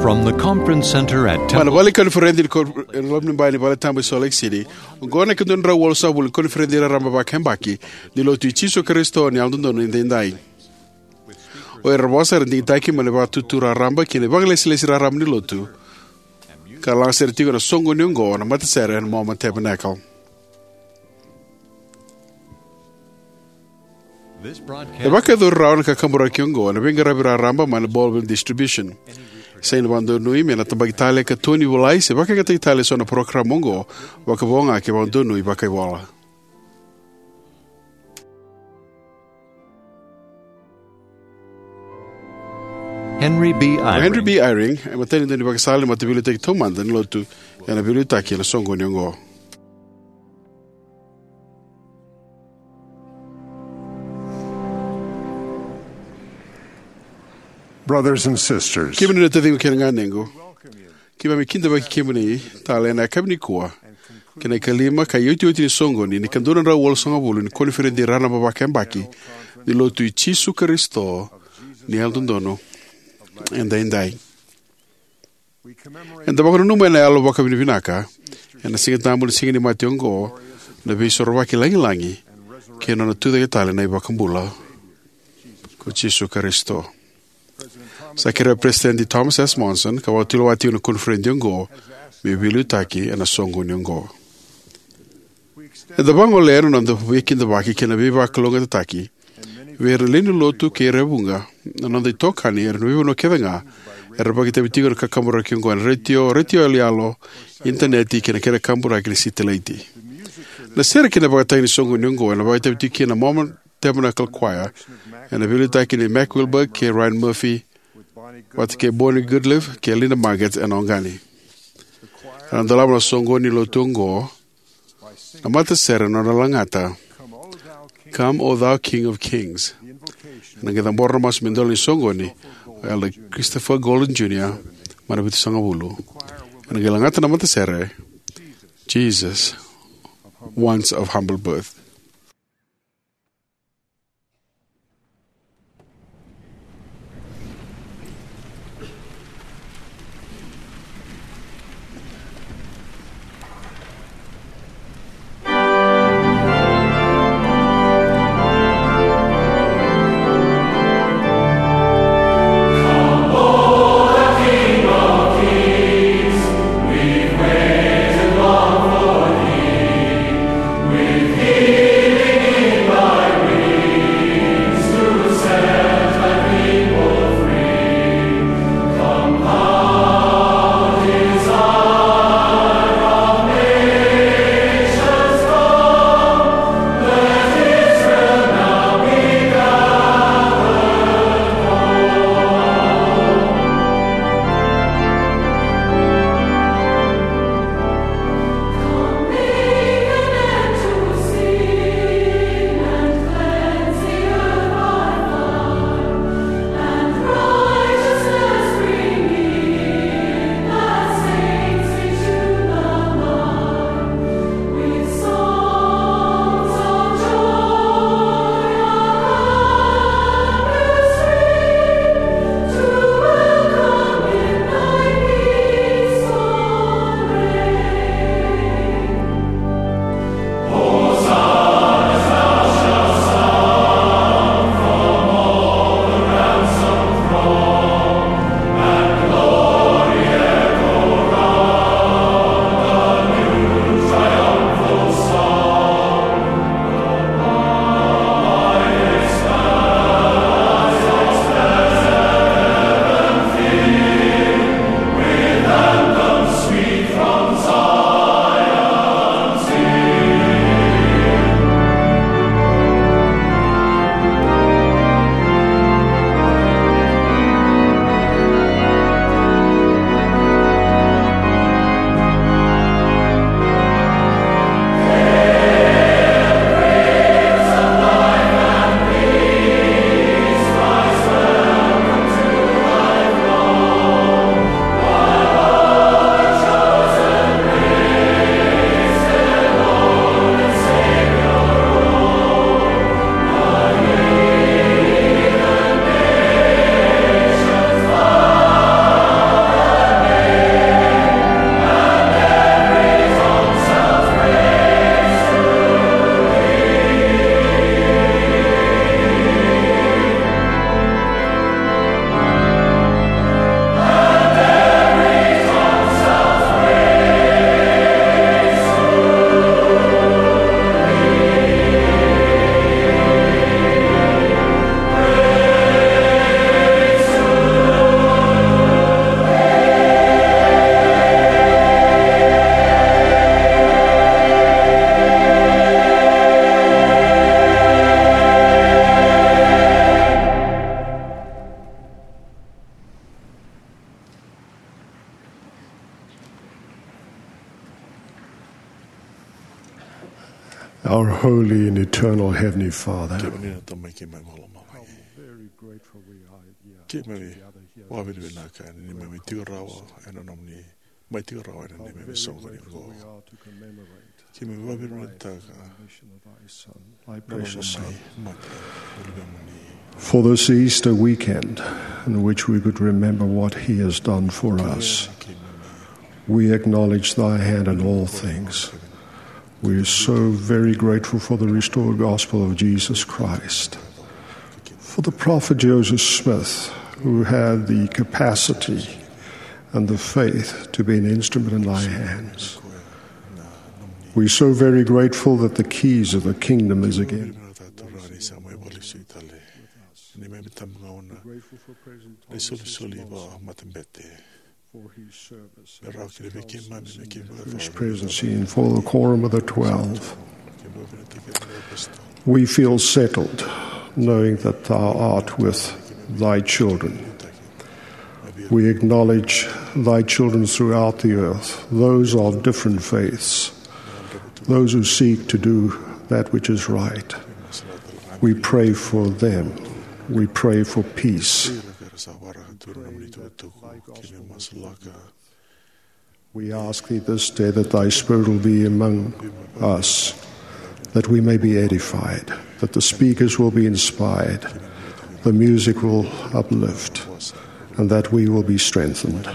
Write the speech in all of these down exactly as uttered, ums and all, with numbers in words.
From the conference center at Mai na Temple vale ni koniferedi ni ko-, e loma ni bai ni vale tabu e Salt Lake City. Oqo na ikadua na drau walusagavulu ni koniferedi raraba vakayabaki ni Lotu i Jisu Karisito ni Yalododonu Edaidai. O ira na vosa era digitaki mai na Vakaitutu Raraba kei na Vakailesilesi Raraba ni Lotu, ka lagasere tiko ena soqoni oqo na matasere ena Mormon Tabernacle. E vakayacori rawa na kakaburaki oqo ena veiqaravi raraba mai na Baldwin Distribution. Sega ni vakadonui me na tabaki tale ka tokoni volai se vakayagataki tale eso na parokaramu oqo, vakavo ga ke vakadonui vakaivola. Henry B. O Henry Eyring. B. Eyring e matai ni daunivakasala ni Mataveiliutaki Taumada ni Lotu ena veiliutaki ena soqoni oqo. Brothers and sisters, kemuni na taciqu kei na ganequ, keimami kidavaki kemuni tale ena yakavi nikua kei na ikalima ka iotioti ni soqoni ni ikadua na drau walusagavulu ni koniferedi raraba vakayabaki ni Lotu i Jisu Karisito ni Yalododonu Edaidai. Eda vakananuma ena yalo vakavinavinaka ena Siga Tabu ni Siga ni Mate oqo na Veisorovaki lagilagi kei na nona tucake tale na iVakabula ko Jisu Karisito. Sa kerea o Peresitedi Thomas S. Monson, ka vakatulewa tiko na koniferedi oqo, me veiliutaki ena soqoni oqo. Eda vagolea na noda veikidavaki kei na veivakalougatataki vei ira na lewe ni Lotu kei ira e vuqa, na noda itokani ena veivanua kece ga era vakaitavi tiko ena kakaburaki oqo ena retio, retio yaloyalo, initaneti kei na kena kaburaki ni sitelaiti. Na sere kei na ivakatagi ni soqoni oqo ena vakaitavi tiko kina na Mormon Tabernacle Choir, ena veiliutaki nei Mac Wilberg kei Ryan Murphy, vata kei Bonnie Goodliffe kei Linda Margetts ena oqani. Ena dolava na soqoni ni Lotu oqo na matasere ena nona lagata, "Come, O thou King of Kings." Ena qai cabora na masu me idola ni soqoni o Elder Christopher Golden Junior mai na Vitusagavulu. Ena qai lagata na matasere, "Jesus, once of humble birth." Holy and eternal Heavenly Father, kemuni na Tamai keimami vakalomalagi, keimami vakavinavinaka ni mai tiko rawa ena nomuni mai tiko rawa ena neimami soqoni oqo. Keimami vakavinavinakataka na nona mai mate na Luvemuni. For this Easter weekend, in which we could remember what he has done for us, we acknowledge thy hand in all things. We are so very grateful for the restored gospel of Jesus Christ, for the prophet Joseph Smith, who had the capacity and the faith to be an instrument in thy hands. We are so very grateful that the keys of the kingdom is again. His presidency and for the quorum of the twelve. We feel settled knowing that thou art with thy children. We acknowledge thy children throughout the earth, those of different faiths, those who seek to do that which is right. We pray for them. We pray for peace. We ask thee this day that thy Spirit will be among us, that we may be edified, that the speakers will be inspired, the music will uplift, and that we will be strengthened.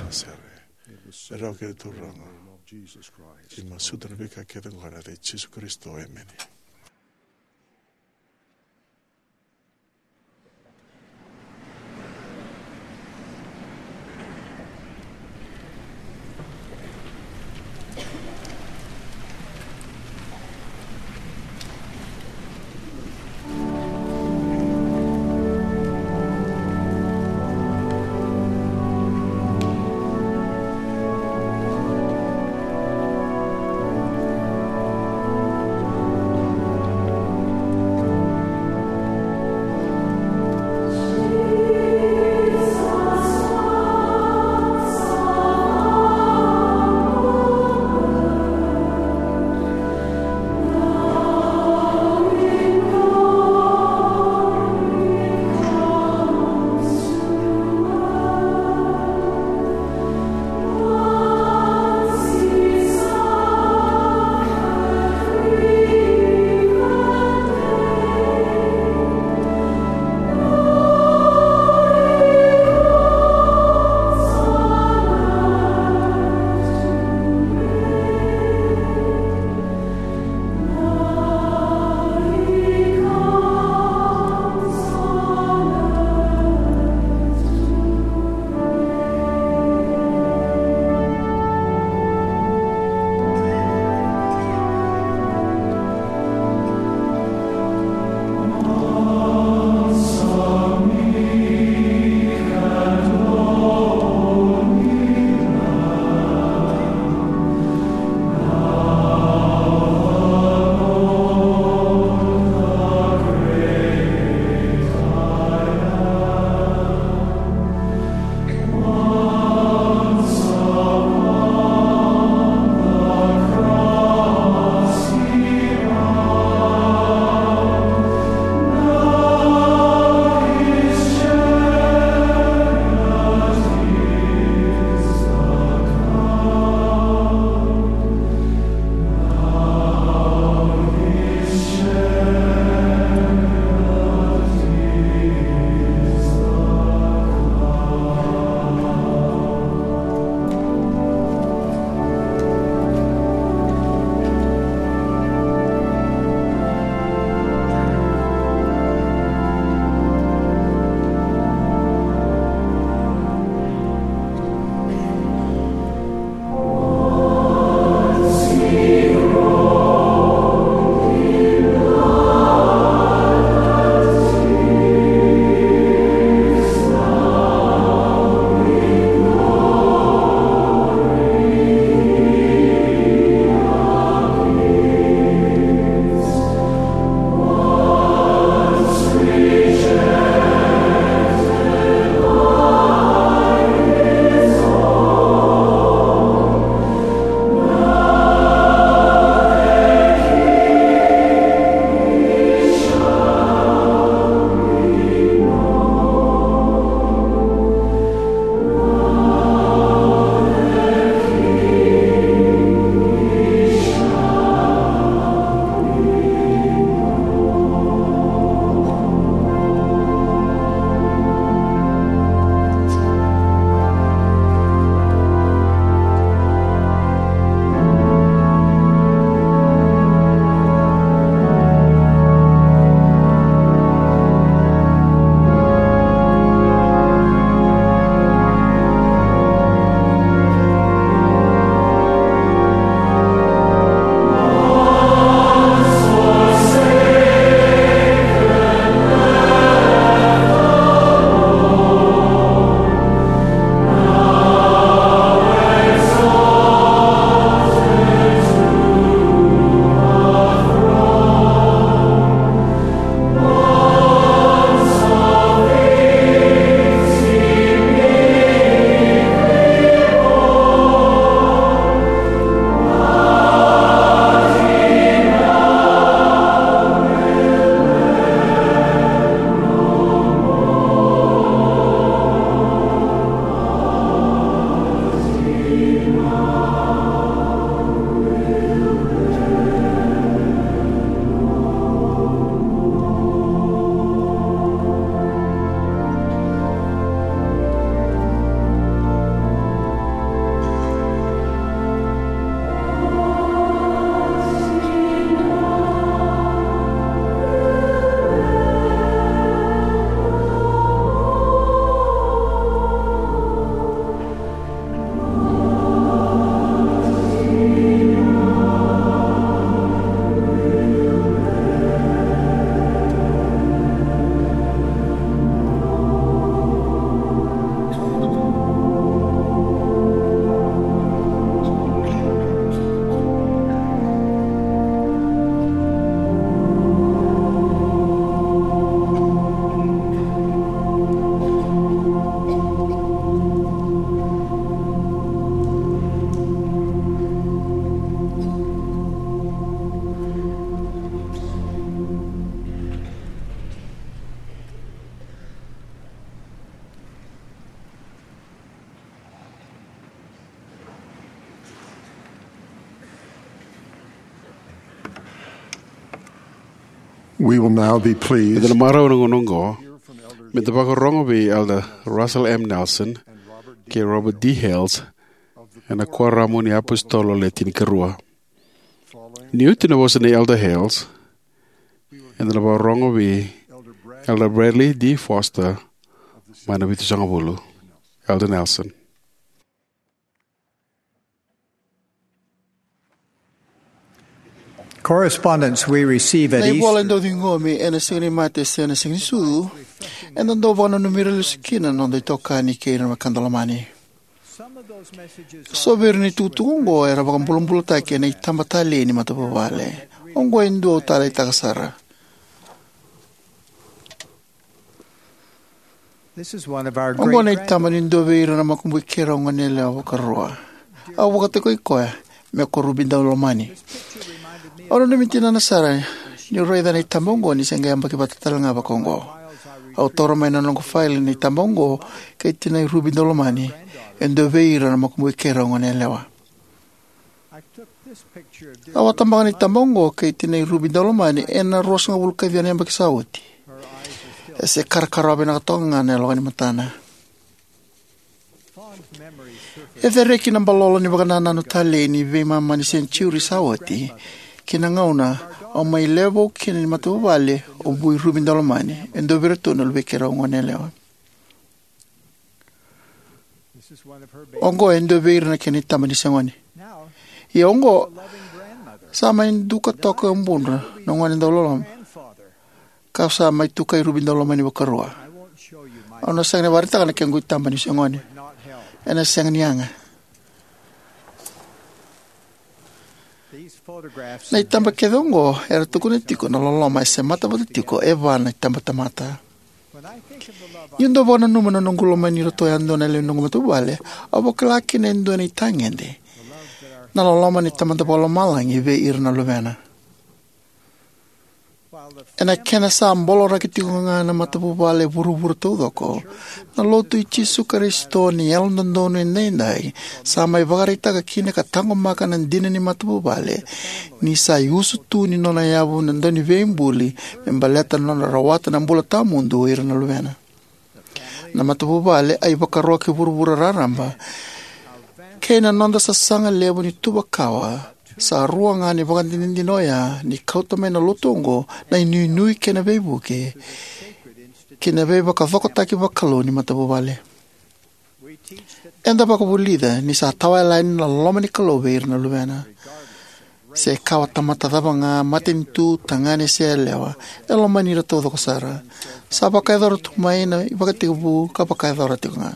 We will now be pleased. Eda na marau ena gauna oqo me da vakarorogo vei Elder Russell M. Nelson kei Robert D. Hales ena Kuoramu ni iApositolo Le Tinikarua. Ni oti na vosa nei Elder Hales, eda na vakarorogo vei Elder Bradley D. Foster mai na Vitusagavulu. Elder Nelson. Correspondence we receive at Na ivola e Easter dau ciqomi ena Siga ni Mate se na Siga ni Sucu, eda dau vakananumi ira lesu kina na noda itokani kei ira na wekada lomani. Some of those messages So vei ira na itukutuku oqo era vakabulabulataki ena itaba talei ni matavuvale. Oqo e dua au taleitaka sara. This is one of our Oqo na great itaba ni dua vei ira na makubui keirau goneyalewa vakarua. Au vakatokai koya me ko Ruby Daulomani. Au nanumi tinana sara niu raica na itaba oqo ni se qai yabaki vata tale ga vakaoqo. Au taura mai na noqu faili na itaba oqo kei tinai Ruby Daulomani, e dua vei ira na makubui keirau goneyalewa. Au a tabaka na itaba oqo kei tinai Ruby Daulomani ena ruasagavulu ka ciwa na yabaki sa oti. E se karakarawa vinaka toka ga na yaloka ni matana. E cereki na balolo ni vakanananu talei ni veimama ni senitiuri sa oti ki na gauna au mai lewe vou kina ni matavuvale o Vui Ruby Daulomani, e dua vei iratou na luvei keirau goneyalewa. Oqo e dua vei ira na kena itaba ni se gone. Ia oqo, sa mai duka toka e budra na gone dauloloma, ka sa mai tukai Ruby Daulomani vakarua. Au na sega ni vakaraitaka na kequ itaba ni se gone. Ena sega ni yaga. Na itaba kece oqo era tukuna tiko na loloma e semata vata tiko e va na itabatamata. Niu dau vakananuma na noqu lomani iratou yadua na lewe ni noqu matavuvale, au vakila kina e dua na itagede na loloma ni Tamada Vakalomalagi vei ira na luvena. Ena kena sa boloraki tiko ga na matavuvale e vuravura taucoko, na Lotu i Jisu Karisito ni Yalododonu Edaidai sa mai vakaraitaka kina ka taqomaka na dina ni matavuvale ni sa iusutu ni nona yavu na Dauniveibuli me baleta na nodra rawata na bula tawamudu o ira na luvena. Na matavuvale, a ivakaro ki vuravura raraba, kei na noda sasaga levu ni tuva kawa, sa rua ga na ivakadinadina oya ni kauta mai na Lotu oqo na inuinui kei na veivuke ki na veivakacokotaki vakalou ni matavuvale. Eda vakavulica ni sa tawayalani na loloma ni Kalou vei ira na luvena. Se kawa tamata cava ga, matanitu, tagane se yalewa, e lomani ira taucoko sara. Sa vakayacora tu mai na ivakatekivu ka vakayacora tiko ga.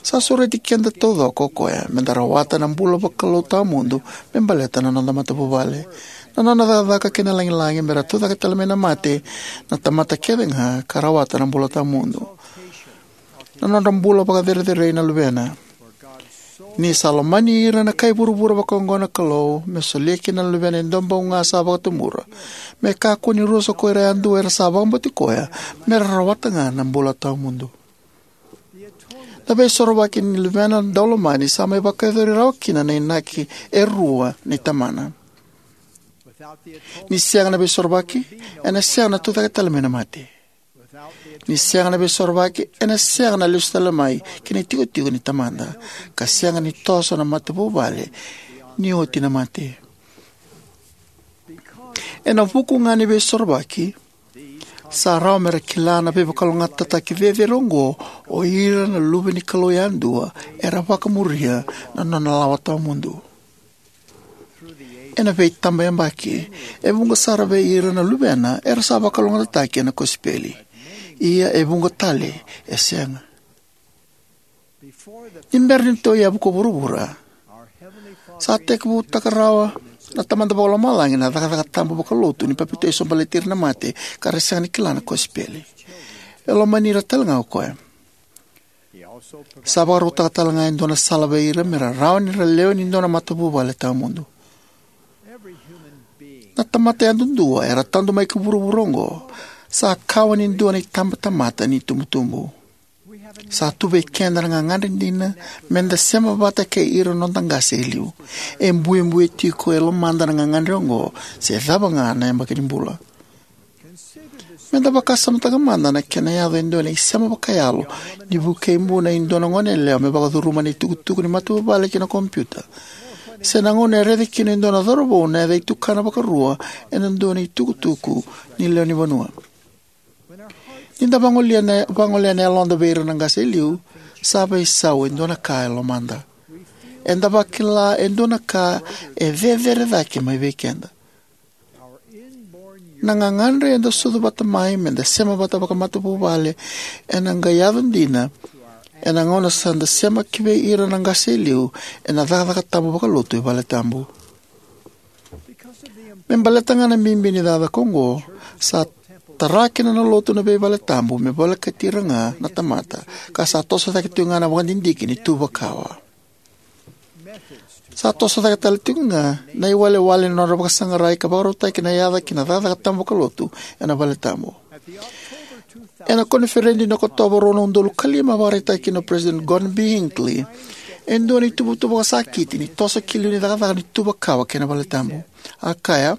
Sa sureti keda taucoko o koya me da rawata na bula vakalou tawamudu me baleta na noda matavuvale. Na nona cakacaka kei na lagilagi me ra tucake tale mai na mate na tamata kece ga ka rawata na bula tawamudu. Na nodra bula vakacerecerei na luvena. Ni sa lomani ira na kai vuravura vakaoqo na Kalou, me solia kina na luvena e dua bau ga sa vakatubura, me kakua ni rusa ko ira yadua era sa vakabauti koya, me ra rawata ga na bula tawamudu. Na veisorovaki ni luvena daulomani sa mai vakayacori rawa kina na inaki e rua nei Tamana. Ni sega na veisorovaki, ena sega na tucake tale mai na mate. Ni sega na veisorovaki, ena sega na lesu tale mai ki na itikotiko ni Tamada, ka sega ni toso na matavuvale ni oti na mate. Ena vuku ga ni veisorovaki, sa rawa me ra kila na veivakalougatataki cecere oqo o ira na luve ni Kalou yadua era vakamuria na nona lawa tawamudu. Ena veitabayabaki, e vuqa sara vei ira na luvena era sa vakalougatataki ena kosipeli. Ia e vuqa tale e sega. Ni bera ni tou yavu ko vuravura, sa tekivutaka rawa na Tamada Vakalomalagi na cakacaka tabu vakalotu ni papitaiso baleti ira na mate ka ra sega ni kila na kosipeli. E lomani ira tale ga o koya. Sa vakarautaka tale ga e dua na sala vei ira me ra rawa ni ra lewe ni dua na matavuvale tawamudu. Na tamata yadudua era tadu mai ki vuravura oqo sa kawa ni dua na itabatamata ni tubutubu. Sa tu vei keda na gagadre dina meda sema vata kei ira na noda qase e liu. E buebue tiko e lomada na gagadre oqo, se cava ga na yabaki ni bula. Meda vakasamataka mada na kena yaco e dua na isema vakayalo ni vukei buna e dua na goneyalewa me vakacuruma na itukutuku ni matavuvale ki na kompiuta, se na gauna e raica kina e dua na cauravou na yaca itukana vakarua ena dua na itukutuku ni lewenivanua. Ni da vagolea na, vagolea na yaloda vei ira na qase e liu, sa veisau e dua na ka e lomada. Eda vakila e dua na ka e cecere cake mai vei keda. Na gagadre eda sucu vata mai meda sema vata vakamatavuvale ena qai yaco dina ena gauna sa da sema ki vei ira na qase e liu ena cakacaka tabu vakalotu e valetabu. Me baleta ga na bibi ni cakacaka oqo, sa tara kina na lotu na veivaletabu me volekati ira ga na tamata, ka sa toso cake tiko ga na vakadidike ni tuva kawa. Sa toso cake tale tiko ga na iwalewale ni nodra vakasaqarai ka vakarautaki na yaca ki na cakacaka tabu vakalotu ena valetabu. Ena koniferedi ni Okotova rua na udolu ka lima, a vakaraitaka kina o President Gordon B. Hinckley e dua na ituvatuva vakasakiti ni toso ki liu ni cakacaka ni tuva kawa kei na valetabu. A kaya: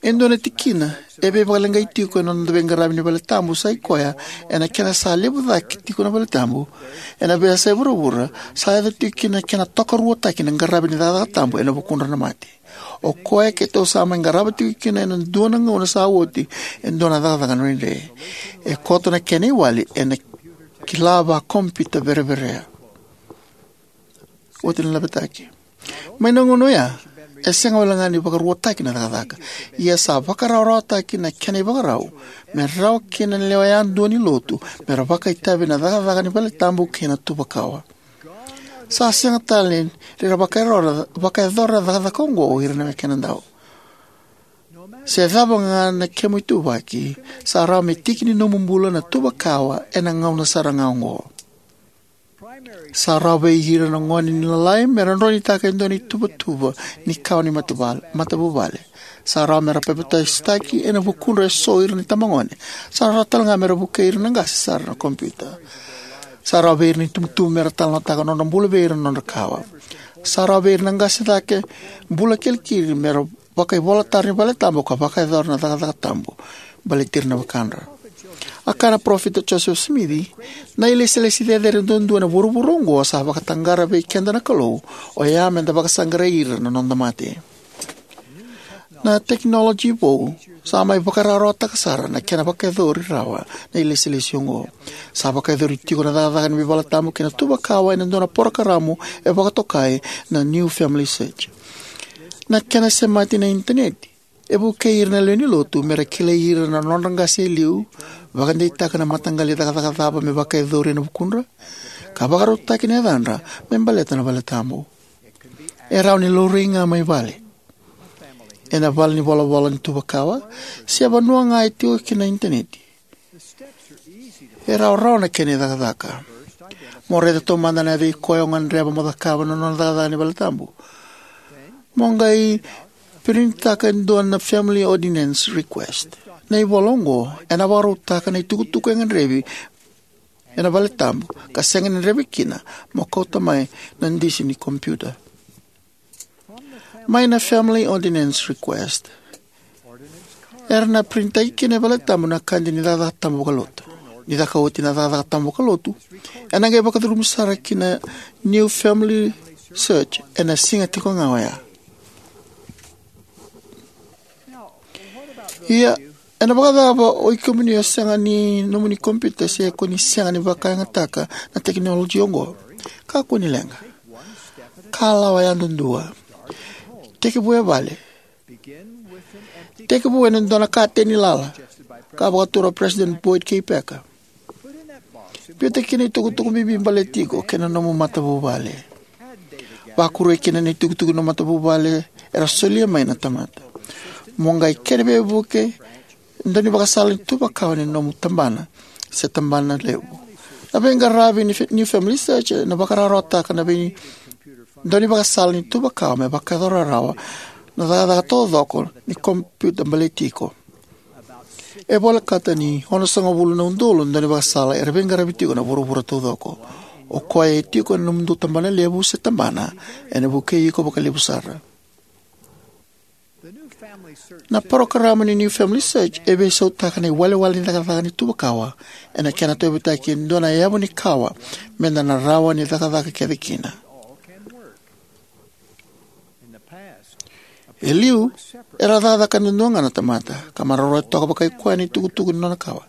E dua na tikina e veivakaleqai tiko ena noda veiqaravi ni valetabu sa i koya, ena kena sa levu cake tiko na valetabu ena veiyasai vuravura, sa yaco tiko kina na kena tokaruataki na qaravi ni cakacaka tabu ena vukudra na mate. O koya keitou sa mai qarava tiko kina ena dua na gauna sa oti e dua na cakacaka dredre. E koto na kena iwali ena kila vakompiuta vereverea. Oti na lavetaki. Mai na gauna oya, e sega wale ga ni vakaruataki na cakacaka, ia sa vakarawarawataki na kena ivakarau me rawa kina na lewe yadua ni lotu me ra vakaitavi ena cakacaka ni valetabu kei na tuva kawa. Sa sega tale ni ra vakayacora, vakayacora na cakacaka oqo o ira na wekada. Se cava ga na kemu ituvaki, sa rawa me tiki ni nomu bula na tuva kawa ena gauna sara ga oqo. Sa rawa vei ira na gone ni lalai me ra droinitaka e dua na ituvatuva ni kawa ni matavuvale, matavuvale. Sa rawa me ra papitaisotaki ena vukudra eso ira na itabagone. Sa rawa tale ga me ra vukei ira na qase sara na kompiuta. Sa rawa vei ira na itubutubu me ra talanoataka na nodra bula vei ira na nodra kawa. Sa rawa vei ira na qase cake bula kilikili me ra vakaivolatara ni valetabu ka vakayacora na cakacaka tabu baleti ira na wekadra. A kaya na Parofita Josefa Simici: Na ilesilesi cecere duadua ena vuravura oqo sa vakataqara vei keda na Kalou, oya meda vakasaqarai ira na noda mate. Na tekinoloji vou sa mai vakarawarawataka sara na kena vakayacori rawa na ilesilesi oqo. Sa vakayacori tiko na cakacaka ni veivaletabu kei na tuva kawa ena dua na porokaramu e vakatokai na New Family Search. Na kena semati ena initaneti e vukei ira na lewe ni lotu me ra kilai ira na nodra qase e liu, vakadeitaka na mataqali cakacaka cava me vakayacori ena vukudra, ka vakarautaki na yacadra me baleta na valetabu. E rawa ni laurai ga mai vale, ena valenivolavola ni tuva kawa, se vanua ga e tiko kina na initaneti. E rawarawa na kena icakacaka. Mo raica taumada na yaca i koya o gadreva mo cakava na nona cakacaka ni valetabu. Mo qai printaka e dua na Family Ordinance Request. Na ivola oqo ena vakarautaka na itukutuku e gadrevi ena valetabu ka sega ni gadrevi kina mo kauta mai na disi ni kompiuta. Mai na Family Ordinance Request, era na printaki kina e valetabu na kadi ni cakacaka tabu vakalotu. Ni caka oti na cakacaka tabu vakalotu, ena qai vakacurumi sara ki na New Family Search ena siga tiko ga oya. Ia, ena vakacava o ikemuni o sega ni nomuni kompiuta se ko ni sega ni vakayagataka na tekinoloji oqo? Kakua ni leqa. Kalawa yadudua. Tekivu e vale. Tekivu ena dua na kateni lala ka vakatura o President Boyd K. Packer. Biuta kina itukutuku bibi baleti iko kei na nomu matavuvale. Vakuria kina na itukutuku ni matavuvale era solia mai na tamata. Mo qai kere veivuke daunivakasala ni tuva kawa ni nomu tabana se tabana levu. Na veiqaravi ni New Family Search ena vakarawarawataka na vei daunivakasala ni tuva kawa me vakayacora rawa na cakacaka taucoko ni kompiuta baleti iko. E volekata ni onosagavulu na udolu na daunivakasala era veiqaravi tiko ena vuravura taucoko. O koya e tiko ena nomudou tabanalevu se tabana ena vukei iko vakalevu sara. Na parokaramu ni New Family Search e veisautaka na iwalewale ni cakacaka ni tuva kawa ena kena tauyavutaki e dua na yavu ni kawa meda na rawa ni cakacaka kece kina. E liu, era cakacaka duadua ga na tamata ka maroroya toka vakai koya na itukutuku ni nona kawa.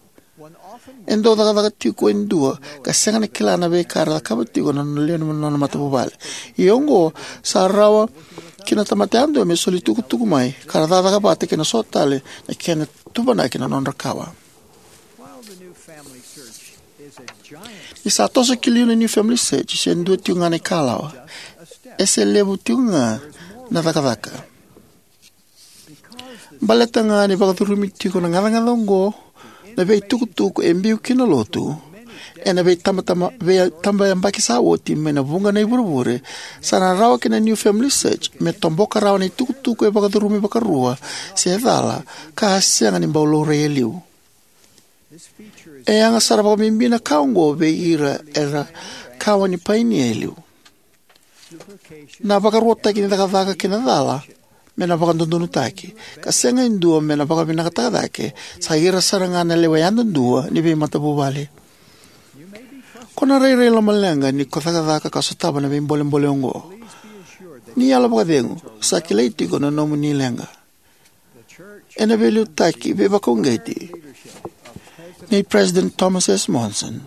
E dau cakacaka tiko e dua ka sega ni kila na veika era cakava tiko na nona lewe ni nona matavuvale. Ia oqo, sa rawa ki na tamata yadua me soli itukutuku mai ka ra cakacaka vata kei na so tale na kena tuvanaki na nodra kawa. Ni sa toso ki liu na New Family Search, se dua tiko ga na ikalawa, e se levu tiko ga na cakacaka. Baleta ga ni vakacurumi tiko na gacagaca oqo na veitukutuku e biu kina na Lotu ena veitabataba, veitabayabaki sa oti mai na vuqa na ivurevure, sa na rawa ki na New Family Search me toboka rawa na itukutuku e vakacurumi vakarua se cala ka a sega ni bau laurai e liu. E yaga sara vakabibi na ka oqo vei ira era kawa ni painia e liu. Na vakaruataki ni cakacaka kei na cala me na vakadodonutaki, ka sega e dua me na vakavinakataka cake, sa ira sara ga na lewe yadudua ni veimatavuvale. Ko na rairai lomaleqa ni ko cakacaka ka sotava na veibolebole oqo. Ni yalo vakacegu, sa kilai tiko na nomuni leqa. Ena veiliutaki veivakauqeti nei President Thomas S. Monson,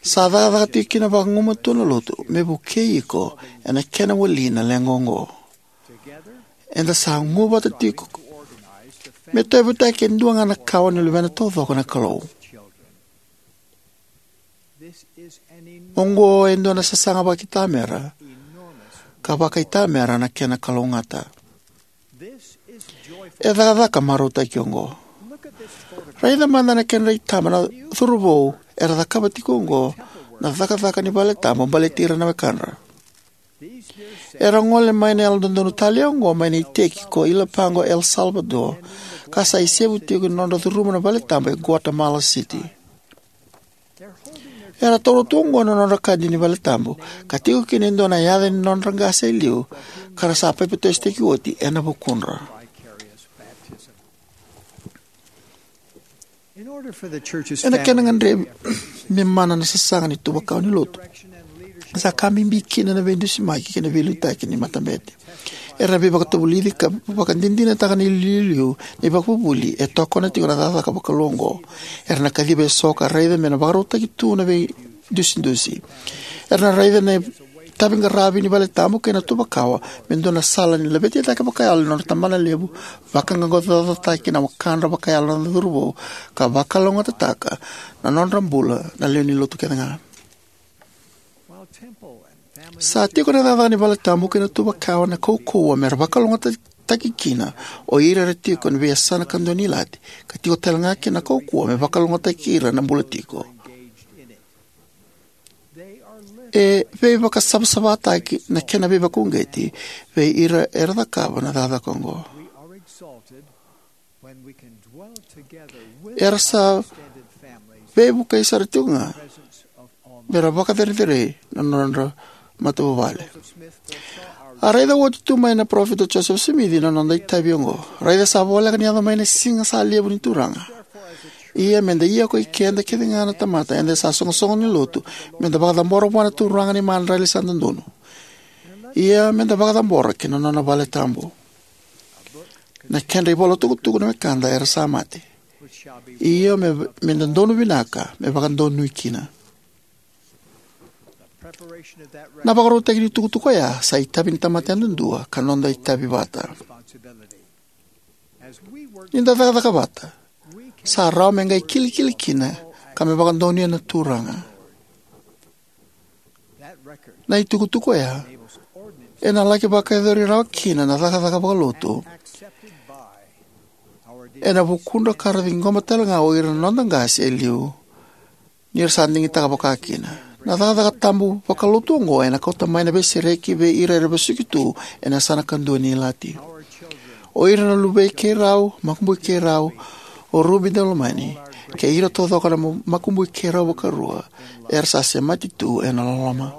sa cakacaka tiko kina vagumatua na Lotu me vukei iko ena kena wali na leqa oqo. Eda sa gu vata tiko me tauyavutaki e dua ga na kawa ni luvena taucoko na Kalou. Oqo e dua na sasaga vakaitamera ka vakaitamera na kena kalougata. E cakacaka marautaki oqo. Raica mada na kedra itaba na curuvou era cakava tiko oqo na cakacaka ni valetabu baleti ira na wekadra. Era gole mai na Yalododonu Tale oqo mai na iteki ko Ilapago, El Salvador, ka sa isevu tiko ni nodra curuma na valetabu e Guatemala City. Era taura tu oqo na nodra kadi ni valetabu ka tiko kina e dua na yaca ni nodra qase e liu, ka ra sa papitaisotaki oti ena vukudra. Ena kena gadrevi me mana na sasaga ni tuva kawa ni Lotu, sa ka bibi kina na veidusimaki kei na veiliutaki ni matabete. Era veivakatavulici ka vakadinadinataka na iliuliu ni ivakavuvuli e tokona tiko na cakacaka vakalou oqo. Era na kaciva eso ka raica me na vakarautaki tu na veidusidusi. Era na raica na itaviqaravi ni valetabu kei na tuva kawa me dua na sala ni laveti cake vakayalo ni nodra tabanalevu, vaqaqacotaki na wekadra vakayalo na curuvou, ka vakalougatataka na nodra bula na lewe ni Lotu kece ga. Sa tiko na cakacaka ni valetabu kei na tuva kawa na kaukauwa me ra vakalougatataki kina o ira era tiko ena veiyasana kadua ni ilati, ka tiko tale ga kina na kaukauwa me vakalougatataki ira na bula tiko. E veivakasavasavataki na kena veivakauqeti vei ira era cakava na cakacaka oqo. Era sa veivukei sara tiko ga me ra vakacerecerei na nodra matavuvale. A raica oti tu mai na Parofita Josefa Simici na noda itavi oqo. Raica sa voleka ni yaco mai na siga sa levu ni Turaga. Ia me da ia koi keda kece ga na tamata eda sa soqosoqo ni Lotu, me da vakacabora vua na Turaga na imadrali sa dodonu. Ia me da vakacabora ki na nona vale tabu. Na kedra ivola tukutuku na wekada era sa mate. Io, me, me dodonu vinaka me vakadonui kina. Na vakarautaki ni tukutuku oya sa itavi ni tamata yadudua ka noda itavi vata. Ni da cakacaka vata, sa rawa me qai kilikili kina ka me vakadonuya na Turaga. Na itukutuku oya ena laki vakayacori rawa kina na cakacaka vakalotu ena vukudra ka ra ciqoma tale ga o ira na noda qase e liu ni ra sa digitaka vaka kina. Na cakacaka tabu vakalotu oqo ena kauta mai na veisereki vei ira era vesuki tu ena yasana kadua ni ilati. O ira na luvei keirau, makubui keirau, O Ruby Daulomani kei ira taucoko na ma-, makubui keirau vakarua era sa semati tu ena loloma.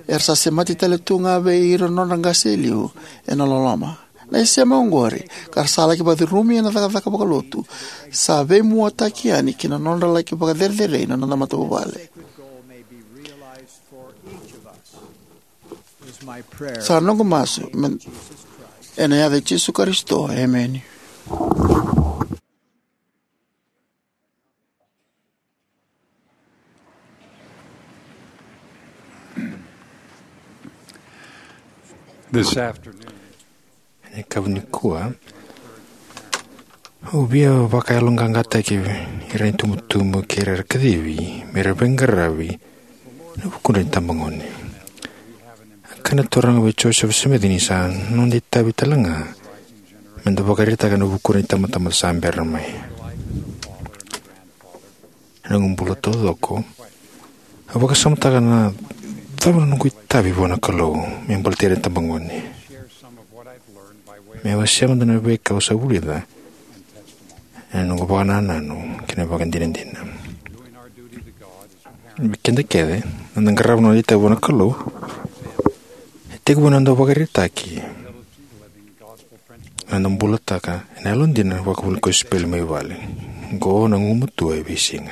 Era sa semati tale tu ga vei ira na nodra qase e liu ena loloma. Na isema oqori, ka ra sa laki vakacurumi ena cakacaka vakalotu, sa veimuataki yani ki na nodra laki vakacerecerei na noda matavuvale. Sa noqu masu me-, ena yaca i Jisu Karisito, emeni. This afternoon, ena yakavi nikua, au via vakayaloqaqataki ira na itubutubu kei ira era kacivi me ra veiqaravi ena vukudra na itabagone. A kaya na Turaga vei Joseph Smith ni sa noda itavi tale ga me da vakaraitaka ena vukudra na itabatamata sa bera mai. Ena noqu bula taucoko, au vakasamataka na cava na noqu itavi vua na Kalou me baleti ira na itabagone. Meu wasea mada na veika au sa vulica ena noqu vakanananu kei na vakadinadina. Vei keda kece, na noda qarava na noda itavi vua na Kalou e tekivu ena noda vakaraitaki, ena noda bulataka ena yalodina na ivakavuvuli ni kosipeli mai vale. Oqo na gugumatua e veisiga.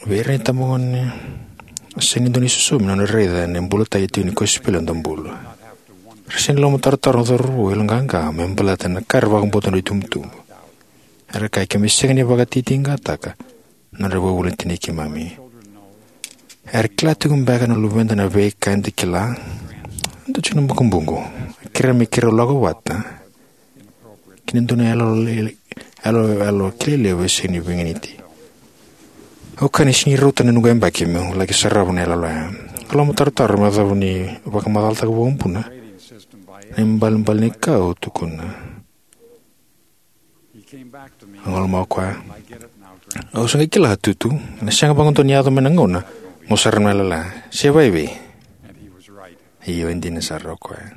Vei ira na itabagone, sega ni dua na isosomi na nodra raica na bulataki tiko ni kosipeli ena noda bula. Era sega ni lomatarotaro na cauravou yaloqaqa me baleta na ka era vakabauta na nodra itubutubu. Era kaya, keimami sega ni vakatitiqataka na nodra ivakavuvuli na tinai keimami. Era kila tiko beka na luveda na veika eda kila? Dua tiko na makubuqu, kerea me keirau lako vata ki na dua na iyaloyalo, iyaloyalo kilai levu e sega ni veiganiti. Au kaya ni sega ni rauta na noqu yabaki meu laki sarava na iyaloyalo ya. Au lomatarotaro me yacova ni vakamacalataka vakabuna na ibalebale ni ka au tukuna. A qai lomani au o koya. Au sa qai kila, Tutu, ena sega vakadua ni yaco mai na gauna mo sarava na iyaloyalo ya. Se vakaevei? Io, e dina sara, o koya.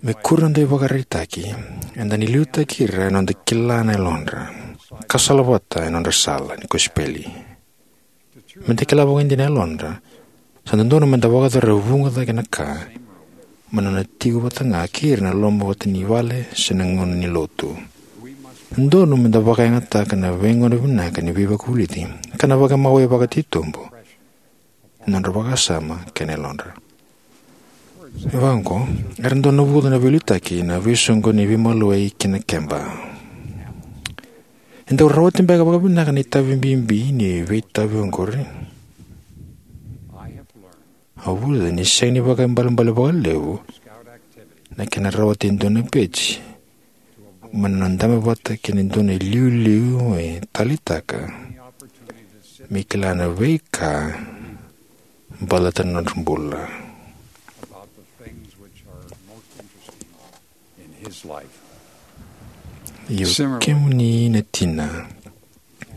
Me kuri na noda ivakaraitaki, eda na liutaki ira ena noda kila na yalodra ka salavata ena nodra sala ni kosipeli. Me da kila vakaidina na yalodra, sa dodonu me da vakayacora e vuqa cake na ka mai na nona tiko vata ga kei ira ena loma vata ni vale se na gauna ni lotu. Dodonu me da vakayagataka na veigauna vinaka ni veivakavulici ka na vakamau e vakatitobu ena nodra vakasama kei na yalodra. Me vaqo, era dau navuca na veiliutaki na veisoqoni ni veimaliwai kei na keba. E dau rawati beka vakavinaka na itavi bibi ni veitavi oqori? Au vulica ni sega ni vakaibalebale vakalevu na kena rawati e dua na peji mai na nona dabe vata kei na dua na iliuliu e taleitaka me kila na veika baleta na nodra bula. Io, kemuni na tina,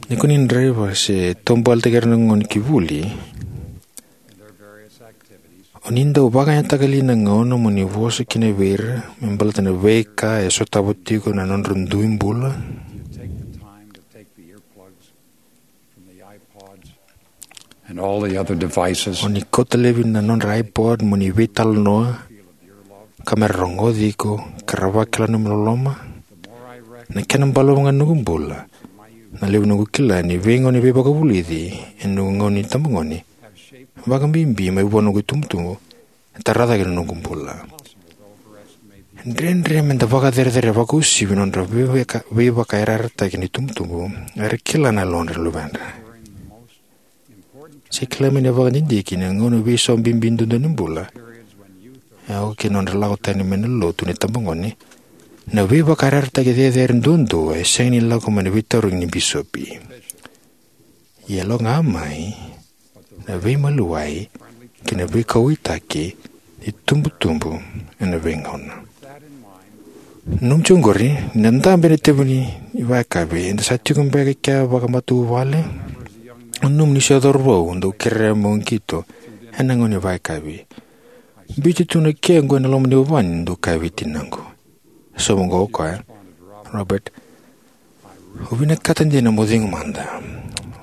ni ko ni draiva se taubaletaki ira na gone ki vuli, o ni dau vakayagataka li na gauna mo ni vosa kina vei ira me baleta na veika e sotava tiko na nodra dui bula? And all the other devices. O ni kauta laivi na nodra iPod mo ni veitalanoa, ka me ra rogoci iko, ka ra vakila na nomu loloma? Na kena balavu ga na noqu bula, na levu noqu kila ni veigauna ni veivakavulici ena noqu gauna ni tabagone vakabibi mai vua noqu itubutubu, e tara cake na noqu bula. Dredre me da vakacerecerei vakausivi na nodra veivaka-, veivakayarayarataki na itubutubu era kila na yalodra na luvedra. Se kila mai na vakadidike na gauna veisau bibi duadua ni bula, e oka kina nodra lako tani mai na lotu ni tabagone, na veivakayarayarataki cecere duadua e sega ni lako mai na veitarogi ni bisopi. Ia e lako ga mai na veimaliwai kei na veikauwaitaki ni tubutubu ena veigauna. Nanuma tiko oqori, ni da dabe ena itevi ni vakayakavi, eda sa tiko beka e kea vakamatavuvale? Nanuma ni se cauravou dau kerea meu qito ena gauna ni vakayakavi. Biuti tu na ke oqo ena loma ni vuvale, dau kaya vei tinaqu. Sa vaqo o koya, Robert, au vinakata dina mo cegu mada.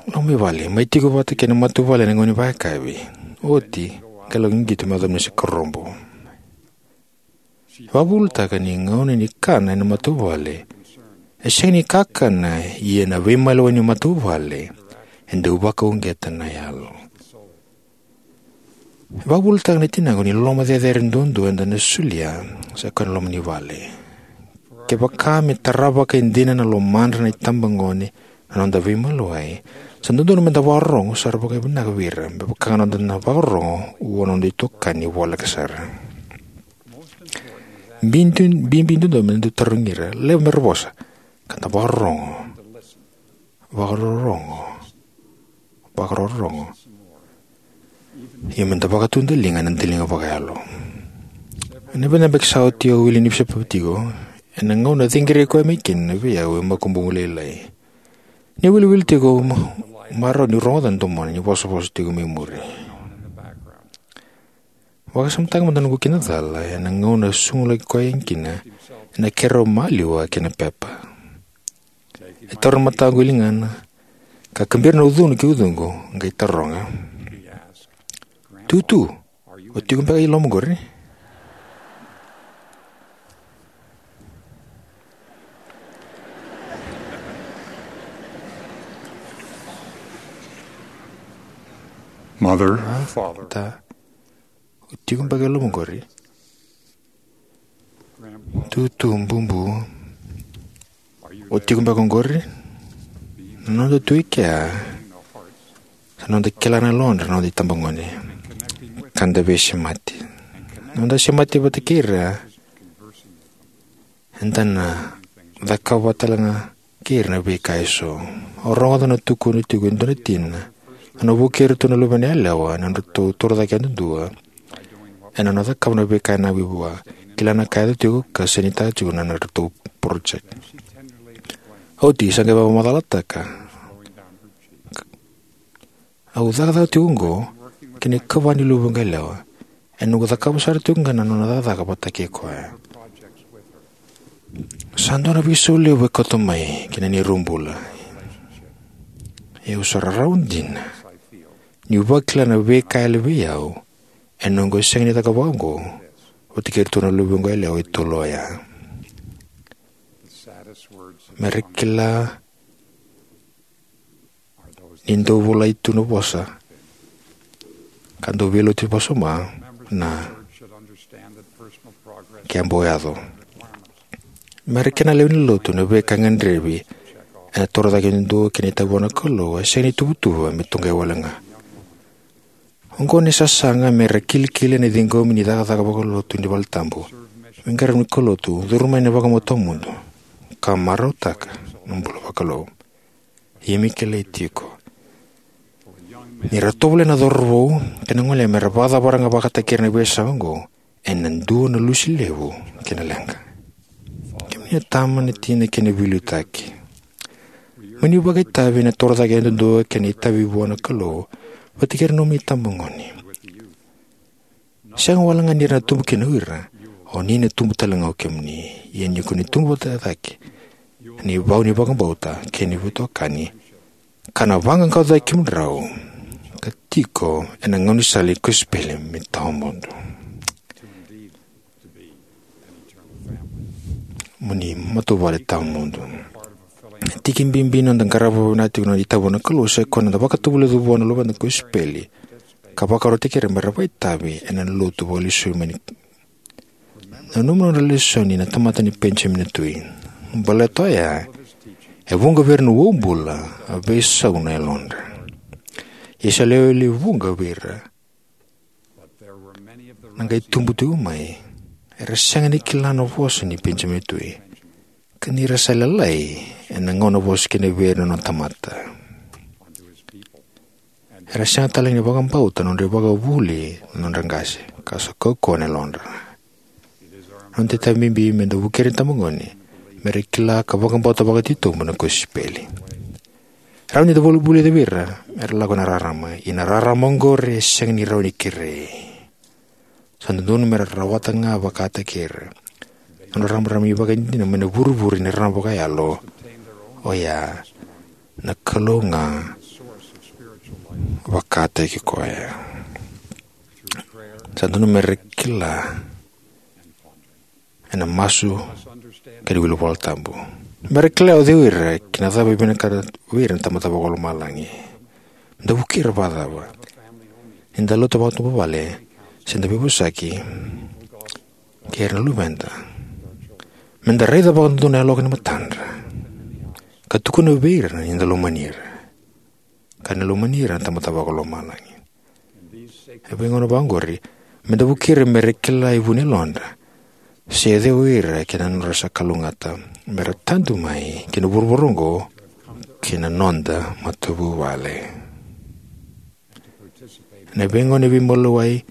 Lako mai vale, mai tiko vata kei na matavuvale ena gauna ni vakayakavi. Oti, qai lako i qito me yaco mai na sikarobou. E vakavuvulitaka ni gauna ni kana ena matavuvale e sega ni kakana, ia na veimaliwai ni matavuvale e dau vakauqeta na yalo. E vakavuvulitaka na tinaqu ni loloma cecere duadua eda na solia sa koya na loma ni vale. Kevaka me tara vakaidina na lomadra na itabagone na noda veimaliwai, sa dodonu meda vakarorogo sara vakavinaka vei ira, me vaka ga na noda na vakarorogo vua na noda itokani voleka sara. Bibi, bibi duadua me dau tarogi ira, levu me ra vosa, ka da vakarorogo, vakarorogo, vakarorogo. Ia me da vakatudaliga ena daliga vakayalo. Ena vica na yabaki sa oti au wili ni bisopi tiko, ena gauna ciqiri koya mai kina vei au e makubuqu lailai. Ni wiliwili tiko, ma-, marau niu rogoca na domona ni vosavosa tiko mai muri. Vakasamataka mada na noqu kidacala ena gauna e sugulaki koya kina ena keirau maliwa kei na pepa. E taura na mataqu e ligana, ka kabira na ucuna ki ucuqu, qai taroga, "Tutu, o tiko beka i loma qori?" Mother, father, ta, o tiko beka i loma qori? Tutu, bubu, o tiko beka qori? Na noda tu e kea, sa noda kila na yalodra na noda itabagone, ka da veisemati. Na noda semati vata kei ira, eda na cakava tale ga kei ira na veika eso. Au rogoca na tukuna tiko e dua na tina, na nona vukei iratou na luvena yalewa ena nodratou torocake yadudua, ena nona cakava na veika e nanumi vua, kila na ka e yaco tiko ka sainitaka tiko na nodratou project. Oti sa qai vakamacalataka, "Au cakacaka tiko oqo kei na ikava ni luvaqu yalewa, ena noqu cakava sara tiko ga na nona cakacaka vata kei koya." Sa dua na veisau levu e kauta mai ki na neirau bula. Ia au sa rarawa dina niu vakila na veika e yali vei au ena noqu sega ni cakava oqo vata kei iratou na luvaqu yalewa e tolu oya. Me ra kila ni dau volai tu na vosa ka dau veilotu vosa ma na ke bau yaco. Me ra kila na lewe ni lotu na veika e gadrevi ena torocake yadudua kei na itavi vua na Kalou e sega ni tuvatuva me tuqai wale ga. Oqo na isasaga me ra kilikili ena ciqomi ni cakacaka vakalotu ni valetabu, me qaravi na kaulotu, curu mai na vakabauta tawamudu, ka marautaka na bula vakalou. Ia me kilai tiko ni ra tovolea na cauravou kei na gone me ra vakacavara ga vakataki ira na veisau oqo, ena dua na lusi levu kei na leqa. Kemuni na tama, na tina kei na veiliutaki, mo ni vakaitavi ena torocake yadudua kei na itavi vua na Kalou vata kei ira na nomuni itabagone. Sega wale ga ni ra na tubu kina o ira, o ni na tubu tale ga o kemuni. Ia ni ko ni tubu vata cake ena ivau ni vakabauta kei na veitokani, ka na vaqaqacotaki kemudrau ka tiko ena gaunisala ni kosipeli me tawamudu. Mo ni matavuvale tawamudu. Tiki bibi ni noda qarava vinaka tiko na itavi vua na Kalou sa ikoya na noda vakatovolei vua na luveda na kosipeli ka vakarautaki ira me ra vakaitavi ena lotu vakalesui mai. Nanuma na nodra lesoni na tamata nei Penijamini na Tui. Baleta oya e vuqa vei ira na uabula a veisau na yalodra. Ia sa lewe levu vuqa vei ira na qai tubu tiko mai era sega ni kila na vosa nei Penijamini na Tui, ka ni ra sa lalai ena gauna vosa kina vei ira na nona tamata. Era sega tale ni vakabauta na nodra ivakavuvuli na nodra qase, ka sa kaukauwa na yalodra. Na noda itavi bibi me da vukei ira na itabagone me ra kila ka vakabauta vakatitobu na kosipeli. Rawa ni da vakavulica vei ira me ra lako ena rarama, ia na rarama oqori e sega ni rawa ni kerei. Sa dodonu me ra rawata ga vakataki ira. Na nodra rarama ivakadinadina mai na vurevure ni rarama vakayalo, oya na Kalou ga vakataki koya. Sa dodonu me ra kila ena masu kei na wili Vola Tabu. Me ra kila o cei o ira kei na cava e vinakata vei ira na Tamada Vakalomalagi. Me da vukei ira vakacava? Ni da lotu vakavuvale, se da veivosaki kei ira na luveda, me da raica vakadodonu na yaloka ni matadra ka tukuna vei ira ni da lomani ira, ka ni lomani ira na Tamada Vakalomalagi. E veigauna vaqori, me da vukei ira me ra kila e vu ni yalodra se o cei o ira kei na nodra sa kalougata me ra tadu mai ki na vuravura oqo kei na noda matavuvale. Na veigauna ni veimaliwai,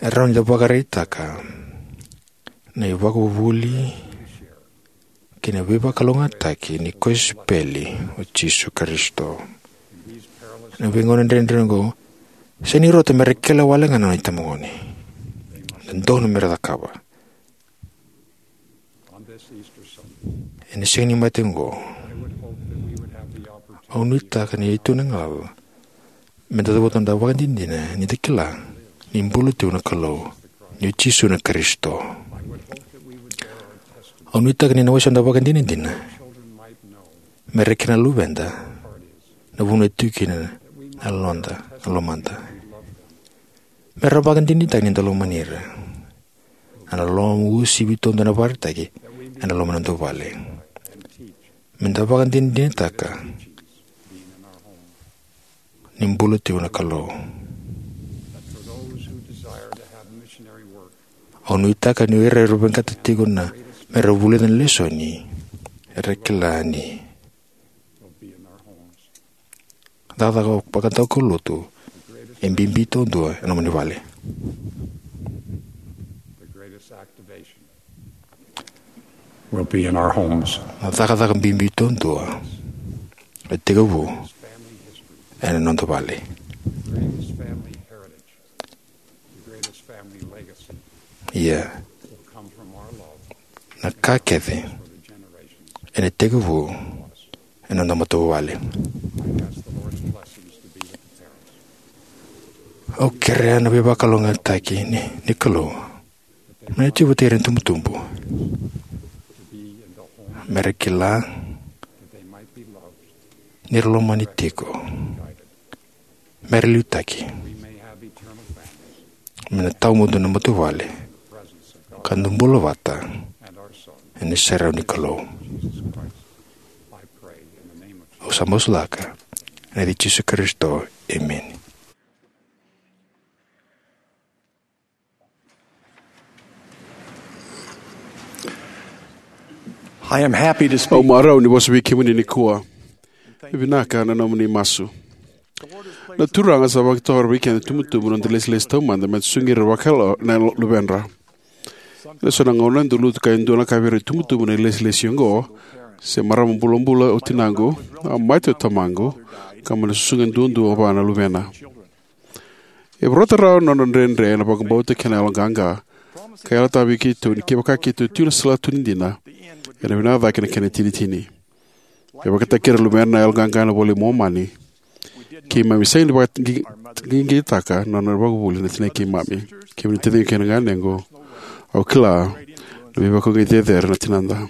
e rawa ni da vakaraitaka na ivakavuvuli kei na veivakalougatataki ni kosipeli o Jisu Karisito. Na veigauna dredre oqo, sega ni rauta me ra kila wale ga na nona itabagone. Dodonu me ra cakava. Ena Siga ni Mate oqo, au nuitaka ni tu na galala me da cavuta na noda vakadinadina ni da kila ni bula tiko na Kalou, ni o Jisu na Karisito. Au nuitaka ni na wasea noda vakadinadina me ra kila na luveda na vanua e tiko kina na loda, na lomada. Me ra vakadinadinataka ni da lomani ira. Ena loma uasivi taudua na vakaraitaki ena loma ni noda vale. Me da vakadinadinataka ni bula tiko na Kalou. Au nuitaka ni o ira era vinakata tiko na me ra vulica na lesoni, era kila ni cakacaka vakadaukaulotu e bibi taudua ena nomuni vale. Will be in our homes. Na cakacaka bibi taudua e tekivu ena noda vale. Ia, na ka kece ena tekivu ena noda matavuvale. Au kerea na veivakalougatataki ni, ni Kalou me na tiko vata kei ira na itubutubu, me ra kila ni ra lomani tiko, me ra liutaki, me na tawamudu na matavuvale, ka da bula vata ena iserau ni Kalou. Au sa masulaka ena yaca i Jisu Karisito, emeni. I am happy to speak. Au marau ni vosa vei kemuni nikua. E vinaka na nomuni masu. Na Turaga sa vakatoro vei keda itubutubu na noda ilesilesi taumada me da susugi ira vakayalo na luvedra. Ena so na gauna e dau lutu ka e dua na ka vei ira itubutubu na ilesilesi oqo, se marama bulabula o tinaqu, a mate o tamaqu, ka mai na susuga duadua vua na luvena. E vorata rawa na nodra dredre na vakabauta kei na yaloqaqa, ka yalataka vei keitou ni kevaka keitou tiko ena salatu ni dina, ena vinaka cake na kena itinitini. E vakayagataki ira na luvena na yaloqaqa ena iVola i Momani. Keimami sega ni vakaqi-, qiqitaka na nona ivakavuvuli na tinai keimami. Kemuni na taciqu kei na ganequ, au kila na veivakauqeti cecere na tinada.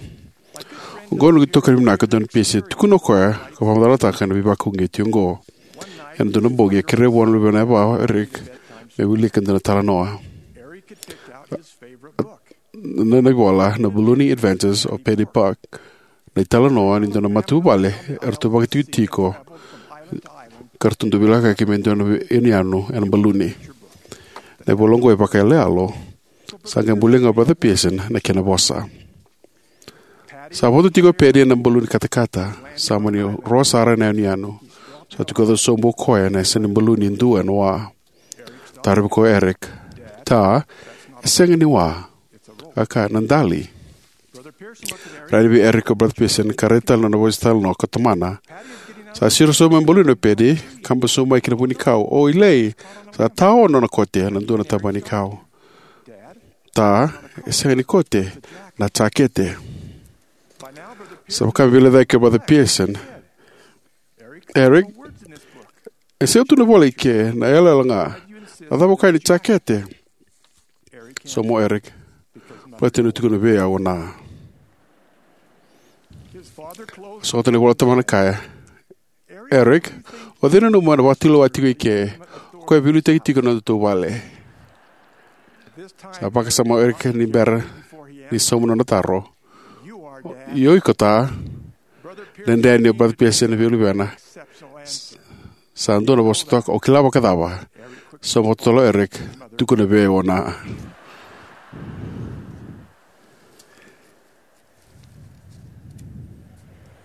Oqo na noqu itokani vinaka o Don Pearson, tukuna o koya ka vakamacalataka na veivakauqeti oqo. Ena dua na bogi, e kerea vua na luvena yavana o Eric me wilika e dua na italanoa. Na, na ivola, na Ballooning Adventures of Paddy Buck, na italanoa ni dua na matavuvale eratou vakaitikotiko ka ratou dau veilakoyaki mai e dua na yanuyanu ena baluni. Na ivola oqo e vakayaloyalo, sa qai bulia ga o Brother Pearson na kena vosa. Sa vodo tiko o Paddy ena baluni katakata, sa mani ro sara na yanuyanu. Sa tukuna sobu o koya na yasana ni baluni e dua ena wa. Tarovi koya o Eric, "Ta, e sega ni wa. A ka na dali." Raica vei Eric o Brother Pearson ka raica tale na nona vosa italanoa ko tamana. Sa siro sobu mai baluni o Pedi, kaba sobu mai ki na vunikau. O Ilei, sa taono na kote ena dua na taba ni kau. Ta, e sega ni kote, na jakete. Sa vaka me veilecayaki o Brother Pearson. Eric, e sega tu na vola i ke, na yalayala ga. Na cava o kaya ni jakete? Sauma o Eric. Baleta ni tukuna vei au o Na. Sota ni vola tamana kaya. Eric, o cei nanuma na vakatulewa tiko i ke? O koya e veiliutaki tiko na nodatou vale. Sa vakasama o Eric ni bera ni sauma na nona taro. Io, iko ta. Na dredre ni o Brother Pearson na vei luvena. Sa dua na vosa toka, o kila vakacava? Sauma vakatotolo o Eric, tukuna vei au o Na.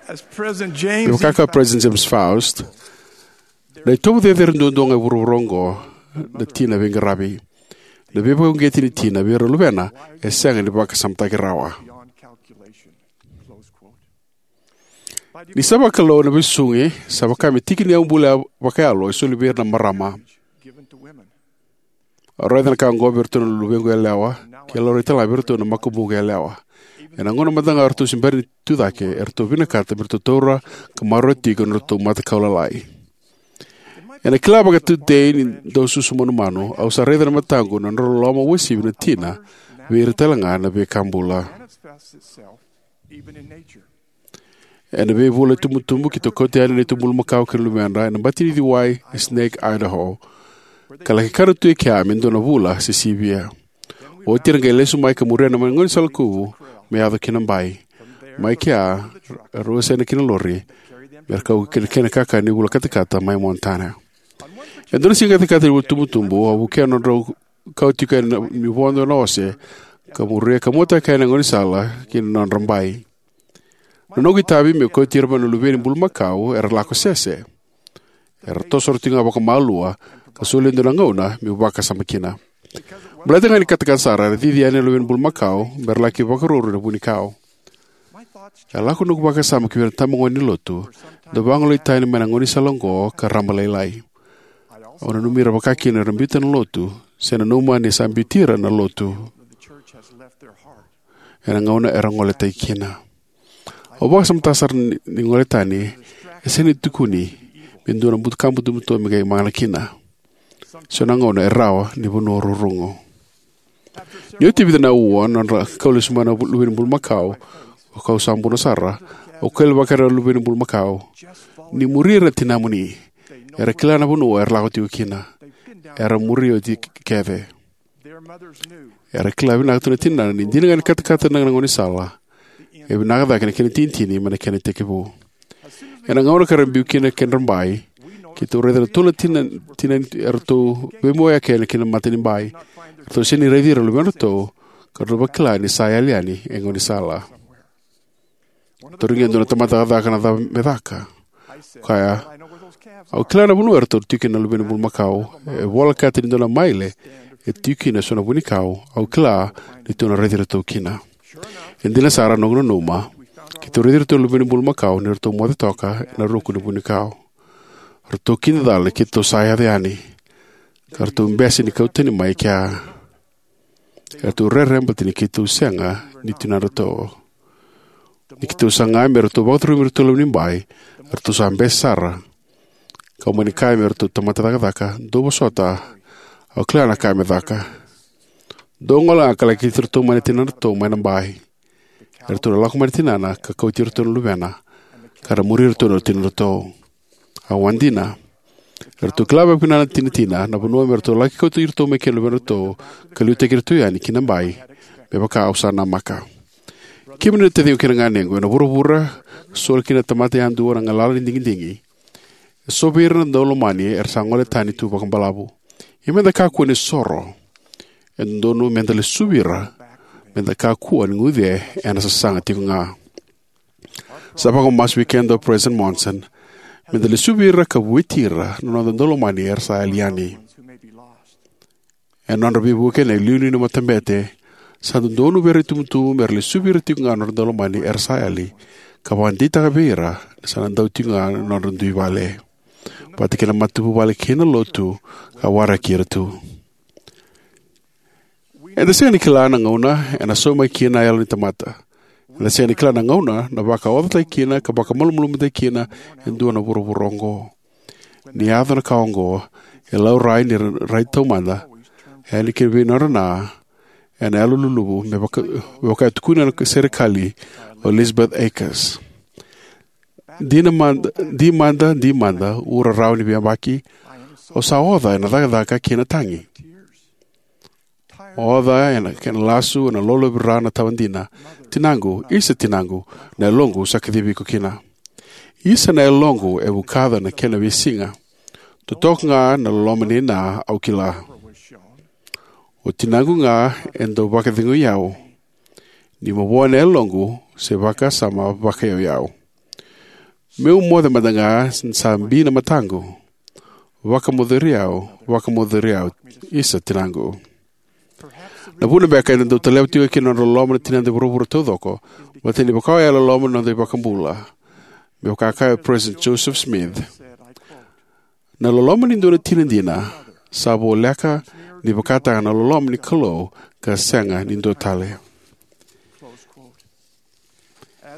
As President James E vakakina o President James Faust, na itovo cecere duadua ga e vuravura oqo na tina veiqaravi. Na veivakauqeti ni tina vei ira na luvena e sega ni vakasamataki rawa. Ni sa vakalou na veisuqi, sa vaka me tiki ni yaubula vakayalo e soli vei ira na marama. Au raica na ka oqo vei iratou na luvequ yalewa, kei laurai tale ga vei iratou na makubuqu yalewa. Ena gauna mada ga eratou se bera ni tucake, eratou vinakata me ratou taura ka maroroya tiko na nodratou matakau lalai. Ena kila vakatutei ni dau susu manumanu, au sa raica na mataqu na nodra loloma uasivi na tina vei ira tale ga na veika bula. Ena veivula itubutubu, keitou kauta yani na neitou bulumakau kei na luvedra ena bati ni ciwai e Snake, Idaho, ka laki kana tu e kea me dua na vula se sivia. Oti era qai lesu mai ka muria na gaunisala kuvu me yaco ki na bai. Mai kea, era wasea na kena lori me ra kau ki na kena kakana ni vula katakata mai Montana. E dua na siga katakata ni vula tubutubu, au vukea na nodrau kau tiko yani niu vodo ena ose, ka muria ka muataka yani na gaunisala ki na nodra bai. Na noqu itavi meu kauti ira mai na luve ni bulumakau era lako sese. Era toso ira tiko ga vakamalua, ka soli e dua na gauna meu vakasama kina. Baleta ga ni katakata sara, era cici yani na luve ni bulumakau me ra laki vakaruru ena vunikau. E lako noqu vakasama ki vei ira na itabagone ni lotu, dau vagolei tani mai na gaunisala oqo ka raba lailai. Au nanumi ira vakakina era biuta na lotu, se nanuma ni sa biuti ira na lotu ena gauna era goletaki kina. Au vakasamataka sara ni, ni gole tani e sega ni tukuni me dua na butuka butobuto me qai magana kina. So na gauna e rawa ni vanua rurugu. Ni oti e vica na aua na nodra kau lesu mai na luve ni bulumakau, o kau sa buna sara, au kailavaka ira na luve ni bulumakau: Ni muri ira na tinamuni. Era kila na vanua era lako tiko kina. Era muri oti kece. Era kila vinaka tu na tinana ni dina ga ni katakata na gaunisala, e vinaka cake na kena itinitini mai na kena itekivu. Ena gauna ka ra biu kina na kedra bai, keitou raica na tolu na tina, tina eratou veimoiyaka yani ki na mata ni bai. Eratou sega ni raici ira na luvedratou, ka ratou vakila ni sa yali yani e gaunisala. Tarogi e dua na tamata cakacaka na cava me caka. Kaya, au kila na vanua eratou tiko kina na luve ni bulumakau. E volekata ni dua na maile e tiko kina eso na vunikau. Au kila ni tou na raici iratou kina. E dina sara, noqu nanuma, keitou raici iratou na luve ni bulumakau ni ratou moce toka ena ruku ni vunikau. Ratou kidacala ni keitou sa yaco yani, ka ratou bese ni kau tani mai kea. Eratou rere baleta ni keitou sega ni tinadratou. Ni keitou saga me ratou vakacurumi iratou loma ni bai, eratou sa bese sara. Kau mani kaya me ratou tamata cakacaka, dou vosota, au kila na ka me caka. Dou gole ga ka laki kauti iratou mai na tinadratou mai na bai. Eratou na lako mai na tinana ka kauti iratou na luvena, ka ra muri iratou na tinadratou. Au a dina. Eratou kila vakavinaka na tinatina na vanua me ratou laki kauti iratou mai kina na luvedratou, ka liutaki iratou yani ki na bai, me vaka au sa namaka. Kemuni na taciqu kei na ganequ, ena vuravura ka soli kina na tamata yadua na galala ni digidigi, e so vei ira na daulomani era sa gole tani tu vakabalavu. Ia meda kakua ni soro. E dodonu meda lesuvi ira, meda kakua ni guce ena sasaga tiko ga. Sa vakamasu vei keda o President Monson meda lesuvi ira ka vueti ira na noda daulomani era sa yali yani. Ena nodra veivuke na iliuliu ni matabete, sa dodonu vei ira na itubutubu mera lesuvi ira tiko ga na nodra daulomani era sa yali, ka vakadeitaka vei ira ni sa na dau tiko ga na nodra dui vale, vata kei na matavuvale kei na lotu ka waraki ira tu. Eda sega ni kila na gauna ena saumaki kina na yalo ni tamata. Eda sega ni kila na gauna na vakaocataki kina ka vakamalumalumutaki kina e dua na vuravura oqo. Ni yaco na ka oqo, e laurai ni ra rai taumada yani kina vei nodra na ena yalo luluvu, me vaka, me vaka e tukuna na serekali o Elizabeth Akers. Di na mada, di mada, di mada, ura rawa ni veiyabaki, au sa oca ena cakacaka kei na tagi. Oca ena kena lasu, ena lolovira na tawa dina. Tinaqu, isa tinaqu, na yaloqu sa kacivi iko kina. Isa na yaloqu e vukaca na kena veisiga. Totoka ga na loloma nei na au kila. O tinaqu ga e dau vakacegui au. Ni mavoa na yaloqu se vakasama vakayauyau. Meu moce mada ga sa bi na mataqu. Vakamoceri au, vakamoceri au, isa tinaqu. Na vuna beka eda dau taleva tiko kina na nodra loloma na tinada e vuravura taucoko, baleta ni vaka oya e loloma na noda iVakabula. Me vaka kaya o President Joseph Smith, na loloma ni dua na tina dina sa voleka ni vakataka na loloma ni Kalou ka sega ni dua tale.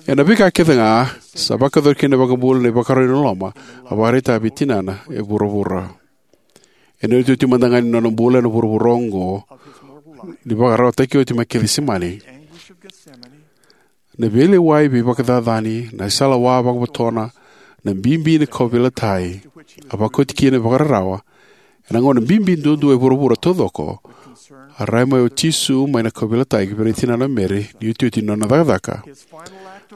Ena veika kece ga sa vakayacori kina na iVakabula na ivakarau ni loloma a vakaraitaka vei tinana e vuravura. Ena iotioti mada ga ni nona bula ena vuravura oqo, ni vakarautaki oti mai Kecisemani, na veilewai veivakacacani, na isala wa vakavotona, na bibi ni kauveilatai a vakoti kina na ivakararawa. Ena gauna bibi duadua e vuravura taucoko, a rai mai o Jisu mai na kauveilatai vei ira na tinana o Meri ni iotioti ni nona cakacaka.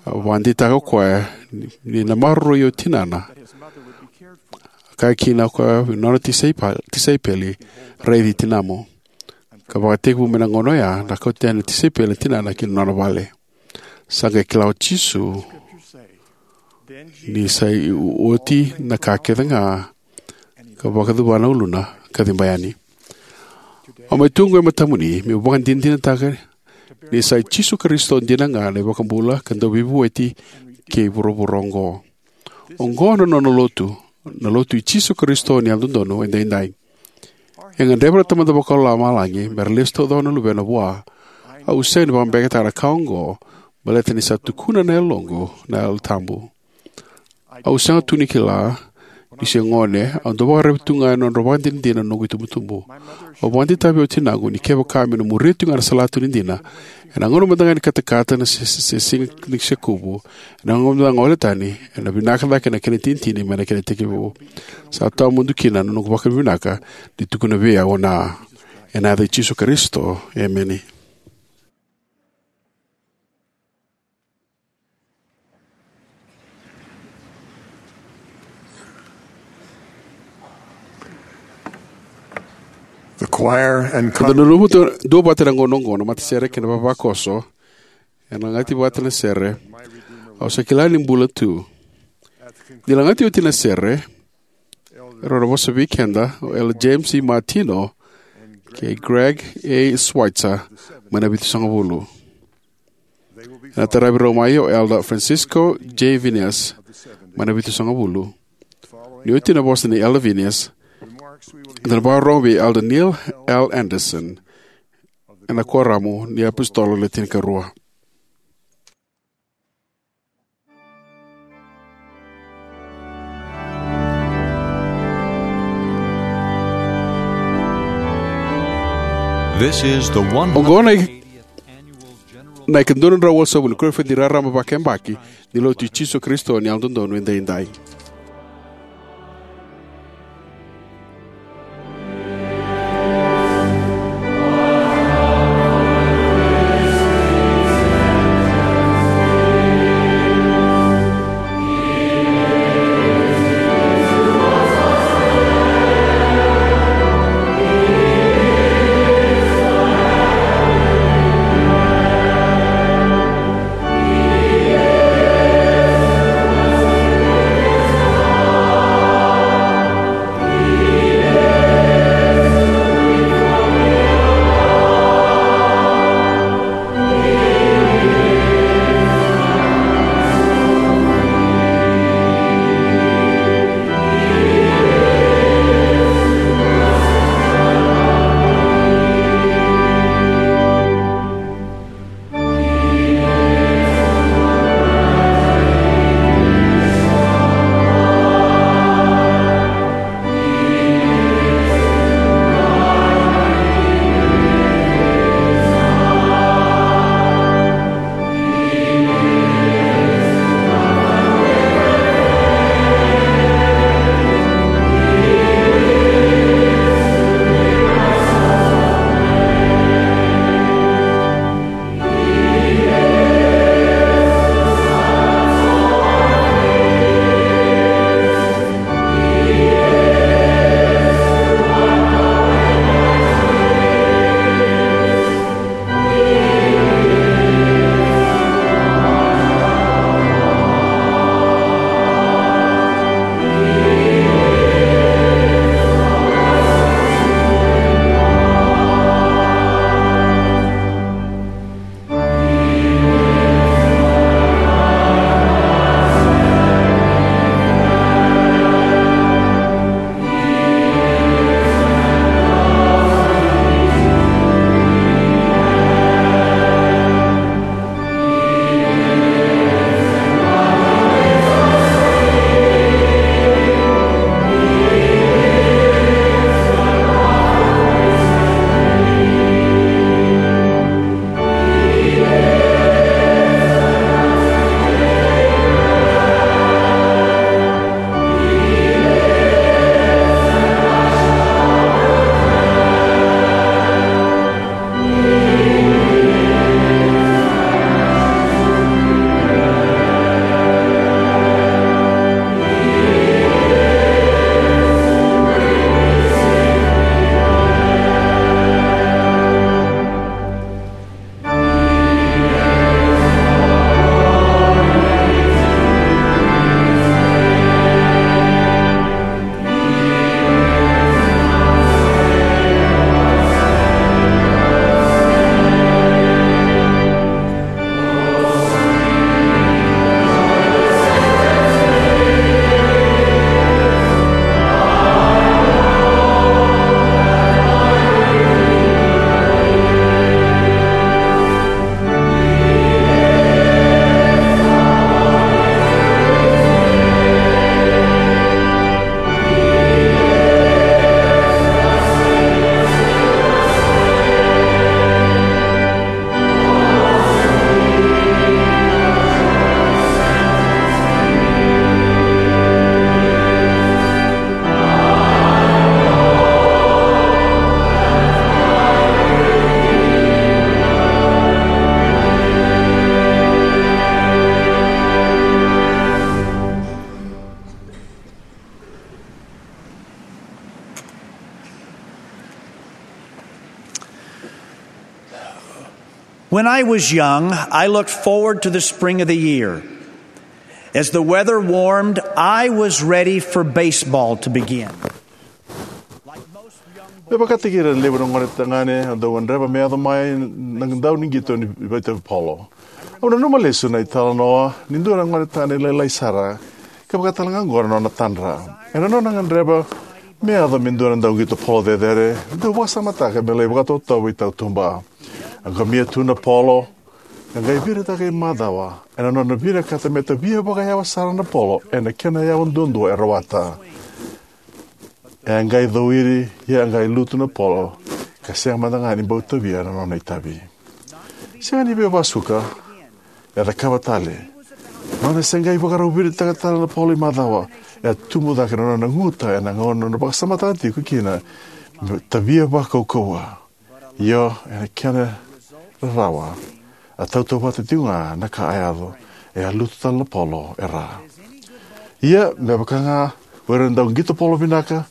A vakadeitaka o koya ni, ni na maroroi o tinana. A kaya kina o koya vei nona tisaipa-, tisaipeli, "Raici tinamu." Ka vakatekivu mai na gauna oya, na kauta yani na tisaipeli na tinana ki na nona vale. Sa qai kila o Jisu ni sa i oti na ka kece ga, ka vakacuva na uluna ka ciba yani. Au mai tu oqo e matamuni meu vakadinadinataka ni sa i Jisu Karisito dina ga na iVakabula ka Dauveivueti kei vuravura oqo. Oqo na nona lotu, na lotu i Jisu Karisito ni Yalododonu Edaidai. E gadreva na Tamada Vakalomalagi me ra lesu taucoko na luvena vua. Au sega ni vakabeketaka na ka oqo, baleta ni sa tukuna na yaloqu na Yalo Tabu. Au sega tu ni kila ni se gone, au dau vakaraica tu ga ena nodra vakadinadina na noqu itubutubu. Au vakadeitaka vei tinaqu ni kevaka me na muria tu ga na salatu ni dina, ena gauna mada ga ni katakata na se, se, se siga ni sekuvu, ena gauna mada ga gole tani, ena vinaka cake na kena itinitini mai na kena itekivu. Sa tawamudu kina na noqu vakavinavinaka ni tukuna vei au na, ena yaca i Jisu Karisito, emeni. The choir and Eda con- nanuma tu duavata ena gauna oqo na matasere kei na vavakoso. Ena lagati vata na sere, "Au sa kila ni bula tu." Ni lagati oti na sere, erau na vosa vei keda o Elder James E. Martino kei Greg A. Schweitzer mai na Vitusagavulu. Ena taravi rau mai o Elder Francisco J. Viñas mai na Vitusagavulu. Ni oti na vosa nei Elder Viñas, eda na vakarorogo vei Elder Neil L. Andersen ena Kuoramu ni iApositolo Le Tinikarua. This is the one hundred eightieth annual general na ika dua na drau walusagavulu ni koniferedi raraba vakayabaki ni Lotu i Jisu Karisito ni Yalododonu Edaidai. When I was young, I looked forward to the spring of the year. As the weather warmed, I was ready for baseball to begin. Me vakataki ira na levu na gone tagane, au dau gadreva me yaco mai na dau ni qito ni vakaitavi polo. Au nanuma lesu na italanoa ni dua na gone tagane lailai sara, ka vakatalega oqo na nona tadra. Ena nona gadreva me yaco me dua na dau qito polo cecere, dau vakasamataka me lai vakatotovo i tautuba. A qomia tu na polo, ka qai viritaka i macawa, ena nona vinakata me tavia vakayawa sara na polo ena kena yawa duadua e rawata. E a qai cowiri, ia a qai lutu na polo, ka sega mada ga ni bau tavia na nona itavi. Sega ni veivakasuka, e a cakava tale. Nona se qai vakarau viritaka tale na polo i macawa, e a tubu cake na nona guta ena gauna nona vakasamataka tiko kina me tavia vakaukauwa. Io, ena kena rarawa, a tautauvata tiko ga na ka a yaco, e a lutu tale na polo e ra. Ia, me vaka ga o ira na dau qito polo vinaka,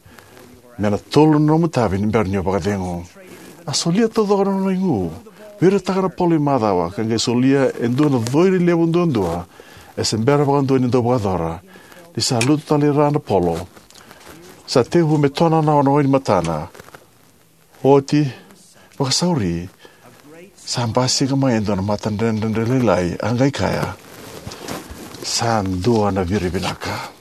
me na tolu na nomu itavi ni bera ni o vakacegu. A solia taucoko na nona igu, viritaka na polo i macawa, ka qai solia e dua na cowiri levu duadua, e se bera vakadua ni dau vakayacora, ni sa lutu tale i ra na polo. Sa tekivu me tonanawa na wai ni matana. Oti, vakasauri, sa basika mai e dua na matadredredre lailai, a qai kaya, sa dua na viri vinaka.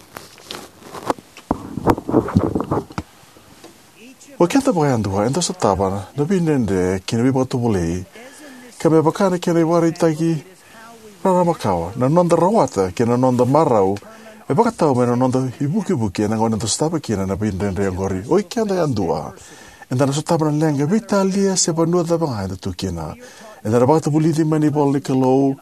O keda vakayadua, eda sotava na veidredre kei na veivakatovolei, ka me vaka na kena ivakaraitaki raraba kawa, na noda rawata kei na noda marau e vakatau mai na noda ivukivuki ena gauna eda sotava kina na veidredre oqori. O i keda yadua, eda na sotava na leqa, veitalia se vanua cava ga eda tu kina. Eda na vakatavulici mai na ivola ni Kalou,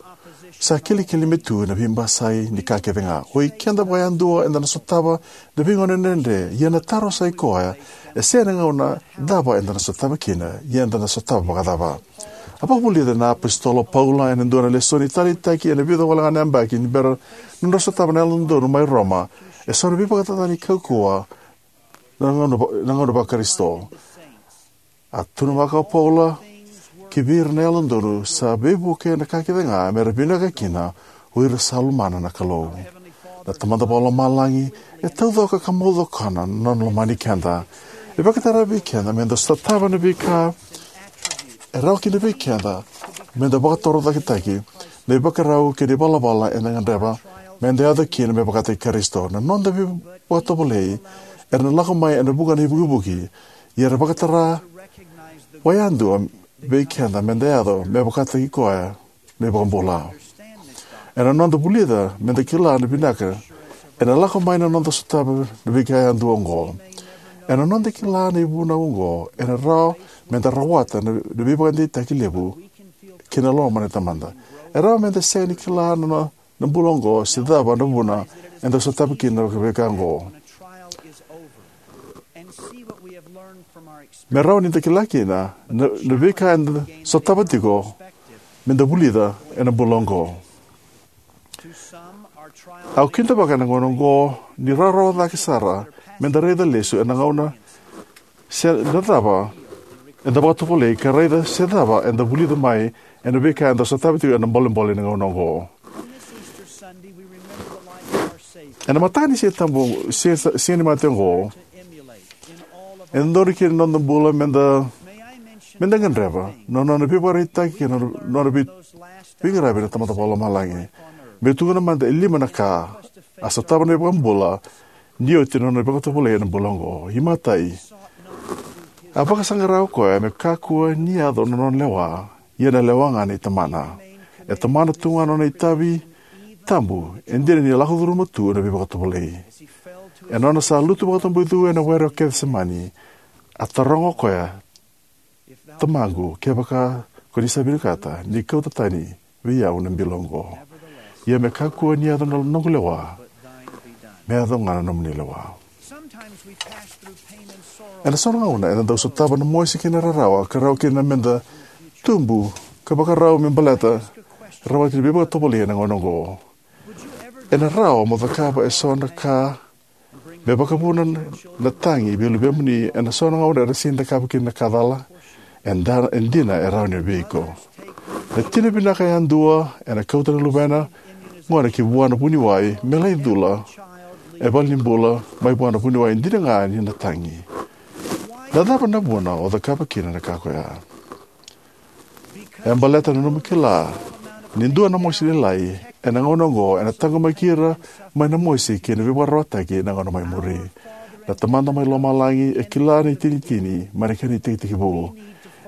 sa kilikili me tu na veibasai ni ka kece ga. O i keda vakayadua, eda na sotava na veigauna dredre, ia na taro sa i koya, e sega na gauna cava eda na sotava kina, ia eda na sotava vakacava. A vakavulica na apositolo o Paula ena dua na lesoni taleitaki ena vica wale ga na yabaki ni bera na nodra sotava na Yalododonu mai Roma, e so na veivakacacani kaukauwa na gauna va-, na gauna vaKarisito. A tukuna vaka o Paula, ki vei ira na Yalododonu, sa veivuke na ka kece ga me ra vinaka kina o ira sa lomana na Kalou. Na Tamada Vakalomalagi e taucoko ka maucokona na nona lomani keda. E vakatara vei keda me da sotava na veika e rawa kina vei keda me da vakatorocaketaki na ivakarau kei na ivalavala eda gadreva me da yaco kina me vakataki Karisito. Na noda veivakatovolei era na lako mai ena vuqa na ivukivuki, ia era vakatara vakayadua vei keda me da yaco me vakataki koya na iVakabula. Ena noda vulica me da kila na vinaka ena lako mai na noda sotava na veika yadua oqo. Ena noda kila na ivunau oqo, ena rawa me da rawata na, na veivakadeitaki levu kei na loma ni Tamada. E rawa me da sega ni kila na, na bula oqo se cava na vuna eda sotava kina na veika oqo. Me rawa ni da kila kina na, na veika eda sotava tiko, me da vulica ena bula oqo. Au kidavaka ena gauna oqo ni rawarawa cake sara me da raica lesu ena gauna se na cava eda vakatovolei ka raica se cava eda vulica mai ena veika eda sotava tiko ena bolebole ni gauna oqo. Ena mataka ni Siga Tabu, Siga, Siga ni Mate oqo, e dodonu kina na noda bula me da, me da gadreva na nona veivakaraitaki kei na nona vei, veiqaravi na Tamada Vakalomalagi. Meu tukuna mada e lima na ka a sotava na iVakabula ni oti na nona vakatovolei ena bula oqo. Imatai, a vakasaqara o koya me kakua ni yaco na nona lewa, ia na lewa ga nei Tamana. E tomana tu ga na nona itavi tabu, e dina ni lako curuma tu na veivakatovolei. Ena nona sa lutu vakatabui tu ena were o Kecisemani, a taroga o koya, Tamaqu, kevaka ko ni sa vinakata, ni kauta tani vei au na bilo oqo. Ia me kakua ni yaco na noqu lewa, me yaco ga na nomuni lewa. Ena so na gauna eda dau sotava na mosi kei na rarawa ka rawa kina me da tubu ka vakarau me baleta rawati na veivakatovolei ena gauna oqo. Ena rawa mo cakava e so na ka me vakavuna na tagi vei luvemuni ena so na gauna era sega ni cakava kina na ka cala? E da, e dina e rawa ni vei iko. Na tina vinaka yadua ena kauta na luvena gone ki vua na vuniwai me lai cula e valenibula mai vua na vuniwai dina ga ni na tagi. Na cava na vuna o cakava kina na ka ko ya? E baleta na nomu kila ni dua na mosi lailai ena gauna oqo ena taqomaki ira mai na mosi kei na veivakararawataki ena gauna mai muri. Na Tamada mai Lomalagi e kila na itinitini mai na kena itekitekivu.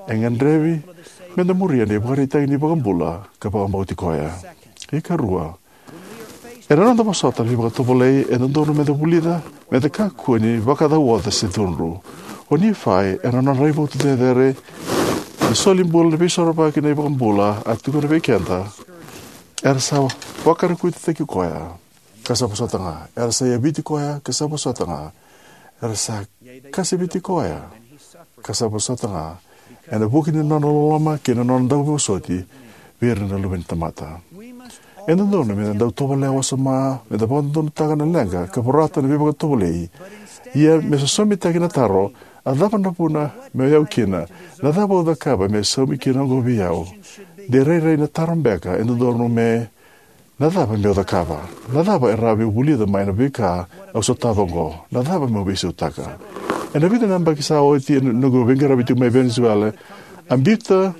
E gadrevi meda muria na ivakaraitaki ni iVakabula ka vakabauti koya. Ikarua, ena noda vosota na veivakatovolei, e dodonu meda vulica meda kakua ni vakacauoca se cudru. O Nifai, ena nona raivotu cecere ni soli bula na Veisorovaki na iVakabula a tukuna vei keda, era sa vakarakuitaki koya ka sa vosota ga, era sa yaviti koya ka sa vosota ga, era sa kaseviti koya ka sa vosota ga, ena vuku ni nona loloma kei na nona dauvosoti vei ira na luve ni tamata. E dodonu meda dau tovolea wasoma meda vakadodonutaka na leqa ka vorata na veivakatovolei. Ia me sosomitaki na taro, a cava na vuna meu yau kina? Na cava au cakava me saumi kina oqo vei au? De rairai na taro beka e dodonu me, na cava meu cakava? Na cava e rawa meu vulica mai na veika au sotava oqo? Na cava meu veisautaka? Ena vica na yabaki sa oti, ena noqu veiqaravi tiko mai Venezuela, a biuta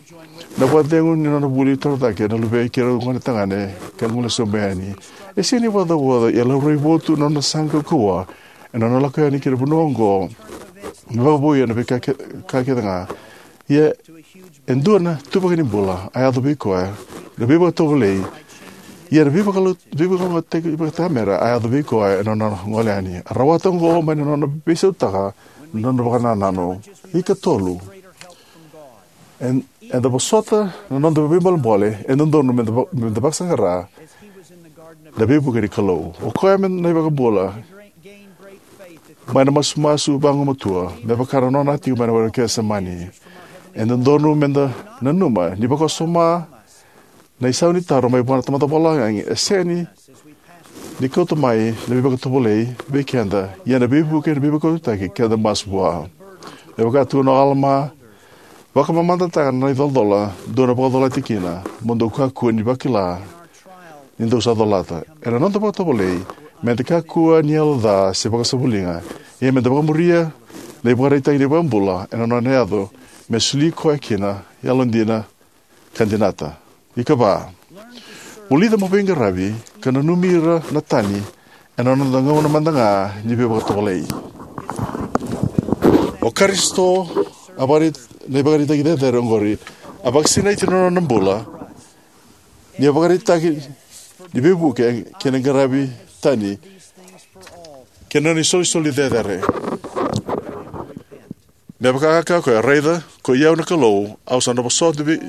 na vakacegu ni nona vuli torocake na luvei keirau gone tagane ka gole sobu yani. E sega ni vakacauoca, ia laurai votu na nona saqa kaukauwa ena nona lako yani ki na vanua oqo me vakavouya na veika ke-, ka kece ga. Ia e dua na ituvaki ni bula a yaco vei koya, na veivakatovolei. Ia na veivakalougatataki vakatamera a yaco vei koya ena nona gole yani. A rawata oqo mai na nona veisautaka na nona vakanananu. Ikatolu, e, eda vosota na noda veibolebole, e dodonu meda va-, meda vakasaqara na veivuke ni Kalou. O koya me na iVakabula mai na masumasu vagumatua, me vaka na nona tiko mai na Wai Kesemani. E dodonu meda nanuma ni vakasoma na isau ni taro mai vua na Tamada Vakalomalagi e sega ni kauta mai na veivakatovolei vei keda, ia na veivuke na veivakautaki keda masu vua. Me vaka tukuna o Alama, vakamamadataka na icolacola dou na vakacolati kina, mo dou kakua ni vakila ni dou sa colata. Ena noda vakatovolei, meda kakua ni yalo ca se vakasavuliga, ia meda vakamuria na ivakaraitaki ni iVakabula ena nona yaco me soli koya kina yalodina ka dinata. Ikava, vulica mo veiqaravi ka nanumi ira na tani ena noda gauna mada ga ni veivakatovolei. O Karisito, a vakari-, na ivakaraitaki cecere oqori, a vakasinaiti na nona bula ni a vakaraitaki ni veivuke kei na qaravi tani kei na nona isolisoli cecere. Me vaka a kaya o koya, raica, ko i au na Kalou, au sa na vosota vei,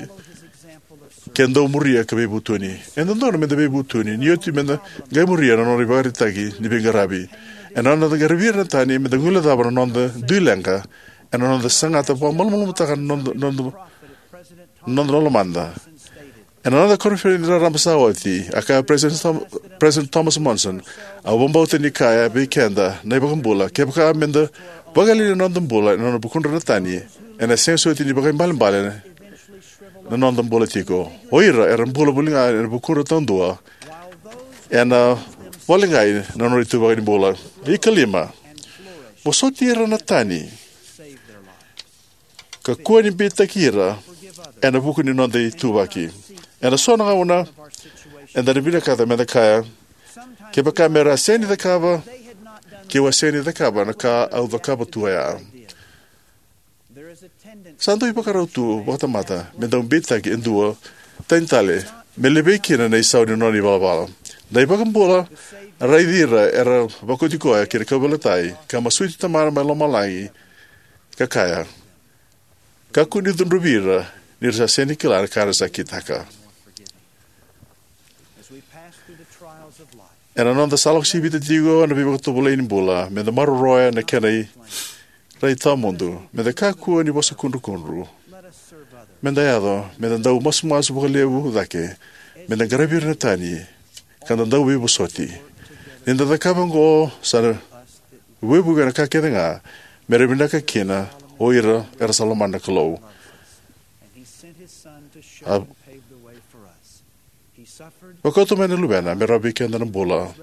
ke dou muria ka veivutuni. E dodonu meda veivutuni ni oti meda qai muria na nona ivakaraitaki ni veiqaravi. Ena noda qaravi ira na tani, meda guilecava na noda dui leqa, ena noda sagata vakamalumalumutaka na noda, noda, noda lomada. Ena noda koniferedi raraba sa oti, a kaya President Thom-, President Thomas Monson, au vakabauta ni kaya vei keda na iVakabula, kevaka meda vakayali na noda bula ena nona vukudra na tani, ena sega soti ni vakaibalebale na noda bula tiko. O ira era bula voli ga ena vukudra taudua, ena vakaleqai na nodra ituvaki ni bula. Ikalima, vosoti ira na tani ka kua ni beitaki ira ena vuku ni noda ituvaki. Ena so na gauna eda na vinakata meda kaya, kevaka mera sega ni cakava, keu a sega ni cakava na ka au cakava tu oya. Sa dau ivakarau tu vakatamata me dau beitaki e dua tani tale me levei kina na isau ni nona ivalavala. Na iVakabula a raici ira era vakoti koya ki na kauveilatai, ka masuti Tamana mai lomalagi, ka kaya, kakua ni cudruvi ira, ni ra sa sega ni kila na ka ra sa kitaka. Ena noda sa lako sivita tiko na veivakatovolei ni bula, meda maroroya na kena i-, rai tawamudu, meda kakua ni vosakudrukudru. Meda yaco, meda dau masumasu vakalevu cake, meda qaravi ira na tani, ka da dau veivosoti. Ni da cakava oqo, sa na veivuke na ka kece ga mera vinaka kina o ira era sa lomana na Kalou. A, Vakauta mai na Luvena me rawa vei keda na bula.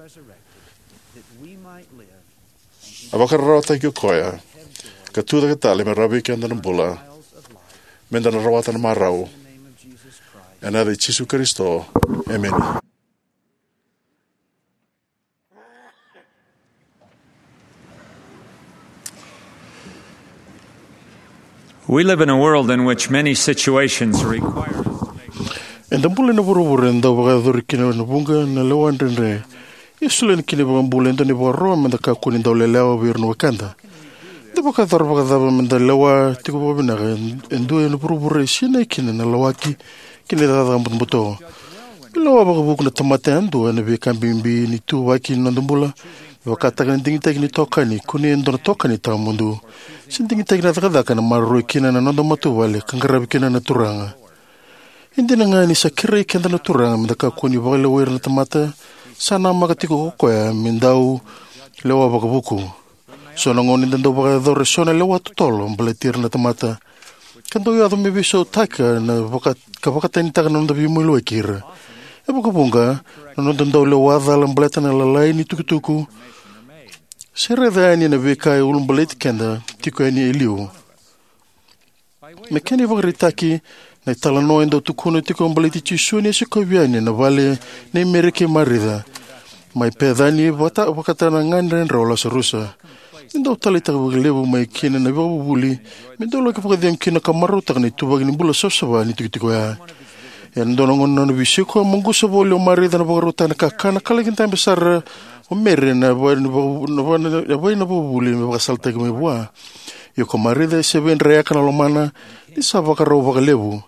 A vakararawataki o koya ka tucake tale me rawa vei keda na bula, me da na rawata na marau. Ena yaca i Jisu Karisito, emeni. We live in a world in which many situations require us to make Eda bula ena vuravura e dau vakayacori kina na vuqa na lewa dredre. Ia solia kina na iVakabula e dua na ivakaro me da kakua ni dau lelewa vei ira na wekada. Eda vakayacora vakacava me da lewa tiko vakavinaka e dua ena vuravura e sinai kina na lawaki kei na cakacaka butobuto? Me lewa vakavuku na tamata yadua ena veika bibi ni ituvaki ni noda bula, me vakataka na digitaki ni itokani, kunei e dua na itokani tawamudu, se digitaki na cakacaka ena maroroi kina na noda matavuvale ka qaravi kina na Turaga. E dina ga ni sa kerei keda na Turaga me da kakua ni vakalewai ira na tamata, sa namaka tiko ko koya me dau lewa vakavuku. So na gauna eda dau vakayacora eso na lewa totolo baleti ira na tamata, ka dau yaco me veisautaka na vaka, ka vakatanitaka na noda veimaliwai kei ira. E vakavuqa, na noda dau lewa cala baleta na lalai ni tukutuku se raica yani na veika e ulabaleti keda tiko yani e liu. Me kena ivakaraitaki, na italanoa e dau tukuna tiko baleti Jisu ni a sikovi yani na vale nei Meri kei Marica mai Pecani, vakata, vakataka na ganedrau o Lasarusa. E dau taleitaki vakalevu mai kina na ivakavuvuli me dau laki vakacegu kina ka marautaka na ituvaki ni bula savasava ni tikotiko oya. Ena dua na gauna na nona veisiko, a maqusa voli o Marica na vakarautaka na kakana, ka laki dabe sara o Meri ena yavai ni vaka, na va, na yavai ni vakavuvuli me vakasalataki mai vua. Ia ko Marica e se veidreyaka na lomana ni sa vakarau vakalevu.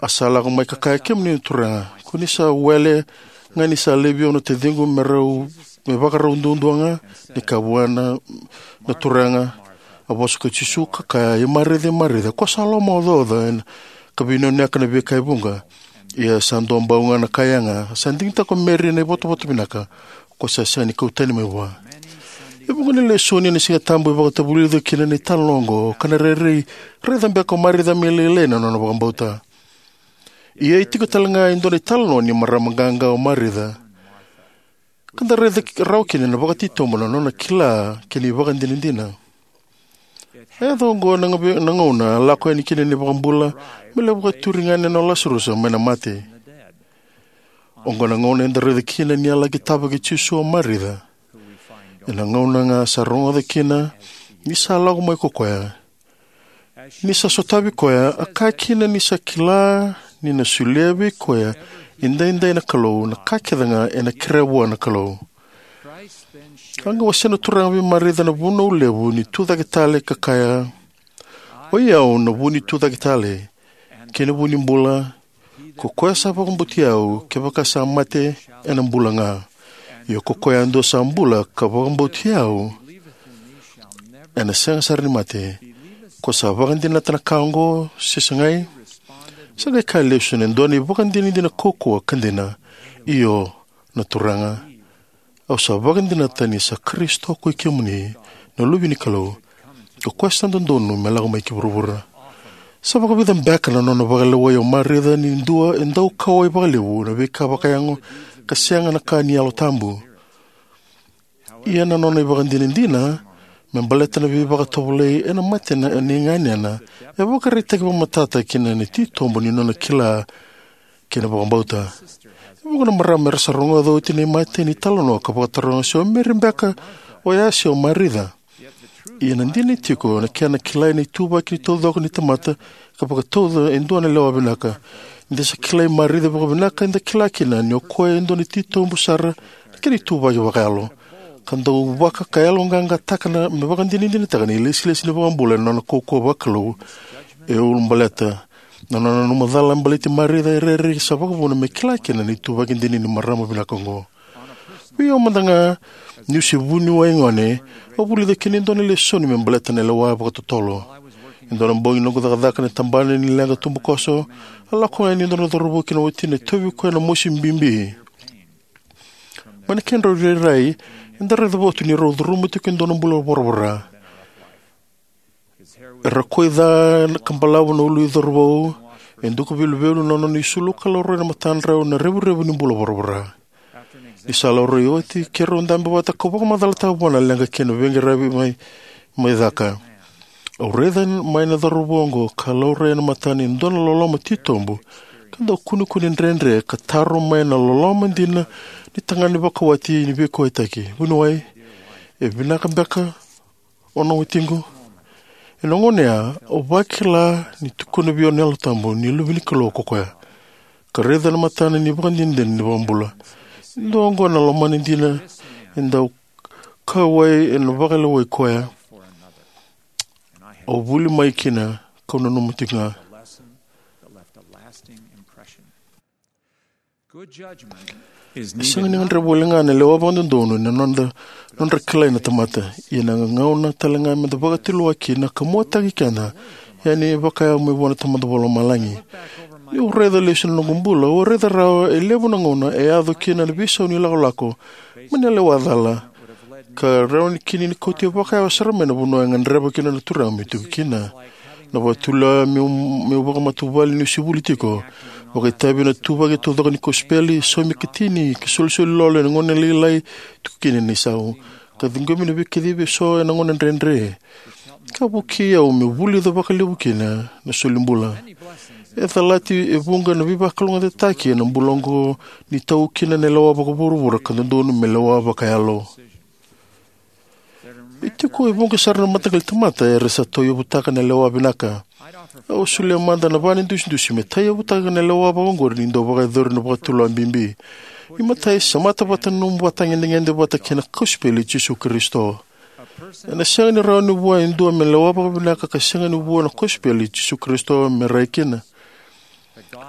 A sa lako mai ka kaya, "Kemuni na Turaga, ko ni sa wele ga ni sa laivi au na taciqu me rau, me vakarau duadua ga?" Ni kaya vua na, na Turaga, a vosa ko Jisu ka kaya, "I Marica, i Marica, ko sa lomaocaoca ena ka veinonuyaka na veika e vuqa. Ia sa dua bau ga na ka yaga, sa digitaka ko Meri na ivotavota vinaka, ko sa sega ni kau tani mai vua." E vuqa na lesoni ena Siga Tabu e vakatavulica kina na italanoa oqo, ka na rairai raica beka o Marica me lailai na nona vakabauta. Ia e tiko tale ga e dua na italanoa ni marama qaqa o Marica, ka da raica rawa kina na vakatitobu na nona kila kei na ivakadinadina. E yaco oqo na gauna, na gauna a lako yani kina na iVakabula me lai vakaturi gane o Lasarusa mai na mate. Oqo na gauna eda raica kina ni a laki tavaki Jisu o Marica. Ena gauna ga sa rogoca kina ni sa lako mai ko koya. Ni sa sotavi koya, a kaya kina ni sa kila ni na solia vei koya edaidai na Kalou na ka kece ga ena kerea vua na Kalou. A qai wasea na Turaga vei Marica na vunau levu ni tucake tale ka kaya, "Oi au na vu ni tucake tale, kei na vu ni bula. Ko koya sa vakabauti au, kevaka sa mate, ena bula ga. Ia ko koya yadua sa bula ka vakabauti au, ena sega sara ni mate. Ko sa vakadinata na ka oqo, se segai?" Sa qai kaya lesu na dua na ivakadinadina kaukauwa ka dina, "Io, na Turaga. Au sa vakadinata ni sa Karisito ko i kemuni, na Luve ni Kalou, ko koya sa dodonu me lako mai ki vuravura." Sa vakavica beka na nona vakalewai o Marica ni dua e dau kauwai vakalevu na veika vakayago ka sega na ka ni Yalo Tabu. Ia na nona ivakadinadina me baleta na veivakatovolei ena mate nei ganena e vakaraitaki vakamatata kina na titobu ni nona kila kei na vakabauta. E vuqa na marama era sa rogoca oti na imatai ni talanoa ka vakataroga se o Meri beka oya se o Marica. Ia na dina e tiko, na kena kilai na ituvaki taucoko ni tamata ka vakatauca e dua na lewa vinaka. Ni da sa kilai Marica vakavinaka, eda kila kina ni o koya e dua na titobu sara na kena ituvaki vakayalo, ka dau vaka ka yaloqaqataka na, me vakadinadinataka na ilesilesi ni iVakabula ena nona kaukauwa vakalou. E ulabaleta na nona nanuma cala baleti Marica e rairai sa vakavuna me kila kina na ituvaki dina ni marama vinaka oqo. Vei au mada ga, niu se vuniwai gone, au vulica kina e dua na lesoni me baleta na lewa vakatotolo. E dua na bogi noqu cakacaka na tabana ni leqa tubukoso, a lako yani e dua na cauravou kei na watina e tauvi koya na mosi bibi. Mai na kedrau irairai, eda raica votu ni rau curuma tiko e dua na bula voravora. Era koi ca ka balavu na ulu i cauravou, E duka veiluvelu na nona isulu ka laurai na matadrau na revurevu ni bula voravora. Ni sa laurai oti, keirau dabe vata kau vakamacalataka vua na leqa kei na veiqaravi mai, mai caka. Au raica mai na cauravou oqo ka laurai ena matana e dua na loloma titobu, ka dau kunekune dredre ka taro mai na loloma dina ni tagane vakawati ni veikauwaitaki. Vuniwai, e vinaka beka o na watiqu? Ena gauna ya, au vakila ni tukuna vei au na Yalo Tabu ni luve ni Kalou ko koya. Ka raica na matana ni vakadinadina ni vakabula. E dua oqo na lomana dina e dau kauwai ena vakalewai koya. Au vuli mai kina kau nanuma tiko ga. Good judgment is E sega ni needed. Gadreva wale ga na lewa vakadodonu ena nodra, nodra kilai na tamata. Ia na gauna tale ga meda vakatulewa kina ka muataki keda yani vakayago mai vua na Tamada Vakalomalagi. Niu raica lesu na noqu bula, au raica rawa e levu na gauna e yaco kina na veisau ni lakolako mai na lewa cala, ka rawa ni kina ni kauti au vakayawa sara mai na vanua e gadreva kina na Turaga meu tiko kina. Na vakatulewa meu, meu vakamatavuvale niu se vuli tiko, vakaitavi ena ituvaki taucoko ni kosipeli, saumi ikatini, ka isolisoli lolo ena gauna lailai tiko kina ni sau, ka ciqomi na veikacivi eso ena gauna dredre, ka vukei au meu vulica vakalevu kina na solibula. E calati e vuqa na veivakalougatataki ena bula oqo ni tau kina na lewa vakavuravura ka dodonu me lewa vakayalo. E tiko e vuqa sara na mataqali tamata era sa tauyavutaka na lewa vinaka. Au solia mada na va na idusidusi me tauyavutaka na lewa vakaoqori ni dau vakayacori na vakatulewa bibi. Imatai, semata vata na nomu ivakatagedegede vata kei na kosipeli i Jisu Karisito. Ena sega ni rawa ni vua e dua me lewa vakavinaka ka sega ni vua na kosipeli i Jisu Karisito me rai kina.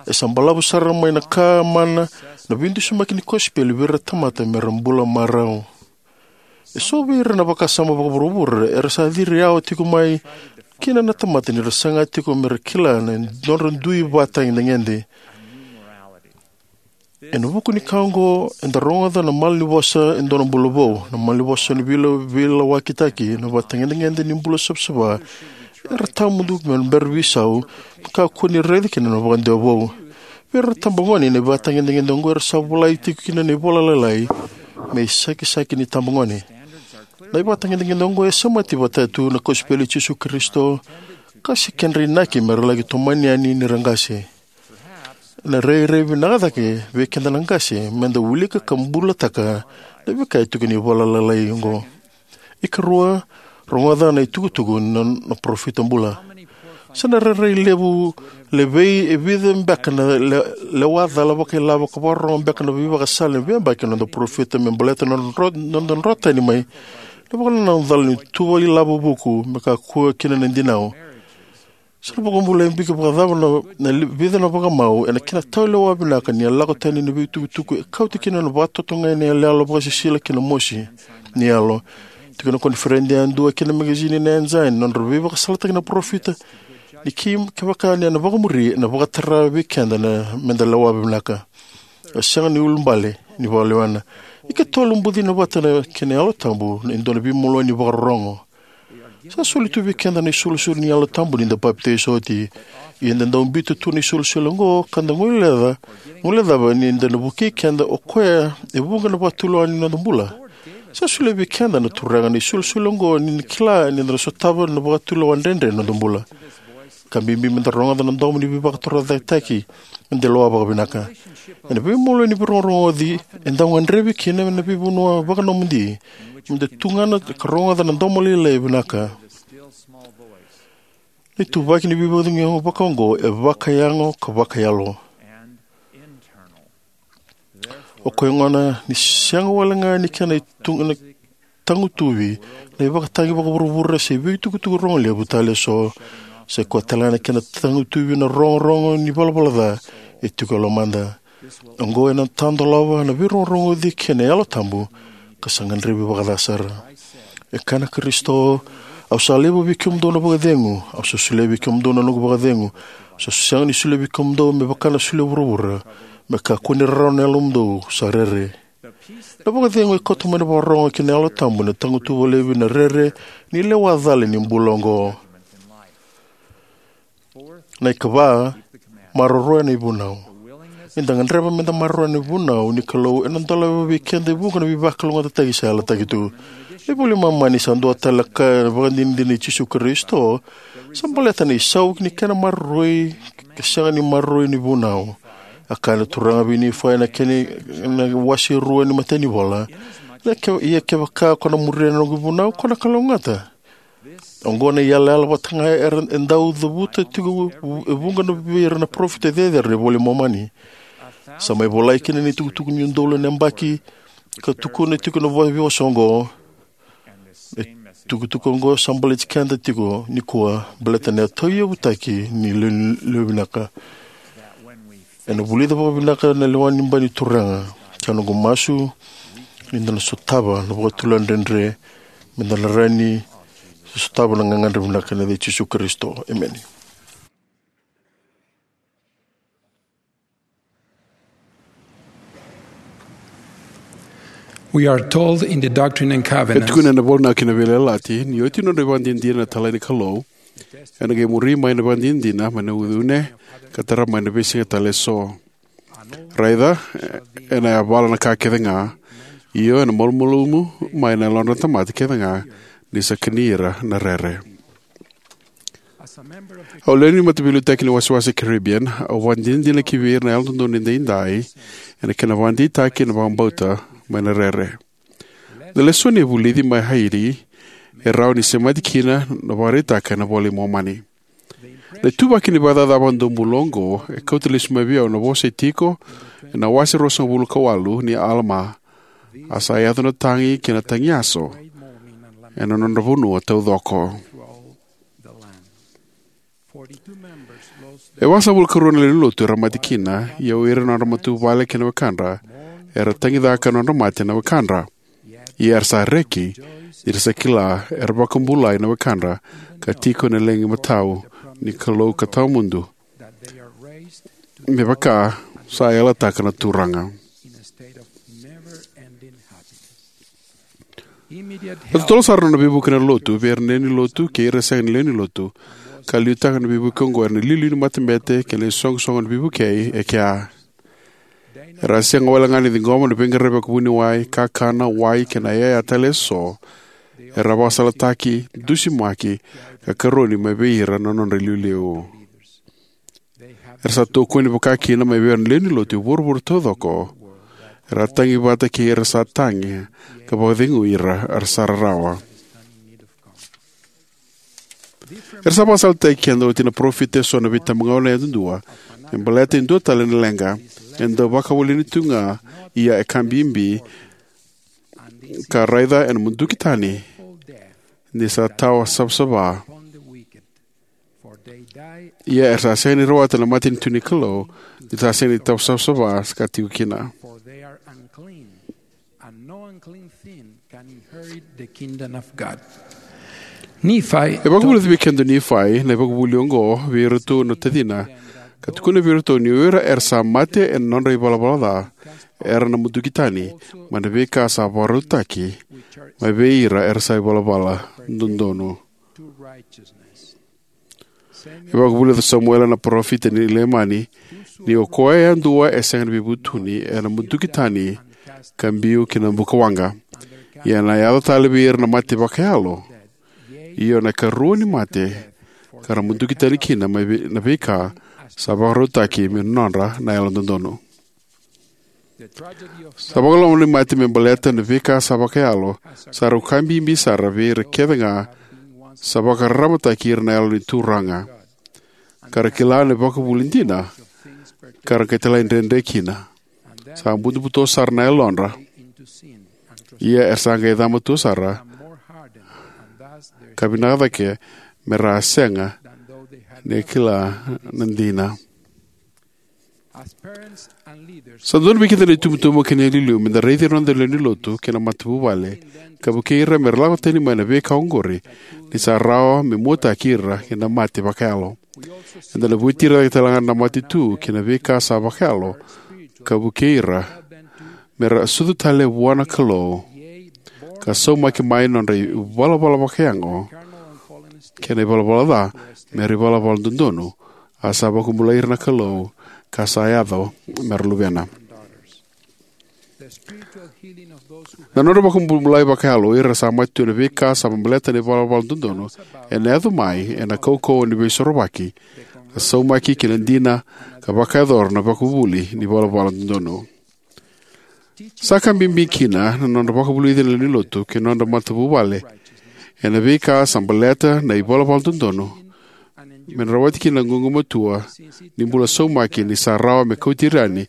E sa balavu sara mai na ka mana na veidusimaki ni kosipeli vei ira na tamata me ra bula marau. Eso vei ira na vakasama vakavuravura era sa ciri yawa tiko mai kina na tamata ni ra saga tiko me ra kila na nodra dui ivakatagedegede. Ena vuku ni ka oqo, eda rogoca na malanivosa e dua na bula vou, na malanivosa ni veila-, veilawakitaki, na ivakatagedegede ni bula savasava era tawamudu me bera veisau, me kakua ni raica kina na vakadewa vou. Vei ira na itabagone, na ivakatagedegede oqo era sa volai tiko kina na ivola lailai me isakisaki ni itabagone. Na ivakatagedegede oqo e semati vata tu na kosipeli i Jisu Karisito, ka se kedra inaki me ra laki tomani yani ni ra qase. Ena rairai vinaka cake vei keda na qase meda wilika ka bulataka na veika e tukuni ena ivola lailai oqo. Ikarua, rogoca na itukutuku ni nona parofita bula. Sa na rairai levu levei e vica beka na le-, lewa cala vakailavo ka vakarorogo beka na veivakasala ni veiyabaki na noda parofita me baleta na noda dro-, noda drotani mai na vakanananu cala ni tuva ilavo vuku me kakua kina na dinau. Sa na vakabulai beka vakacava na, na li-, vica na vakamau ena kena taulewa vinaka ni a lako tani na veitukutuku e kauta kina na vakatotogani ni yaloyalo vakasisila kei na mosi ni yalo. Tiko na koniferedi yadua kei na magazini na Ensign, nodra veivakasalataki na parofita, ni kei, kevaka ni na vakamuri, ena vakatara vei keda na meda lewa vinaka. E sega ni ulubale ni vakalewena. Ikatolu, bucina vata na kena Yalo Tabu e dua na veimalua ni vakarorogo. Sa soli tu vei keda na isolisoli ni Yalo Tabu ni da papitaiso oti. Ia da dau biuta tu na isolisoli oqo ka da guileca, guilecava ni da na vukei keda o koya e vuqa na vakatulewa ni noda bula. Sa solia vei keda na Turaga na isolisoli oqo ni na kila ni da na sotava na vakatulewa dredre ni noda bula. Ka bibi meda rogoca na domo ni veivakatorocaketaki meda lewa vakavinaka. Ena veimalua ni veirogorogoci e dau gadrevi kina na veivanua vakanomodi, meda tugana ka rogoca na domo lailai vinaka. Na ituvaki ni veivakacegui vakaoqo e vakayago ka vakayalo. O koya gona ni sega wale ga ni kena itu-, na tagutuvi na ivakatagi vakavuravura se veitukutuku rogo levu tale eso. Sa i koya tale ga na kena tagutuvi na rogorogo ni valavala ca e tiko e lomada. Oqo ena tadolava na veirogorogoci kei na Yalo Tabu ka sa gadrevi vakaca sara. E kaya na Karisito, au sa laiva vei kemudou na vakacegu, au sa solia vei kemudou na noqu vakacegu. Au sa sega ni solia vei kemudou me vaka na solia vuravura, me kakua ni rarawa na yalomudou sa rere. Na vakacegu e kauta mai na vakarorogo kei na Yalo Tabu, na tagutuva laivi na rere ni lewa cala ni bula oqo. Na ikava, Maroroya na ivunau. Ni da gadreva me da maroroya na ivunau ni Kalou, ena dolava vei keda e vuqa na veivakalougatataki sa yalataki tu. Na iVola i Momani sa dua tale na ka ena ivakadinadina i Jisu Karisito, sa baleta na isau ni kena maroroi, ka sega ni maroroi ni vunau. A kaya na Turaga vei Nifai ena kena, na wase rua ni matai ni vola. Ia ke, ia kevaka ko na muria na noqu vunau, ko na kalougata. Oqo na iyalayala vata ga era e dau cavuta tiko e vuqa na vei ira na parofita cecere ni Vola i Momani. Sa mai volai kina ni tukutuku ni udolu na yabaki, ka tukuna tiko na vo-, veivosa oqo. E tukutuku oqo sa baleti keda tiko nikua, baleta na tauyavutaki ni lewe, lewe vinaka. Ena vulica vakavinaka na lewa ni bai ni Turaga. Sa noqu masu ni da na sotava na vakatulewa dredre, me da na rawa ni sotava na gagadre vinaka ena yaca i Jisu Karisito. Emeni. We are told in the Doctrine and E Covenants tukuna ena Vola na Kena Veiyalayalati ni oti nodra ivakadinadina na italai ni Kalou, ena qai muri mai na ivakadinadina mai na uneune, ka tara mai na veisiga tale eso. Raica, ena yavala na ka kece ga, io, ena malumalumu mai na yalodra na tamata kece ga, ni sa kani ira na rere. Au lewe ni mataveiliutaki ni wasewase Caribbean, au vakadinadina ki vei ira na Yalododonu Edaidai ena kena vakadeitaki na vakabauta mai na rere. Na lesoni e vulici mai Haiti e rawa ni semati kina na vakaraitaka ena Vola i Momani. Na ituvaki ni vakacaca vakadua bula oqo e kauta lesu mai vei au na vosa e tiko ena wase ruasagavulu ka walu ni Alama: A sa yaco na tagi kei na tagiyaso ena nodra vanua taucoko. E vasagavulu ka rua na lewe ni lotu era mate kina, ia o ira na nodra matavuvale kei na wekadra era tagicaka na nodra mate na wekadra. Ia era sa reki ni ra sa kila era vakabulai na wekadra, ka tiko ena legi matau ni Kalou ka tawamudu, me vaka sa yalataka na Turaga. E totolo sara na nona veivuke na lotu vei ira na lewe ni lotu kei ira sega ni lewe ni lotu, ka liutaka na veivuke oqo ena iliuliu ni matabete kei na isoqosoqo ni veivukei e kea. Era a sega wale ga ni ciqoma na veiqaravi vakavuniwai, kakana, wai kei na iyaya tale eso. Era a vakasalataki, dusimaki, ka karoni mai vei ira na nodra iliuliu. Era sa tokoni vaka kina mai vei ira na lewe ni lotu e vuravura taucoko. Era a tagi vata kei ira sa tagi, ka vakacegui ira era sa rarawa. Era sa vakasalataki keda oti na parofita eso na veitabagauna yadudua me baleta e dua tale na leqa e dau vakawaleni tu ga, ia e ka bibi, ka raica ena muduki tani, ni sa tawa savasava. Ia era sa sega ni rawata na matanitu ni Kalou, ni sa sega ni tawa savasava sa ka tiko kina. E vakavulica vei keda o Nifai na ivakavuvuli oqo vei iratou na tacina, ka tukuna vei iratou ni o ira era sa mate ena nodra ivalavala ca era na muduki tani mai na veika sa vakarautaki mai vei ira era sa ivalavala dodonu. E vakavulica o Samuela na parofita ni Leimani ni o koya yadua e sega ni veivutuni ena muduki tani ka biu ki na bukawaqa. Ia ena yaco tale vei ira na mate vakayalo, io na ikarua ni mate, ka ra muduki tani kina mai vei, na veika sa vakarautaki me nodra na yalododonu. Sa vakaloloma ni mate me baleta na veika sa vakayalo sa rau ka bibi sara vei ira kece ga sa vakararamataki ira na Yalo ni Turaga, ka ra kila na ivakavuvuli dina, ka ra qai talaidredre kina. Sa butobuto sara na yalodra. Ia era sa qai cama tu sara, ka vinaka cake me ra a sega ni kila na dina. Sa dodonu vei keda na itubutubu kei na iliuliu me da raici ira na noda lewe ni lotu kei na matavuvale, ka vukei ira me ra lako tani mai na veika oqori, ni sa rawa me muataki ira kei na mate vakayalo. Eda na vueti ira cake tale ga na mate tu kei na veika sa vakayalo, ka vukei ira me ra sucu tale vua na Kalou, ka saumaki mai na nodra ivalavala vakayago kei na ivalavala ca me ra ivalavala dodonu, a sa vakabulai ira na Kalou, ka sa yaco me ra luvena. Na nodra vakabulai vakayalo o ira sa mate tu ena veika sa baleta na ivalavala dodonu ena yaco mai ena kaukauwa ni Veisorovaki, ka saumaki ki na dina, ka vakayacora na ivakavuvuli ni ivalavala dodonu. Sa ka bibi kina na nodra vakavulici na lewe ni lotu kei na nodra matavuvale ena veika sa baleta na ivalavala dodonu, me na rawati kina na gugumatua ni bula saumaki, ni sa rawa me kauti ira yani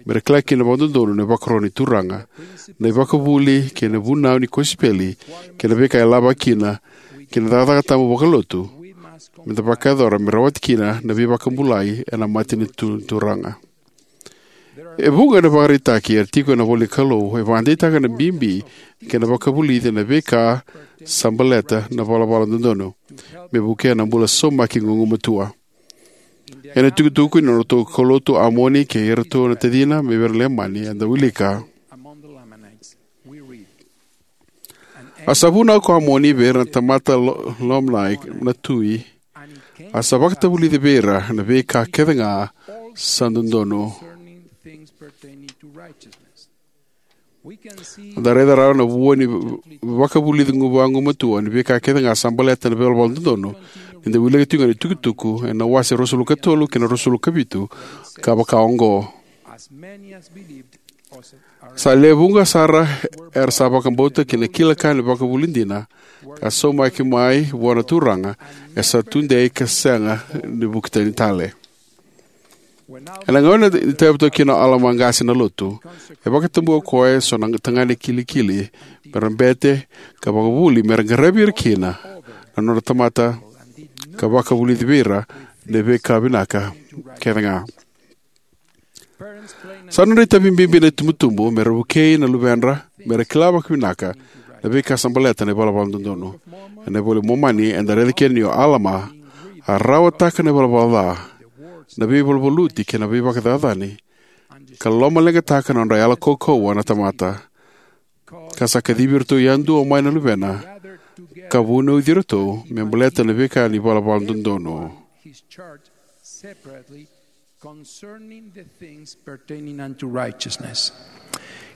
me ra kila kina vakadodonu na ivakaro ni Turaga, na ivakavuvuli kei na vunau ni kosipeli, kei na veika e lavaki kina ki na cakacaka tabu vakalotu me da vakayacora me rawati kina na veivakabulai ena matanitu ni Turaga. E vuqa na ivakaraitaki era tiko ena ivolanikalou e vakadeitaka na bibi kei na vakavulici ena veika sa baleta na ivalavala dodonu me vukea na bula saumaki gugumatua. Ena itukutuku ni nodratou kaulotu o Amoni kei iratou na tacina mai vei ira na Leimani, eda wilika: A sa vunau ko Amoni vei ira na tamata lo- Leimani na tui, a sa vakatavulici vei ira na veika kecega sa dodonu. Eda raica rawa na vua ni vakavulici gu- vagumatua ni veika kecega sa baleta na ivalavala dodonu ni da wilika tiko ga na itukutuku ena wase ruasagavulu ka tolu kei na ruasagavulu ka vitu, ka vaka oqo: Sa lewe vuqa sara era sa vakabauta ki na kila ka ni vakavuvuli dina, ka saumaki mai vua na Turaga, e sa tudei ka sega ni vuki tani tale. Ena gauna e tauyavutaka kina o Alama Qase na Lotu, e vakatabua o koya eso na tagane kilikili me ra bete ka vakavuvuli me ra qaravi ira kina na nodra tamata, ka vakavulici vei ira na veika vinaka kecega. Sa nodra itavi bibi na itubutubu me ra vukei na luvedra me ra kila vakavinaka na veika sa baleta na ivalavala dodonu. Ena iVola i Momani eda raica kina ni o Alama a rawataka na ivalavala ca, na veivaluvaluti kei na veivakacacani, ka lomaleqataka na nodra yalo kaukauwa na tamata, ka sa kacivi iratou yadua mai na luvena, ka vunauci iratou me baleta na veika ni ivalavala dodonu.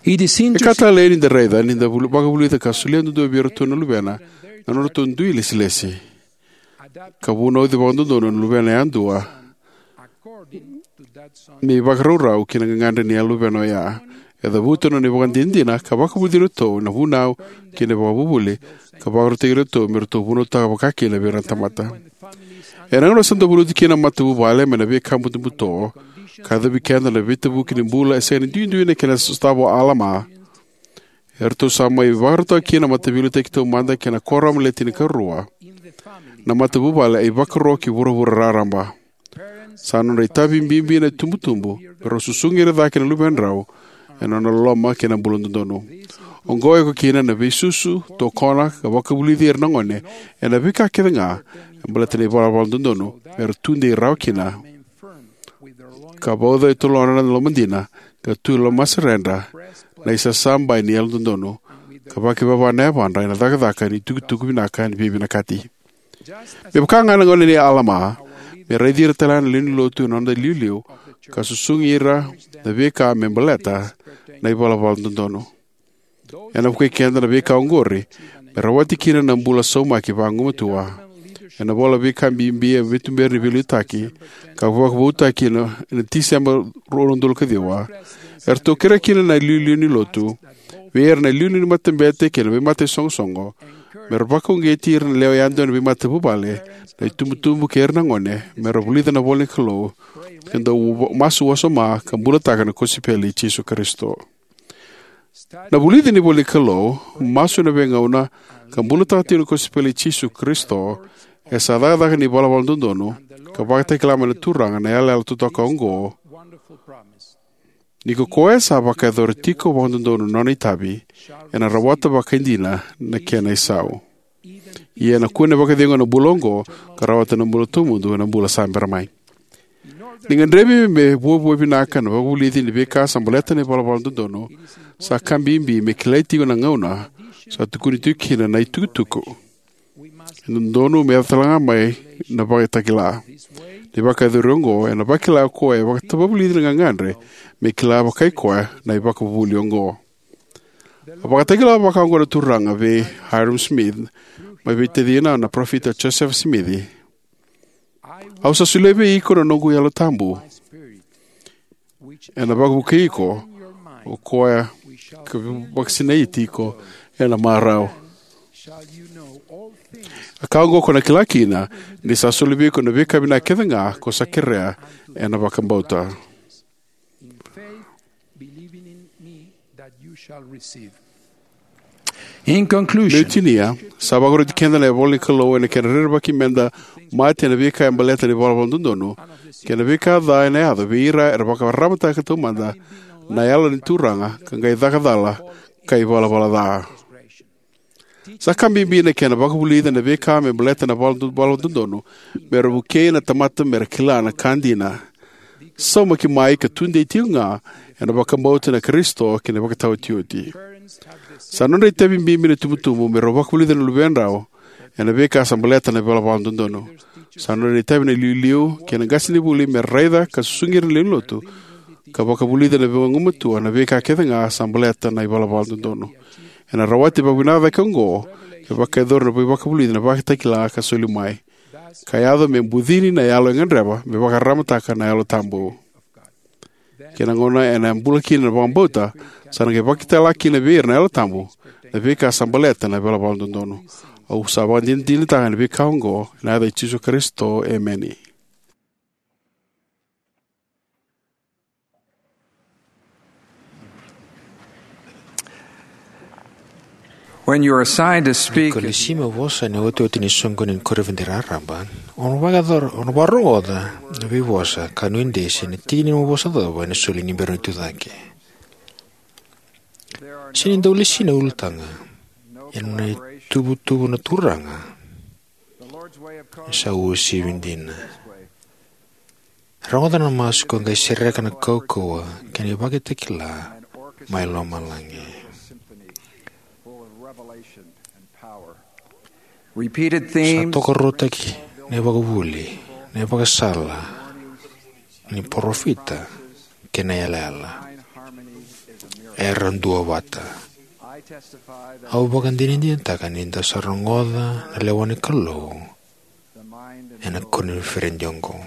E ka talei ni da raica ni da vakavulica ka solia duadua vei iratou na luvena na nodratou dui ilesilesi, ka vunauci vakadodonu na luvena yadua me ivakarau ki na gagadre ni luvena oya. E cavuta na nona ivakadinadina ka vakavulici iratou ena vunau kei na ivakavuvuli, ka vakarautaki iratou me ratou vunautaka vakakina vei ira na tamata. Ena gauna sa dau valuti kina na matavuvale mai na veika butobuto, ka yacovi keda na veitavuki ni bula e sega ni duidui na kena sotava o Alama, eratou sa mai vakarautaka kina na Mataveiliutaki Taumada kei na Kuoramu Le Tinikarua na matavuvale e ivakaro ki vuravura raraba. Sa nodra itavi bibi na itubutubu me rau susugi ira cake na luvedrau ena nona loloma kei na bula dodonu. Oqo e oka kina na veisusu, tokona, ka vakavulici ira na gone ena veika kecega e baleta na ivalavala dodonu me ra tudei rawa kina, ka vauca e tolona na lomadina, ka tu e lomasereda na isasabai ni yalododonu, ka vakivava na yavadra ena cakacaka ni itukutuku vinaka ni veivinakati. Me vaka ga na gauna nei Alama, me raici ira tale ga na lewe ni lotu ena noda iliuliu ka susugi ira na veika me baleta na ivalavala dodonu. Ena vukei keda na veika oqori me rawati kina na bula saumaki vagumatua. Ena ivola Veika Bibi e Veituberi ni Veiliutaki, ka vakavoutaki ena Tiseba rua na udolu ka ciwa, eratou kerea kina na iliuliu ni lotu vei ira na iliuliu ni matabete kei na veimataisogosoko me ra vakauqeti ira na lewe yadua ena veimatavuvale, na itubutubu kei ira na gone me ra vulica na ivolanikalou, ka dau masu wasoma ka bulataka na kosipeli i Jisu Karisito. Na vulici ni ivolanikalou, masu ena veigauna, ka bulataka tiko na kosipeli i Jisu Karisito e sa cakacaka ni ivalavala dodonu ka vakatakila mai na Turaga na yalayala totoka oqo: Ni ko koya sa vakayacora tiko vakadodonu na nona itavi, ena rawata vakaidina na kena isau, ia ena kune vakacegu ena bula oqo ka rawata na bula tawamudu ena bula sa bera mai. Ni gadrevi me vuavuai vinaka na vakavulici ni veika sa baleta na ivalavala dodonu, sa ka bibi me kilai tiko na gauna sa tukuni tiko kina na itukutuku. E dodonu me yaco tale ga mai na vakatakila. Na ivakayacori oqo ena vakila o koya e vakatavulici na gagadre me kila vakai koya na ivakavuvuli oqo. A vakatakila vakaoqo na Turaga vei Hyrum Smith, mai vei tacina na Parofita Josefa Simici: Au sa solia vei iko na noqu Yalo Tabu, ena vakavukei iko, o koya ka vakasinaiti iko ena marau. A ka oqo ko na kila kina, ni sa soli vei iko na veika vinaka kecega ko sa kerea ena vakabauta. In faith, believing in me that you shall receive. In conclusion, meu tinia, sa vakaroti keda na ivolanikalou ena kena rerevaki meda mate ena veika e baleta na ivalavala dodonu kei na veika ca ena yaco vei ira era vakararamataka taumada na Yalo ni Turaga ka qai caka cala ka ivalavala ca. Sa ka bibi na kena vakavulica na veika me baleta na vala, vala dodonu, me ra vukei na tamata me ra kila na ka dina, saumaki mai ka tudei tiko ga ena vakabauta na Karisito kei na ivakataotioti. Sa nodra itavi bibi na itubutubu me rau vakavulica na luvedrau ena veika sa baleta na ivalavala dodonu. Sa nodra itavi na iliuliu kei na qasenivuli me raica ka susugi ira na lewe ni lotu ka vakavulica na vagumatua na veika kecega sa baleta na ivalavala dodonu. Ena rawati vakavinaka cake oqo, e vakayacori na veivakavulici na Vakatakila ka soli mai, ka yaco me bucini na yalo e gadreva me vakararamataka na Yalo Tabu. Kei na gauna ena bula kina na vakabauta, sa na qai vakatakila kina vei ira na Yalo Tabu na veika sa baleta na ivalavala dodonu. Au sa vakadinadinataka na veika oqo ena yaca i Jisu Karisito, emeni. When you are assigned to speak, ko lesi mo vosa ena iotioti ni soqoni ni koniferedi raraba, o na vakayacora, o na vakarogoca na veivosa ka nuidei se na tiki ni nomu vosa cava ena soli ni bera ni tucake. Sega ni dau lesi na ulutaga, ia na ituvatuva na Turaga e sa uasivi dina. Rogoca na masu ka qai sereka na kaukauwa kei na ivakatakila mai lomalagi. Repeated themes. Sa tokaruataki na ivakavuvuli, na ivakasala ni parofita kei na yalayala. Era duavata. Au vakadinadinataka ni da sa rogoca na lewa ni Kalou ena koniferedi oqo.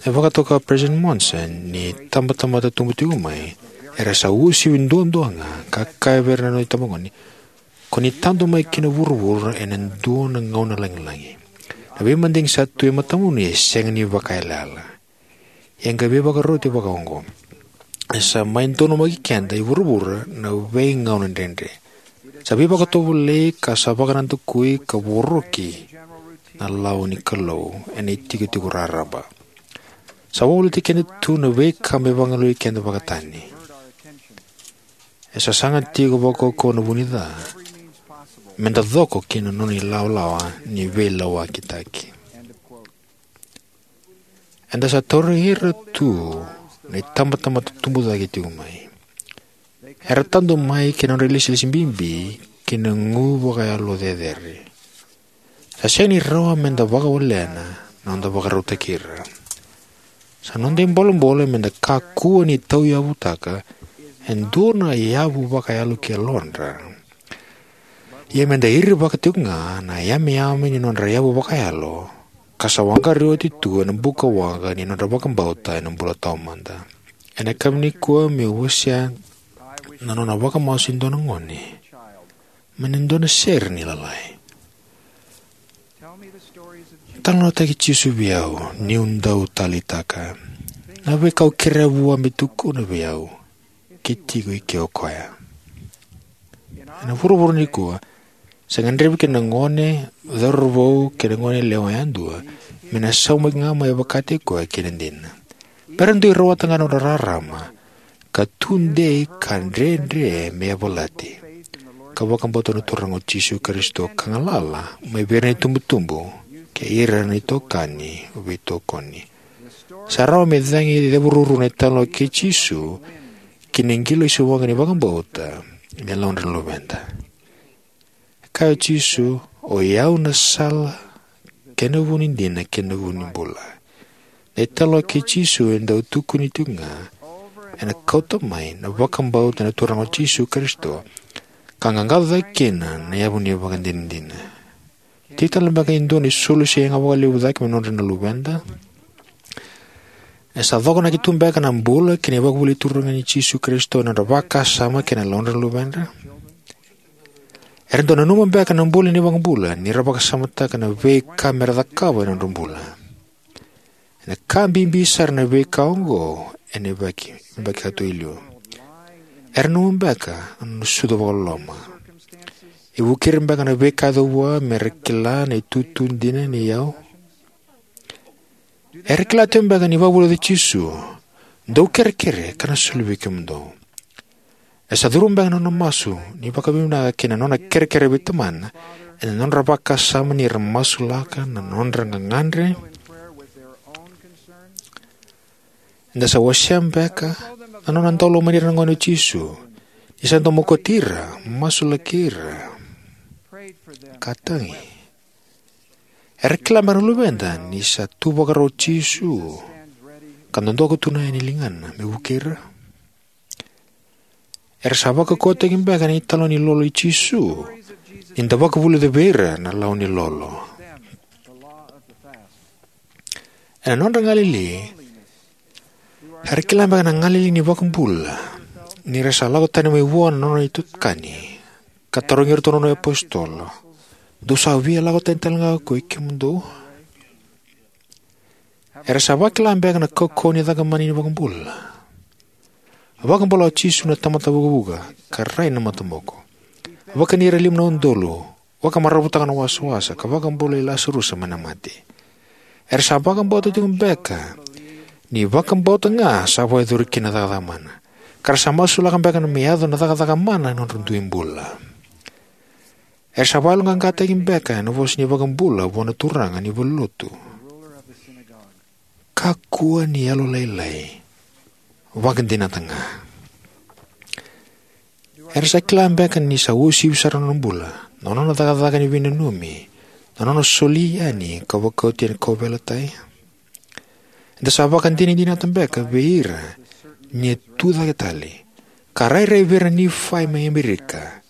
E vakatoka o President Monson ni itabatamata tubu tiko mai era sa uasivi duadua ga, ka kaya vei ira na nona itabagone: "Ko ni tadu mai ki na vuravura ena dua na gauna lagilagi. Na veimadigi sa tu e matamuni e sega ni vakayalayala." Ia qai veivakaroti vakaoqo: "E sa mai donumaki keda i vuravura na veigauna dredre. Sa veivakatovolei ka sa vakanadakui ka voroki na lawa ni Kalou ena itikotiko raraba. Sa wavoliti keda tu na veika me vagalui keda vakatani. E sa saga tiko vakaukauwa na vunica meda coko ki na nona ilawalawa ni veilawakitaki." Eda sa tauri ira tu na itabatamata tubu cake tiko mai. Era tadu mai ki na nodra ilesilesi bibi ki na gu vakayalo cecere. Sa sega ni rawa meda vakawalena na noda vakarautaki ira. Sa noda ibolebole meda kakua ni tauyavutaka e dua na yavu vakayalo ki yalodra. Ia meda irivaka tiko ga na yameyame ni nodra yavu vakayalo, ka sa waqari oti tu ena bukawaqa ni nodra vakabauta ena bula taumada. Ena yakavi nikua meu wasea na nona vakamasu e dua na gone mai na dua na sere ni Lalai. "Talanoataki Jisu vei au niu dau taleitaka. Na veika au kerea vua me tukuna vei au ke tiko i ke o koya." Ena vuravura nikua, sa gadrevi kina na gone cauravou kei na gone yalewa yadua me na saumaki ga mai vakataki koya kei na dina. Me ra dui rawata ga na nodra rarama ka tudei ka dredre me yavalati, ka vakabauta na Turaga o Jisu Karisito ka galala mai vei ira na itubutubu kei ira na itokani veitokoni. Sa rawa me cagi cevururu na italanoa kei Jisu ki na qilaiso waqa ni vakabauta me lomana na luveda. E kaya o Jisu: "O i au na sala, kei na vu ni dina, kei na vu ni bula. Na italanoa kei Jisu e dau tukuni tiko ga ena kauta mai na vakabauta na Turaga o Jisu Karisito ka qaqaco cake kina na yavu ni ivakadinadina. Tiko tale beka e dua na isulu se yaga vakalevu cake mai na nodra na luveda? E sa cokonaki tu beka na bula kei na ivakavuvuli ni Turaga o Jisu Karisito ena nodra vakasama kei na yalodra na luvedra? Era dau nanuma beka na bula ni iVakabula ni ra vakasamataka na veika me ra cakava ena nodra bula? Ena ka bibi sara na veika oqo ena yabaki, yabaki ka tu e liu. Era nanuma beka na nona sucu vakaloloma? E vukei ira beka na veika e yaco vua me ra kila na itutu dina ni iyau? Era kila tiko beka ni vakavulica o Jisu, "Dou kerekere, ka na soli vei kemudou"? E sa curuma beka na nona masu ni vakavinavinaka kei na nona kerekere vei Tamana ena nodra vakasama ni ra masulaka na nodra gagadre? Eda sa wasea beka na nona dau lomani ira na gone o Jisu, ni sa dau mokoti ira, masulaki ira, ka tagi? Era kila beka na luveda ni sa tu vakarau o Jisu ka dodoka tu na yani ligana me vukei ira? Era sa vakaukauwataki beka na italanoa ni lolo i Jisu ni da vakavulica vei ira na lawa ni lolo? Ena nodra galili, era kila beka na galili ni iVakabula ni ra sa lako tani mai vua na nona itokani, ka tarogi iratou na nona iapositolo, "Dou sa via lako tani tale ga ko i kemudou?" Era sa vakila beka na kaukauwa ni cakamana ni iVakabula? A vakabula o Jisu na tamata vukavuka ka rai na mataboko. A vakani ira e lima na udolu, vakamaravutaka na wasawasa, ka vakabulai Lasarusa mai na mate. Era sa vakabauta tiko beka ni vakabauta ga sa vakayacori kina na cakacaka mana, ka ra sa masulaka beka me yaco na cakacaka mana ena nodra dui bula. Era sa vakayaloqaqataki beka ena vosa ni iVakabula vua na turaga ni valenilotu, "Kakua ni yalolailai, vakadinata ga." Era sa kila beka ni sa uasivi sara na nona bula, na nona cakacaka ni veinanumi, na nona soli yani ka vakaoti ena kauveilatai? Eda sa vakadinadinataka beka vei ira ni a tucake tale, ka rairai vei ira na Nifai mai Amerika,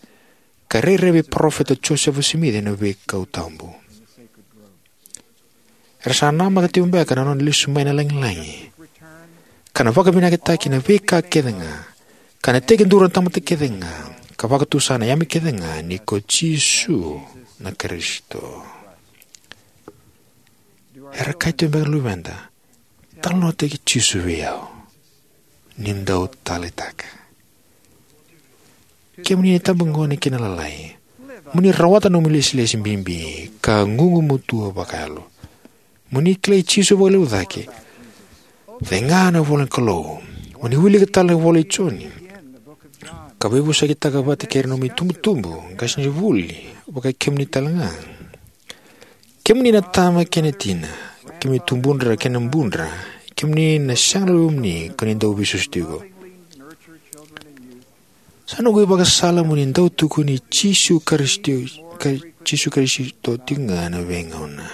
ka rairai vei Parofita Josefa Simici ena veikau tabu. Era sa namaka tiko beka na nona lesu mai na lagilagi, ka na vakavinakataki na veika kece ga, ka na tekiduru na tamata kece ga, ka vakatusa na yame kece ga ni ko Jisu na Karisito. Era kaya tiko beka na luveda, "Talanoataki Jisu vei au, ni dau taleitaka." Kemuni na itabagone kei na ilalai, mo ni rawata na nomu ilesilesi bibi ka gugumatua vakayalo. Mo ni kilai Jisu vakalevu cake. Cega na ivola ni Kalou. Mo ni wilika tale na ivola i Joni, ka veivosakitaka vata kei ira na nomu itubutubu, qasenivuli, vakai kemuni tale ga. Kemuni na tama kei na tina, kemuni tubudra kei na budra, kemuni na sega na luvemuni ka ni dau veisusu tiko. Sa noqu ivakasala mo ni dau tukuni Jisu Karisito, ka Jisu Karisito tiko ga ena veigauna.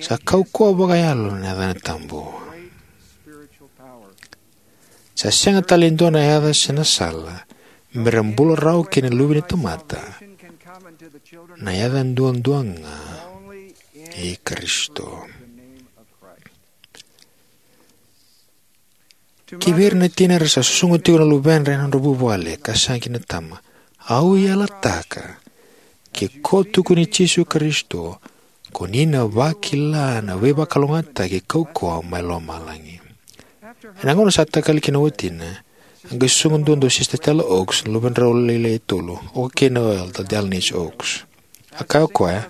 Sa kaukauwa vakayalo na yacana tabu. Sa sega tale e dua na yaca se na sala me ra bula rawa kina na luve ni tamata, na yaca duadua ga i Karisito. Ki vei ira na tina era sa susuga tiko na luvedra ena nodra vuvale ka sega kina na tama, au yalataka, ke ko tukuni Jisu Karisito, ko ni na vakila na veivakalougatataki kaukauwa mai lomalagi. Ena gauna sa takali kina o watina, a qai susuga duadua o Sister Stella Oaks, na luvedrau lailai e tolu, o kei na Elder Dallin H. Oaks. A kaya o koya,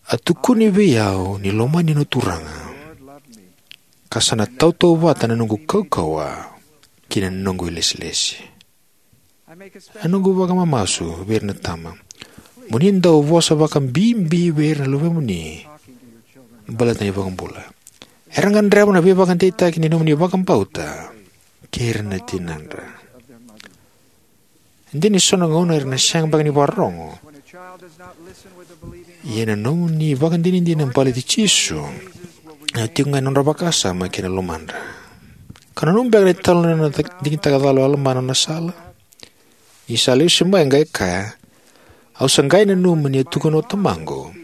"A tukuni vei au ni lomani na Turaga, ka sa na tautauvata na noqu kaukauwa ki na noqu ilesilesi." A noqu vakamamasu vei ira na tama, mo ni dau vosa vakabibi vei ira na luvemuni baleta na iVakabula. Era gadreva na veivakadeitaki ni nomuni vakabauta kei ira na tinadra. E dina ni so na gauna era na sega beka ni vakarorogo, Ia na nomuni vakadinadina baleti Jisu, ena tiko ga ena nodra vakasama kei na lomadra. Ka nanuma beka na italanoa na digitaka cala o Alama na nona sala? Ni sa lesu mai qai kaya, au sa qai nanuma ni a tukuna o tamaqu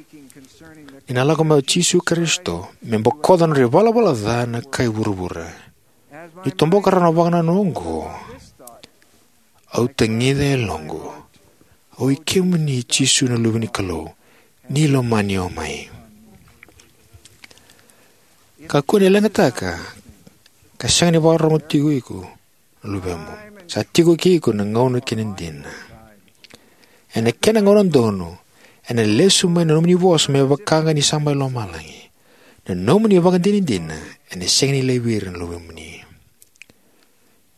ni na lako mai o Jisu Karisito me bokoca na nodra ivalavala ca na kai vuravura. Ni toboka rawa na vakanananu oqo, au tagica e yaloqu, oi kemuni Jisu na Luve ni Kalou, ni lomani au mai. Kakua ni leqataka ka sega ni vakarorogo tiko iko na luvemu. Sa tiko kei iko na gauna kei na dina. Ena kena gauna donu, ena lesu mai na nomuni vosa me vaka ga ni sa mai lomalagi. Na nomuni vakadinadina ena sega ni laivi ira na luvemuni.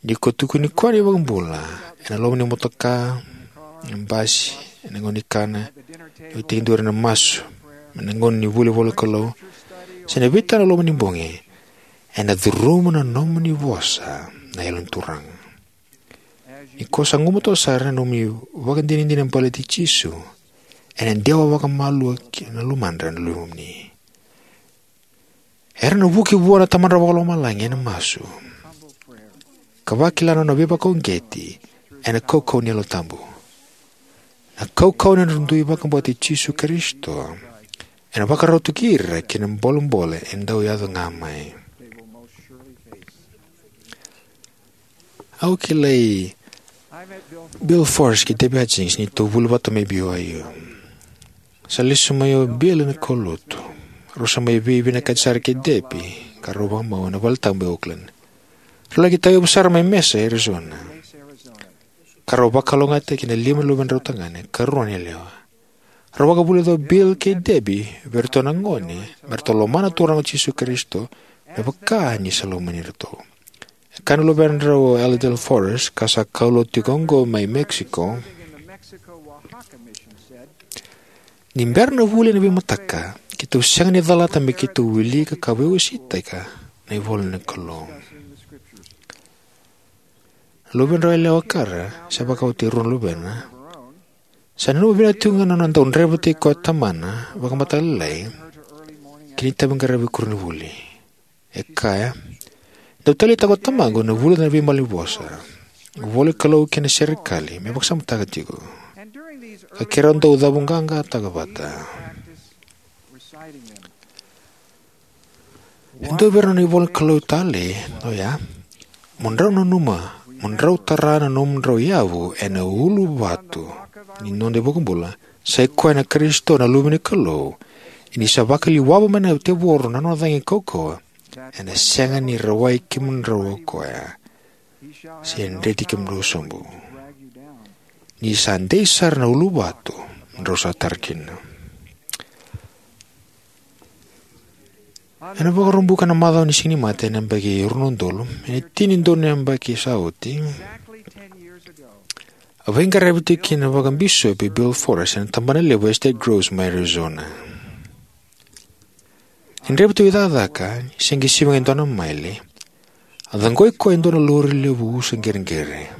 Ni ko tukuni koya na iVakabula ena loma ni motoka, ena basi, ena gauna ni kana, ena tekiduru, ena masu, ena gauna ni vuli ivolanikalou, se na veitau ena loma ni bogi, ena curuma na nomuni vosa na Yalo ni Turaga. Ni ko sa gumatua sara na nomuni vakadinadina baleti Jisu, ena dewa vakamalua ki na lomadra na luvemuni. Era na vuki vua na Tamadra Vakalomalagi ena masu, ka vakila na nona veivakauqeti ena kaukauwa ni Yalo Tabu. Na kaukauwa ni nodra dui vakabauti Jisu Karisito ena vakarau tu kei ira ki na bolebole e dau yaco ga mai. Au kilai Bill Forrest kei Debbie Hutchings ni tou vuli vata mai B Y U. Sa lesu mai o Bill ena kaulotu. Rau sa mai veivinakati sara kei Debbie ka rau vakamau ena valetabu e Oakland. Rau laki tauyavu sara mai Mesa, Arizona, ka rau vakalougatataki ena lima na luvedrau tagane ka rua na yalewa. Rau vakavulica o Bill kei Debbie vei iratou na gone me ratou lomana na Turaga o Jisu Karisito me vaka ni sa lomani iratou. E kaya na luvedrau o Elder Forrest, ka sa kaulotu tiko oqo mai Mexico, ni bera na vuli ena veimataka, keitou sega ni calata me keitou wilika ka veiwaseitaka na ivola ni Kalou. Na luvedrau yalewa, Kara, sa vakaoti e rua na luvena, sa nanuma vinaka tiko ga na nona dau draivataki koya o tamana vakamataka lailai ki na itaviqaravi koronivuli. E kaya, dau taleitaka o tamaqu na vulica na veimalanivosa, ivolanikalou kei na serekali me vakasamataka tiko, ka keirau dau cavuqaqataka vata. E dua vei ira na ivolanikalou talei oya: Mo drau nanuma mo drau tara na nomudrau yavu ena uluvatu ni noda iVakabula, sai koya na Karisito na Luve ni Kalou. Ia ni sa vakaliwava mai na tevoro na nona cagi kaukauwa, ena sega ni rawai kemudrau o koya, se dreti kemudrau sobu. Ni sa dei sara na uluvatu drau sa tara kina. Ena Vakaraubuka na macawa ni Siganimate ena yabaki rua na udolu, ena tini na udolu na yabaki sa oti, a veiqaravi tiko kina vakabisopi Bill Forrest ena tabanalevu o Estate Groves mai Arizona. Ni draiva tiko i cakacaka, ni se qai sivi ga e dua na maile, a caqoi koya e dua na lori levu usa qereqere.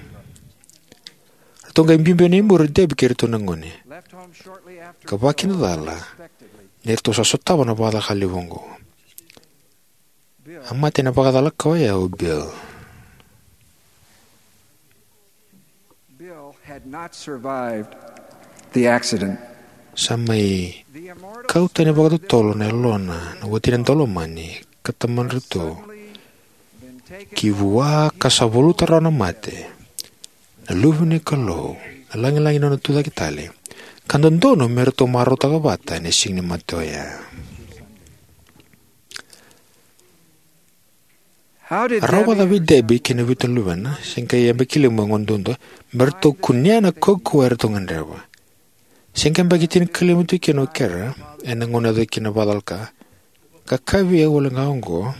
Ratou qai biubiu yani i muri o Debbie kei iratou na gone, ka vakakina cala ni ratou sa sotava na vakacalaka levu oqo. A mate ena vakacalaka oya o Bill. Bill had not survived the accident. Sa mai kau tani vakatotolo na yalona na watina daulomani ka tamadratou ki vua, ka sa valuta rawa na mate na Luve ni Kalou, na lagilagi ni nona tucake tale, ka dodonu me ratou marautaka vata ena Siganimate oya. A rawa vakacava vei Debbie kei na vitu na luvena, se qai yabaki lima e gone duadua, me ratou kunea na kaukauwa eratou gadreva? Se qai yabaki tinikalima tu kina o Kara ena gauna e yaco kina na vakacalaka, ka kaya vei au wale ga oqo: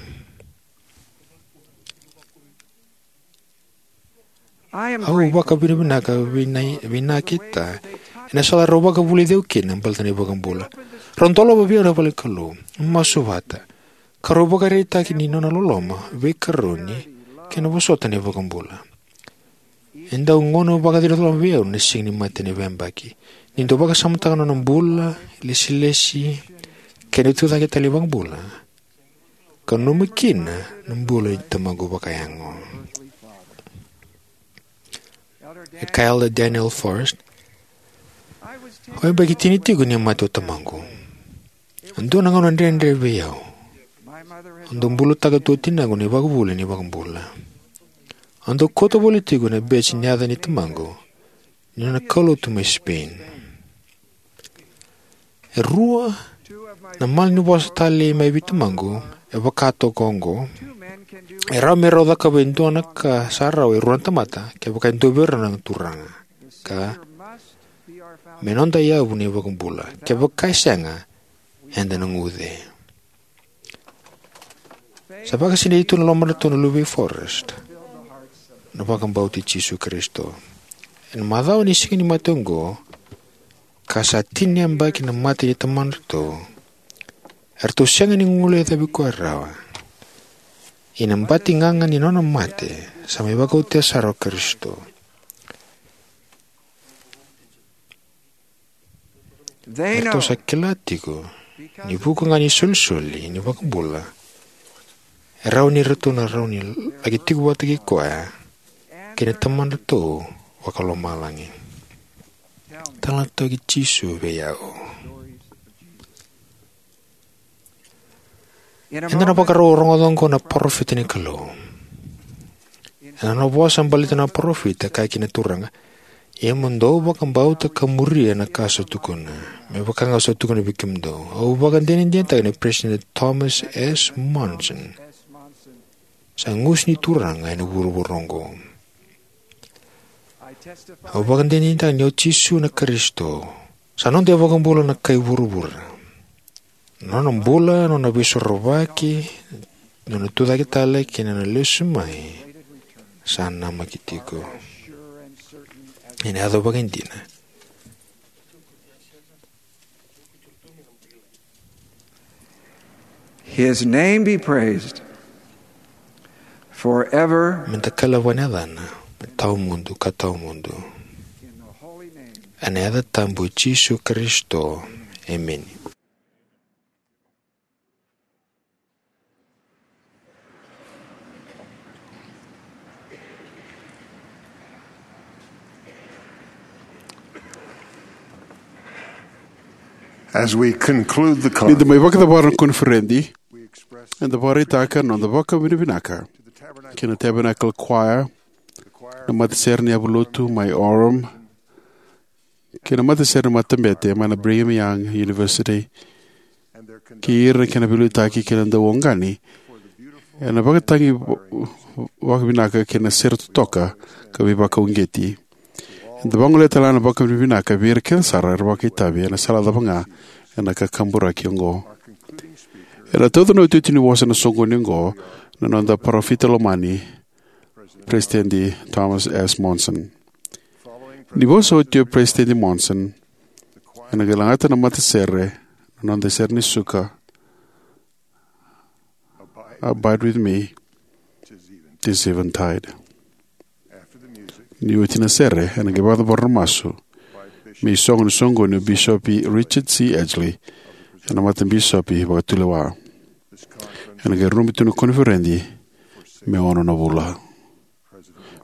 Au vakavinavinaka vei na, vei na keta ena sala rau vakavulici au kina baleta na iVakabula. Rau dolava vei au na vale ni Kalou, masu vata, ka rau ivakaraitaki ni nona loloma, veikaroni, kei na vosota na iVakabula. E dau gauna vakaciriloloma vei au na Siganimate ni veiyabaki. Ni dau vakasamataka na nona bula, ilesilesi, kei na tucake tale ni iVakabula, ka nanuma kina na bula ni Tamaqu vakayago. E kaya o Elder Daniel Forrest, "Au yabaki tini tiko ni mate o tamaqu. A dua na gauna dredre vei au. Au dau bulataka tu o tinaqu na ivakavuvuli ni iVakabula. Au dau kauta voli tiko na beji ni yaca ni tamaqu ni nona kaulotu mai Spain. E rua na malanivosa talei mai vei tamaqu e vaka toka oqo. E rawa me rau cakava e dua na ka sa rawa e rua na tamata, kevaka e dua vei rau na Turaga. Ka me noda yavu na iVakabula. Kevaka e sega, eda na guce." Sa vakasinaiti tu na lomadratou na luvei Forrest na vakabauti Jisu Karisito. Ena macawa ni Siga ni Mate oqo, ka sa tini na yabaki na mate ni tamadratou, eratou sega ni guilecavi koya rawa. Ia na bati gaga ni nona mate sa mai vakaotia sara o Karisito. Eratou sa kila tiko ni vuku ga ni isolisoli ni iVakabula, e rawa ni ratou na rawa ni laki tiko vata kei koya kei na Tamadratou vakalomalagi. Tala na Tui Jisu vei au. Eda na vakarau rogoca oqo na parofita ni Kalou. Ena nona vosa baleta na parofita, kaya kina na Turaga, "Ia mo dou vakabauta ka muria na ka sa tukuna, me vaka ga sa tukuna vei kemudou." Au vakadinadinataka ni President Thomas S. Monson sa gusu ni Turaga ena vuravura oqo. Au vakadinadinataka ni o Jisu na Karisito, sa noda iVakabula na kai vuravura. Nona bula, nona veisorovaki, nona tucake tale kei na nona lesu mai sa namaki tiko. Ena yaco vakaidina. His name be praised forever. Me da kailavaka na yacana me tawamudu ka tawamudu. Ena yaca tabu i Jisu Karisito. Emeni. As we conclude the conference, ni da mai vakacavara na koniferedi, eda vakaraitaka na noda vakavinavinaka kei na Tabernacle Choir, na matasere ni yavulotu mai Orem, kei na matasere ni matabete mai na Brigham Young University, kei ira na kena veiliutaki kei na dauoqani ena vakatagi va-, vakavinaka kei na sere totoka ka veivakauqeti. Eda vagolea tale ga na vakavinavinaka vei ira kece sara era vakaitavi ena sala cava ga ena kakaburaki oqo. Ena tauca na iotioti ni vosa ena soqoni oqo na noda parofita lomani, President Thomas S. Monson. Ni vosa oti o President Monson, ena qai lagata na matasere na noda sere ni suka, "Abide with me, 'tis eventide." Ni oti na sere, ena qai vakacavara na masu me isogo ni soqoni o Bisopi Richard C. Edgley, ena Matabisopi Vakatulewa. Ena qai rubi tu na koniferedi me ono na vula.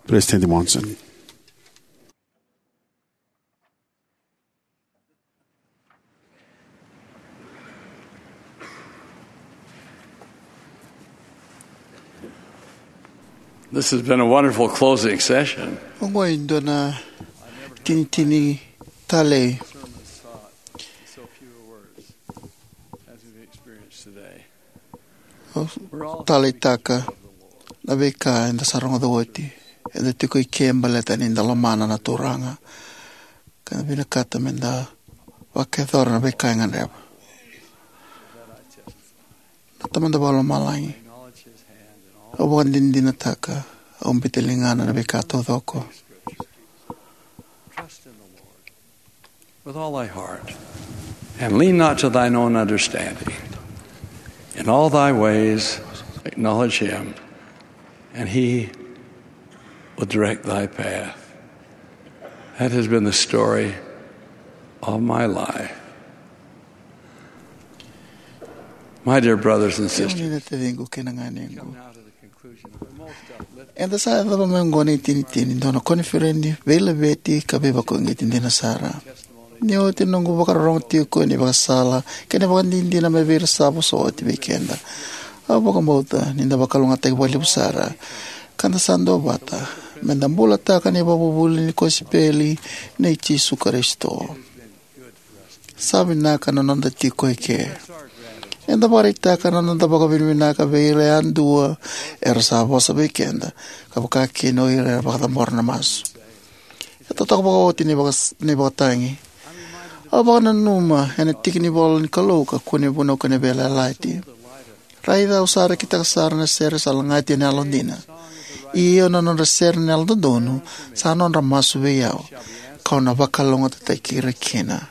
President Monson. This has been a wonderful closing session. Oqo e dua na tinitini talei. Au taleitaka na veika eda sa rogoca oti. Eda tiko i ke baleta ni da lomana na Turaga ka da vinakata me da vakayacora na veika e gadreva. Na Tamada Vakalomalagi, au vakadinadinataka, au biuta ligana na veika taucoko. With all thy heart, and lean not to thine own understanding. In all thy ways acknowledge him, and he will direct thy path. That has been the story of my life. My dear brothers and sisters, kemuni na taciqu kei na ganequ, eda sa yacova mai oqo na itinitini, dua na koniferedi veilaveti ka veivakauqeti dina sara. Ni oti na noqu vakarorogo tiko ni vakasala kei na vakadinadina mai vei ira sa vosa oti vei keda, au vakabauta ni da vakalougatataki vakalevu sara ka da sa duavata me da bulataka na ivakavuvuli ni kosipeli nei Jisu Karisito. Sa vinaka na noda tiko eke. Eda vakaraitaka na noda vakavinavinaka vei ira yadua era sa vosa vei keda, ka vakakina o ira era vakacabora na masu. E totoka vakaoti na ivaka-, na ivakatagi. Au vakananuma ena tiki ni ivola ni Kalou ka kune vunau kei na veiyalayalati. Raica au sa rekitaka sara na sere sa lagati ena yalodina. Io, na nodra sere na yalododonu sa nodra masu vei au, kau na vakalougatataki ira kina.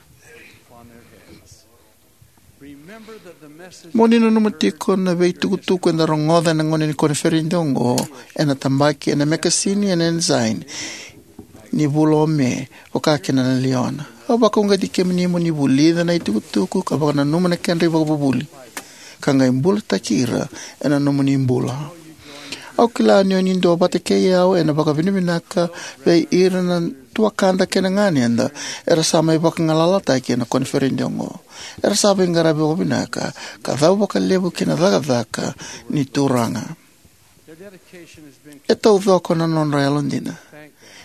Mo ni nanuma tiko na veitukutuku eda rogoca ena gauna ni koniferedi oqo ena tabaki ena mekasini ena Ensign ni vula o Me, vakakina na Liona. Au vakauqeti kemuni mo ni vulica na itukutuku ka vakananuma na kedra ivakavuvuli, ka qai bulataki ira ena nomuni bula. Au kila ni o ni duavata kei au ena vakavinavinaka vei ira na tuakada kei na ganeda era sa mai vagalalataki ena koniferedi oqo. Era sa veiqaravi vakavinaka ka cau vakalevu ki na cakacaka ni Turaga. E taucoko na nodra yalodina.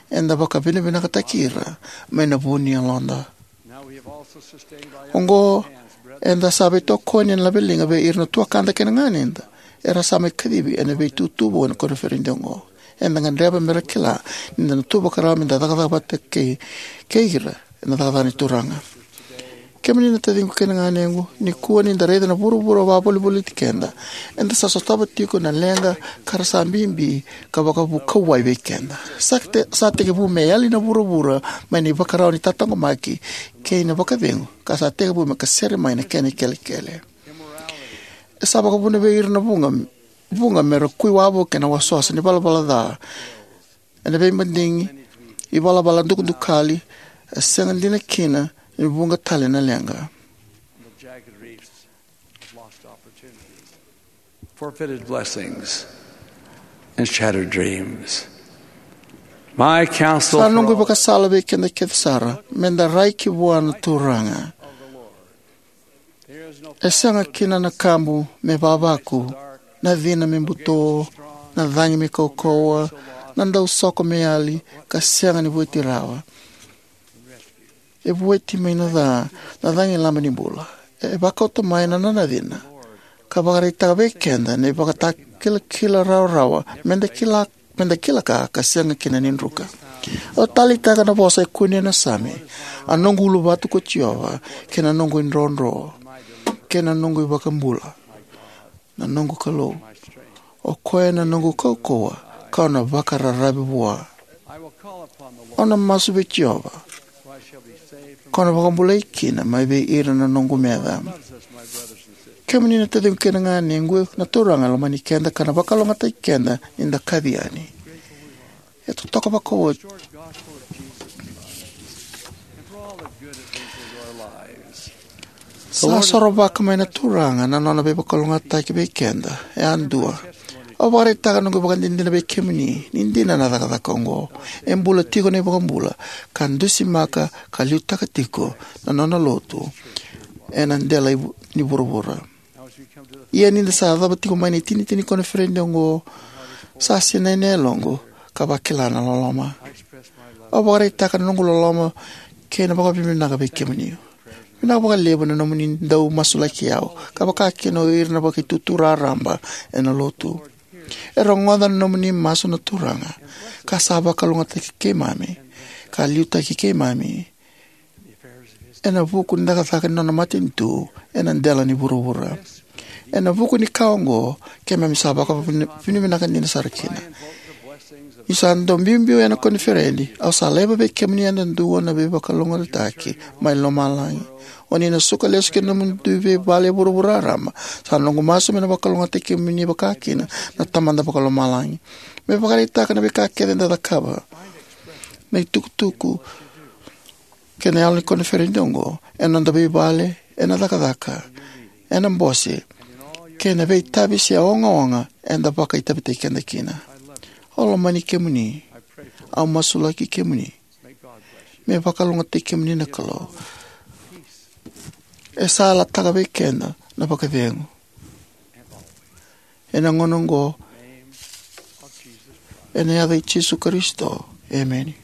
Eda vakavinavinakataki ira mai na vu ni yaloda. Oqo, eda sa veitokoni ena laveliga vei ira na tuakada kei na ganeda era sa mai kacivi ena veitutu vou ena koniferedi oqo. Eda gadreva mera kila ni da na tu vakarau me da cakacaka vata kei, kei ira ena cakacaka ni Turaga. Kemuni na taciqu kei na ganequ, nikua ni da raica na vuravura vakavolivoliti keda, eda sa sotava tiko na leqa ka ra sa bibi ka vakavukauwai vei keda. Sa te-, sa tekivu me yali na vuravura mai na ivakarau ni tataqomaki kei na vakacegu, ka sa tekivu me kasere mai na kena ikelekele. E sa vakavuna vei ira na vuqa, vuqa mera kui wavoki ena wasawasa ni valavala ca, ena veimadigi, ivalavala dukadukali, e sega dina kina ni vuqa tale na leqa. Forfeited blessings and shattered dreams. My counsel. Sa noqu ivakasala vei keda kece sara, me da rai ki vua na Turaga. E sega kina na kabu me vavaku, na cina me buto, na cagi me kaukauwa, na dausoko me yali ka sega ni vueti rawa. E vueti mai na ca na cagilaba ni bula. E vakauta mai na nona cina ka vakaraitaka vei keda na ivakatakilakila rawarawa me da kila, me da kila ka, ka sega kina ni druka. Au taleitaka na vosa e kune ena Same: A noqu uluvatu ko Jiova, kei na noqu idrodro, kei na noqu iVakabula, na noqu Kalou, o koya na noqu kaukauwa, kau na vakararavi vua. Au na masu vei Jiova, kau na vakabulai kina mai vei ira na noqu meca. Kemuni na taciqu kei na ganequ, na Turaga e lomani keda ka na vakalougatataki keda ni da kaci yani. E totoka vakaoti. Sa sorovaka mai na Turaga na nona veivakalougatataki vei keda yadua. Au vakaraitaka noqu ivakadinadina vei kemuni ni dina na cakacaka oqo. E bula tiko na iVakabula ka dusimaka ka liutaka tiko na nona lotu ena dela ivu-, ni vuravura. Ia ni da sa yacova tiko mai na itinitini koniferedi oqo, sa sinai na yaloqu ka vakila na loloma. Au vakaraitaka na noqu loloma kei na vakavinavinaka vei kemuni. Vinaka vakalevu na nomuni dau masulaki au, ka vakakina o ira na vakaitutu raraba ena lotu. E rogoca na nomuni masu na Turaga, ka sa vakalougatataki keimami ka liutaki keimami ena vuku ni cakacaka ni nona matanitu ena dela ni vuravura. Ena vuku ni ka oqo, keimami sa vakavinavinaka dina sara kina. Ni sa dau biubiu ena koniferedi, au sa laiva vei kemuni yadudua na veivakalougatataki mai lomalagi. O ni na suka lesu ki na nomudou veivale e vuravura raraba. Sa noqu masu me na vakalougatataki kemuni vakakina na Tamada Vakalomalagi. Me vakaraitaka na veika kece eda cakava, na itukutuku kei na yalo ni koniferedi oqo, ena noda veivale, ena cakacaka, ena bose, kei na veitavi se ogaoga eda vakaitavitaki keda kina. Au lomani kemuni. Au masulaki kemuni. Me vakalougatataki kemuni na Kalou. E sa yalataka vei keda na vakacegu ena gauna oqo, ena yaca i Jisu Karisito. Emeni.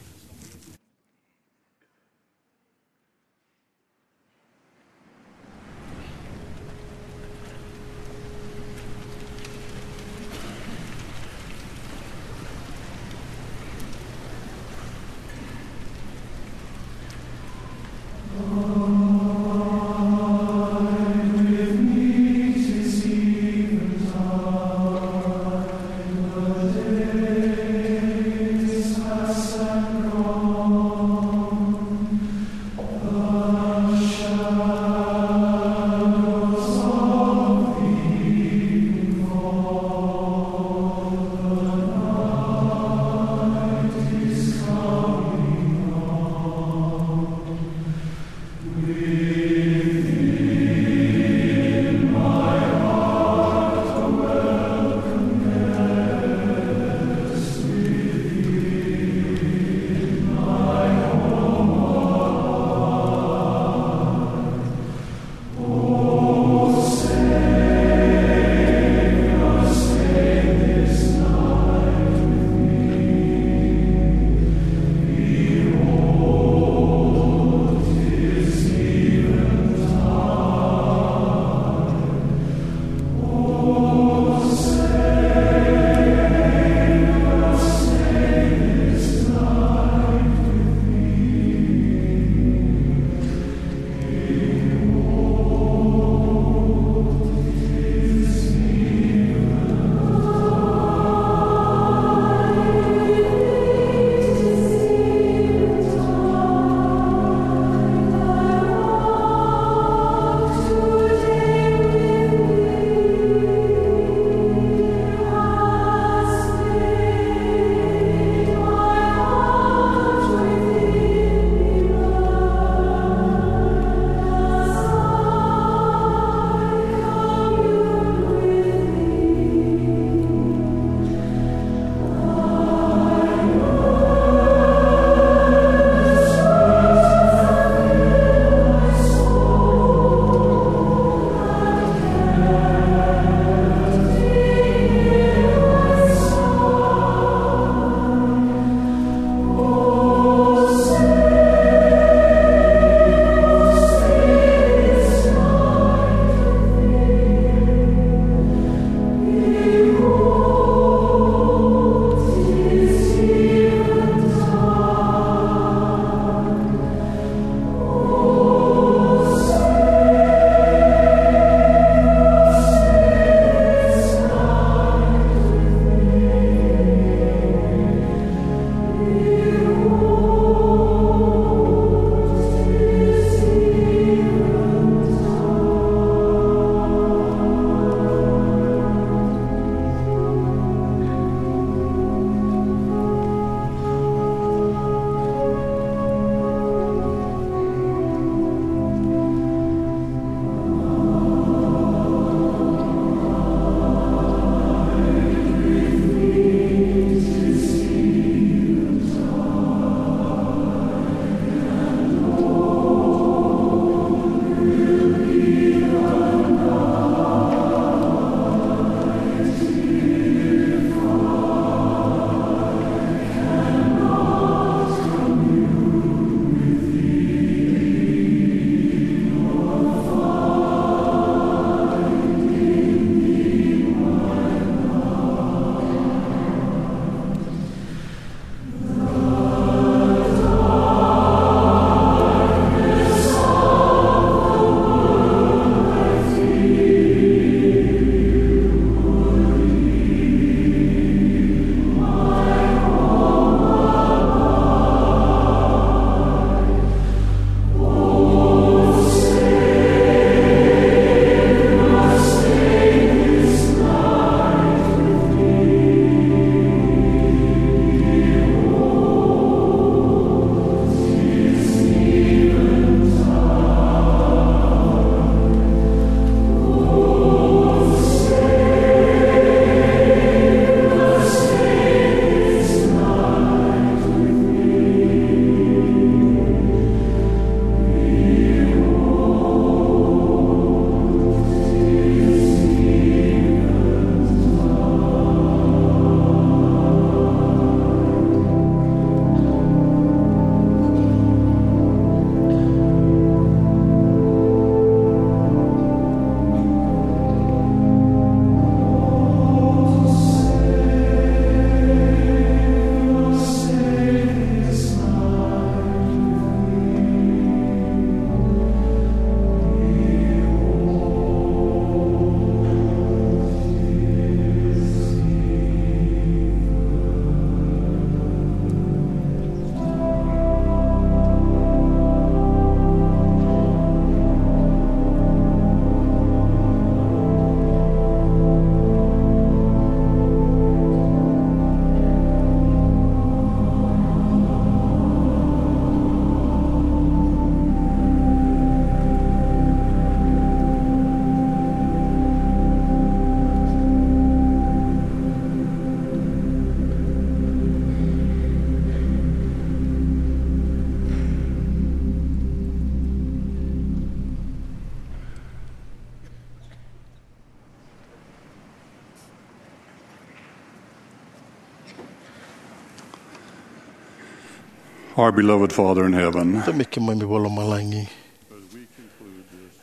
Our beloved Father in heaven, Tamai keimami vakalomalagi,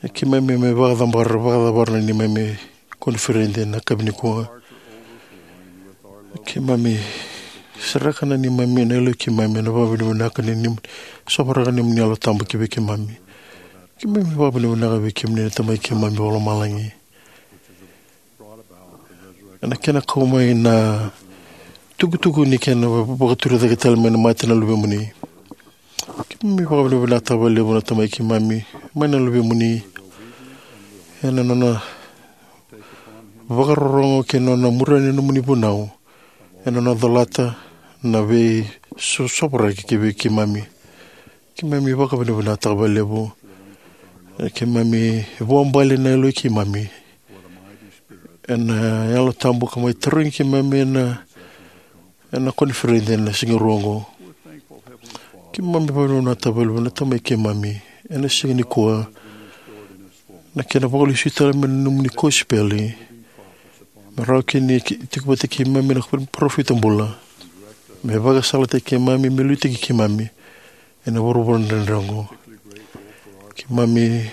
e keimami mai vakacabara, vakacabara na neimami koniferedi ena yakavi nikua. Keimami sereka na neimami, na yaloi keimami ena vakavinavinaka ni, ni sovaraka na neimami Yalo Tabu ki vei keimami. Keimami vakavinavinaka vei kemuni na Tamai keimami vakalomalagi ena kena kau mai na tukutuku ni kena vakaturi cake tale mai na mate na Luvemuni. Keimami vakavinavinaka vakalevu na Tamai keimami mai na Luvemuni ena nona vakarorogo kei na nona muria na nomuni vunau ena nona colata na veisosovaraki ki vei keimami. Keimami vakavinavinaka vakalevu. E keimami vuabale na yaloi keimami ena Yalo Tabu ka mai tarogi keimami ena, ena koniferedi ena siga rua oqo. Keimami vakavinavinaka vakalevu na Tamai keimami ena siga nikua na kena vakalesui tale mai na nomuni kosipeli me rawa kina ni tiko vata kei keimami na parofita bula me vakasalataki keimami, me liutaki keimami ena vuravura dredre oqo. Keimami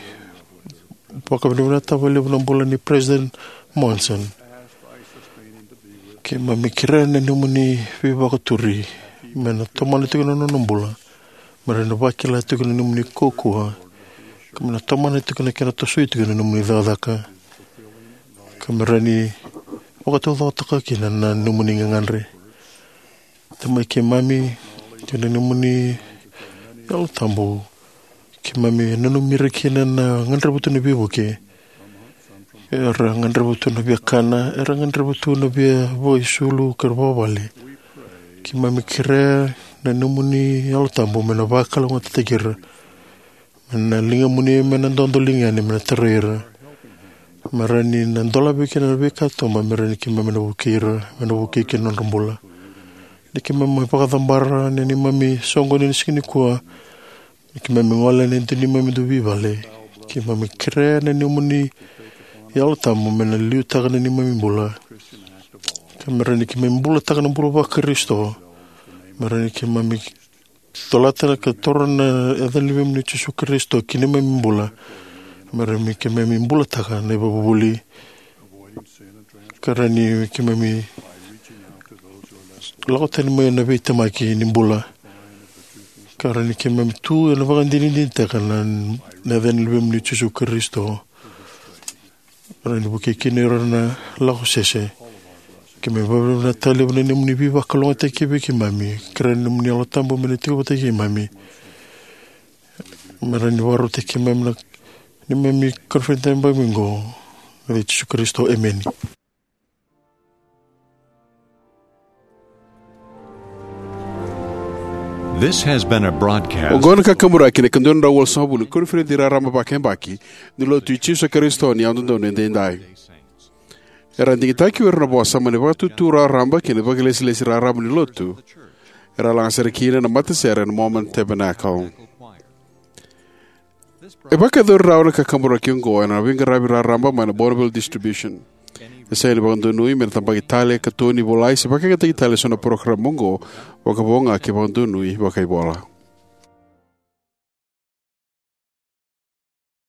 vakavinavinaka vakalevu na bula nei President Monson. Keimami kerea na nomuni veivakaturi me na tomana tiko na nona bula, me rawa ni vakila tiko na nomuni kaukaua, ka me na tomana tiko na kena tosoi tiko na nomuni cakacaka, ka me rawa ni vakataucokotaka kina na nomuni gagadre. Tamai keimami, kei na nomuni Yalo Tabu, keimami nanumi ira kina na gadreva tu na veivuke. Era gadreva tu na via kana, era gadreva tu na via vakaisulu kei ira vakavale. Keimami kerea na nomuni Yalo Tabu me na vakalougatataki ira, me na ligamuni, me na dodoliga yani, me na tarai ira, me rawa ni na dolavi kina na veika toba, me rawa ni keimami na vukei ira, me na vukei kina na nodra bula. Ni keimami mai vakacabara na neimami soqoni ena siga nikua, ni keimami gole ena dua neimami dui vale, keimami kerea na nomuni Yalo Tabu me na liutaka na neimami bula, ka me rawa ni keimami bulataka na bula vaKarisito, me rawa ni keimami colata ka toro na yaca ni Luvemuni o Jisu Karisito ki neimami bula, me rawa ni keimami bulataka na ivakavuvuli, ka rawa ni keimami lako tani mai na veitemaki ni bula, ka rawa ni keimami tu ena vakadinadinataka na, na yaca ni Luvemuni o Jisu Karisito, rawa ni vukei kina ira na lako sese. Keimami vakavinavinaka vakalevu na nomuni veivakalougatataki vei keimami, kerea na nomuni Yalo Tabu me na tiko vata kei keimami, me rawa ni vakarautaki keimami na neimami koniferedi ena yakavi oqo. Ena yaca i Jisu Karisito, emeni. This has been a broadcast. Oqo na kakaburaki ni ika dua na drau walusagavulu ni koniferedi raraba vakayabaki ni Lotu i Jisu Karisito ni Yalododonu Edaidai. Era digitaki o ira na vosa mai na Vakatutu Raraba kei na Vakailesilesi Raraba ni Lotu. Era laga sere kina na matasere na Mormon Tabernacle. E vakayacori rawa na kakaburaki oqo ena veiqaravi raraba mai na Bonneville Distribution. E sega ni vakadonui me na tabaki tale, katoni, volai se vakayagataki tale eso na parokaramu oqo, vakavo ga ke vakadonui vakaivola.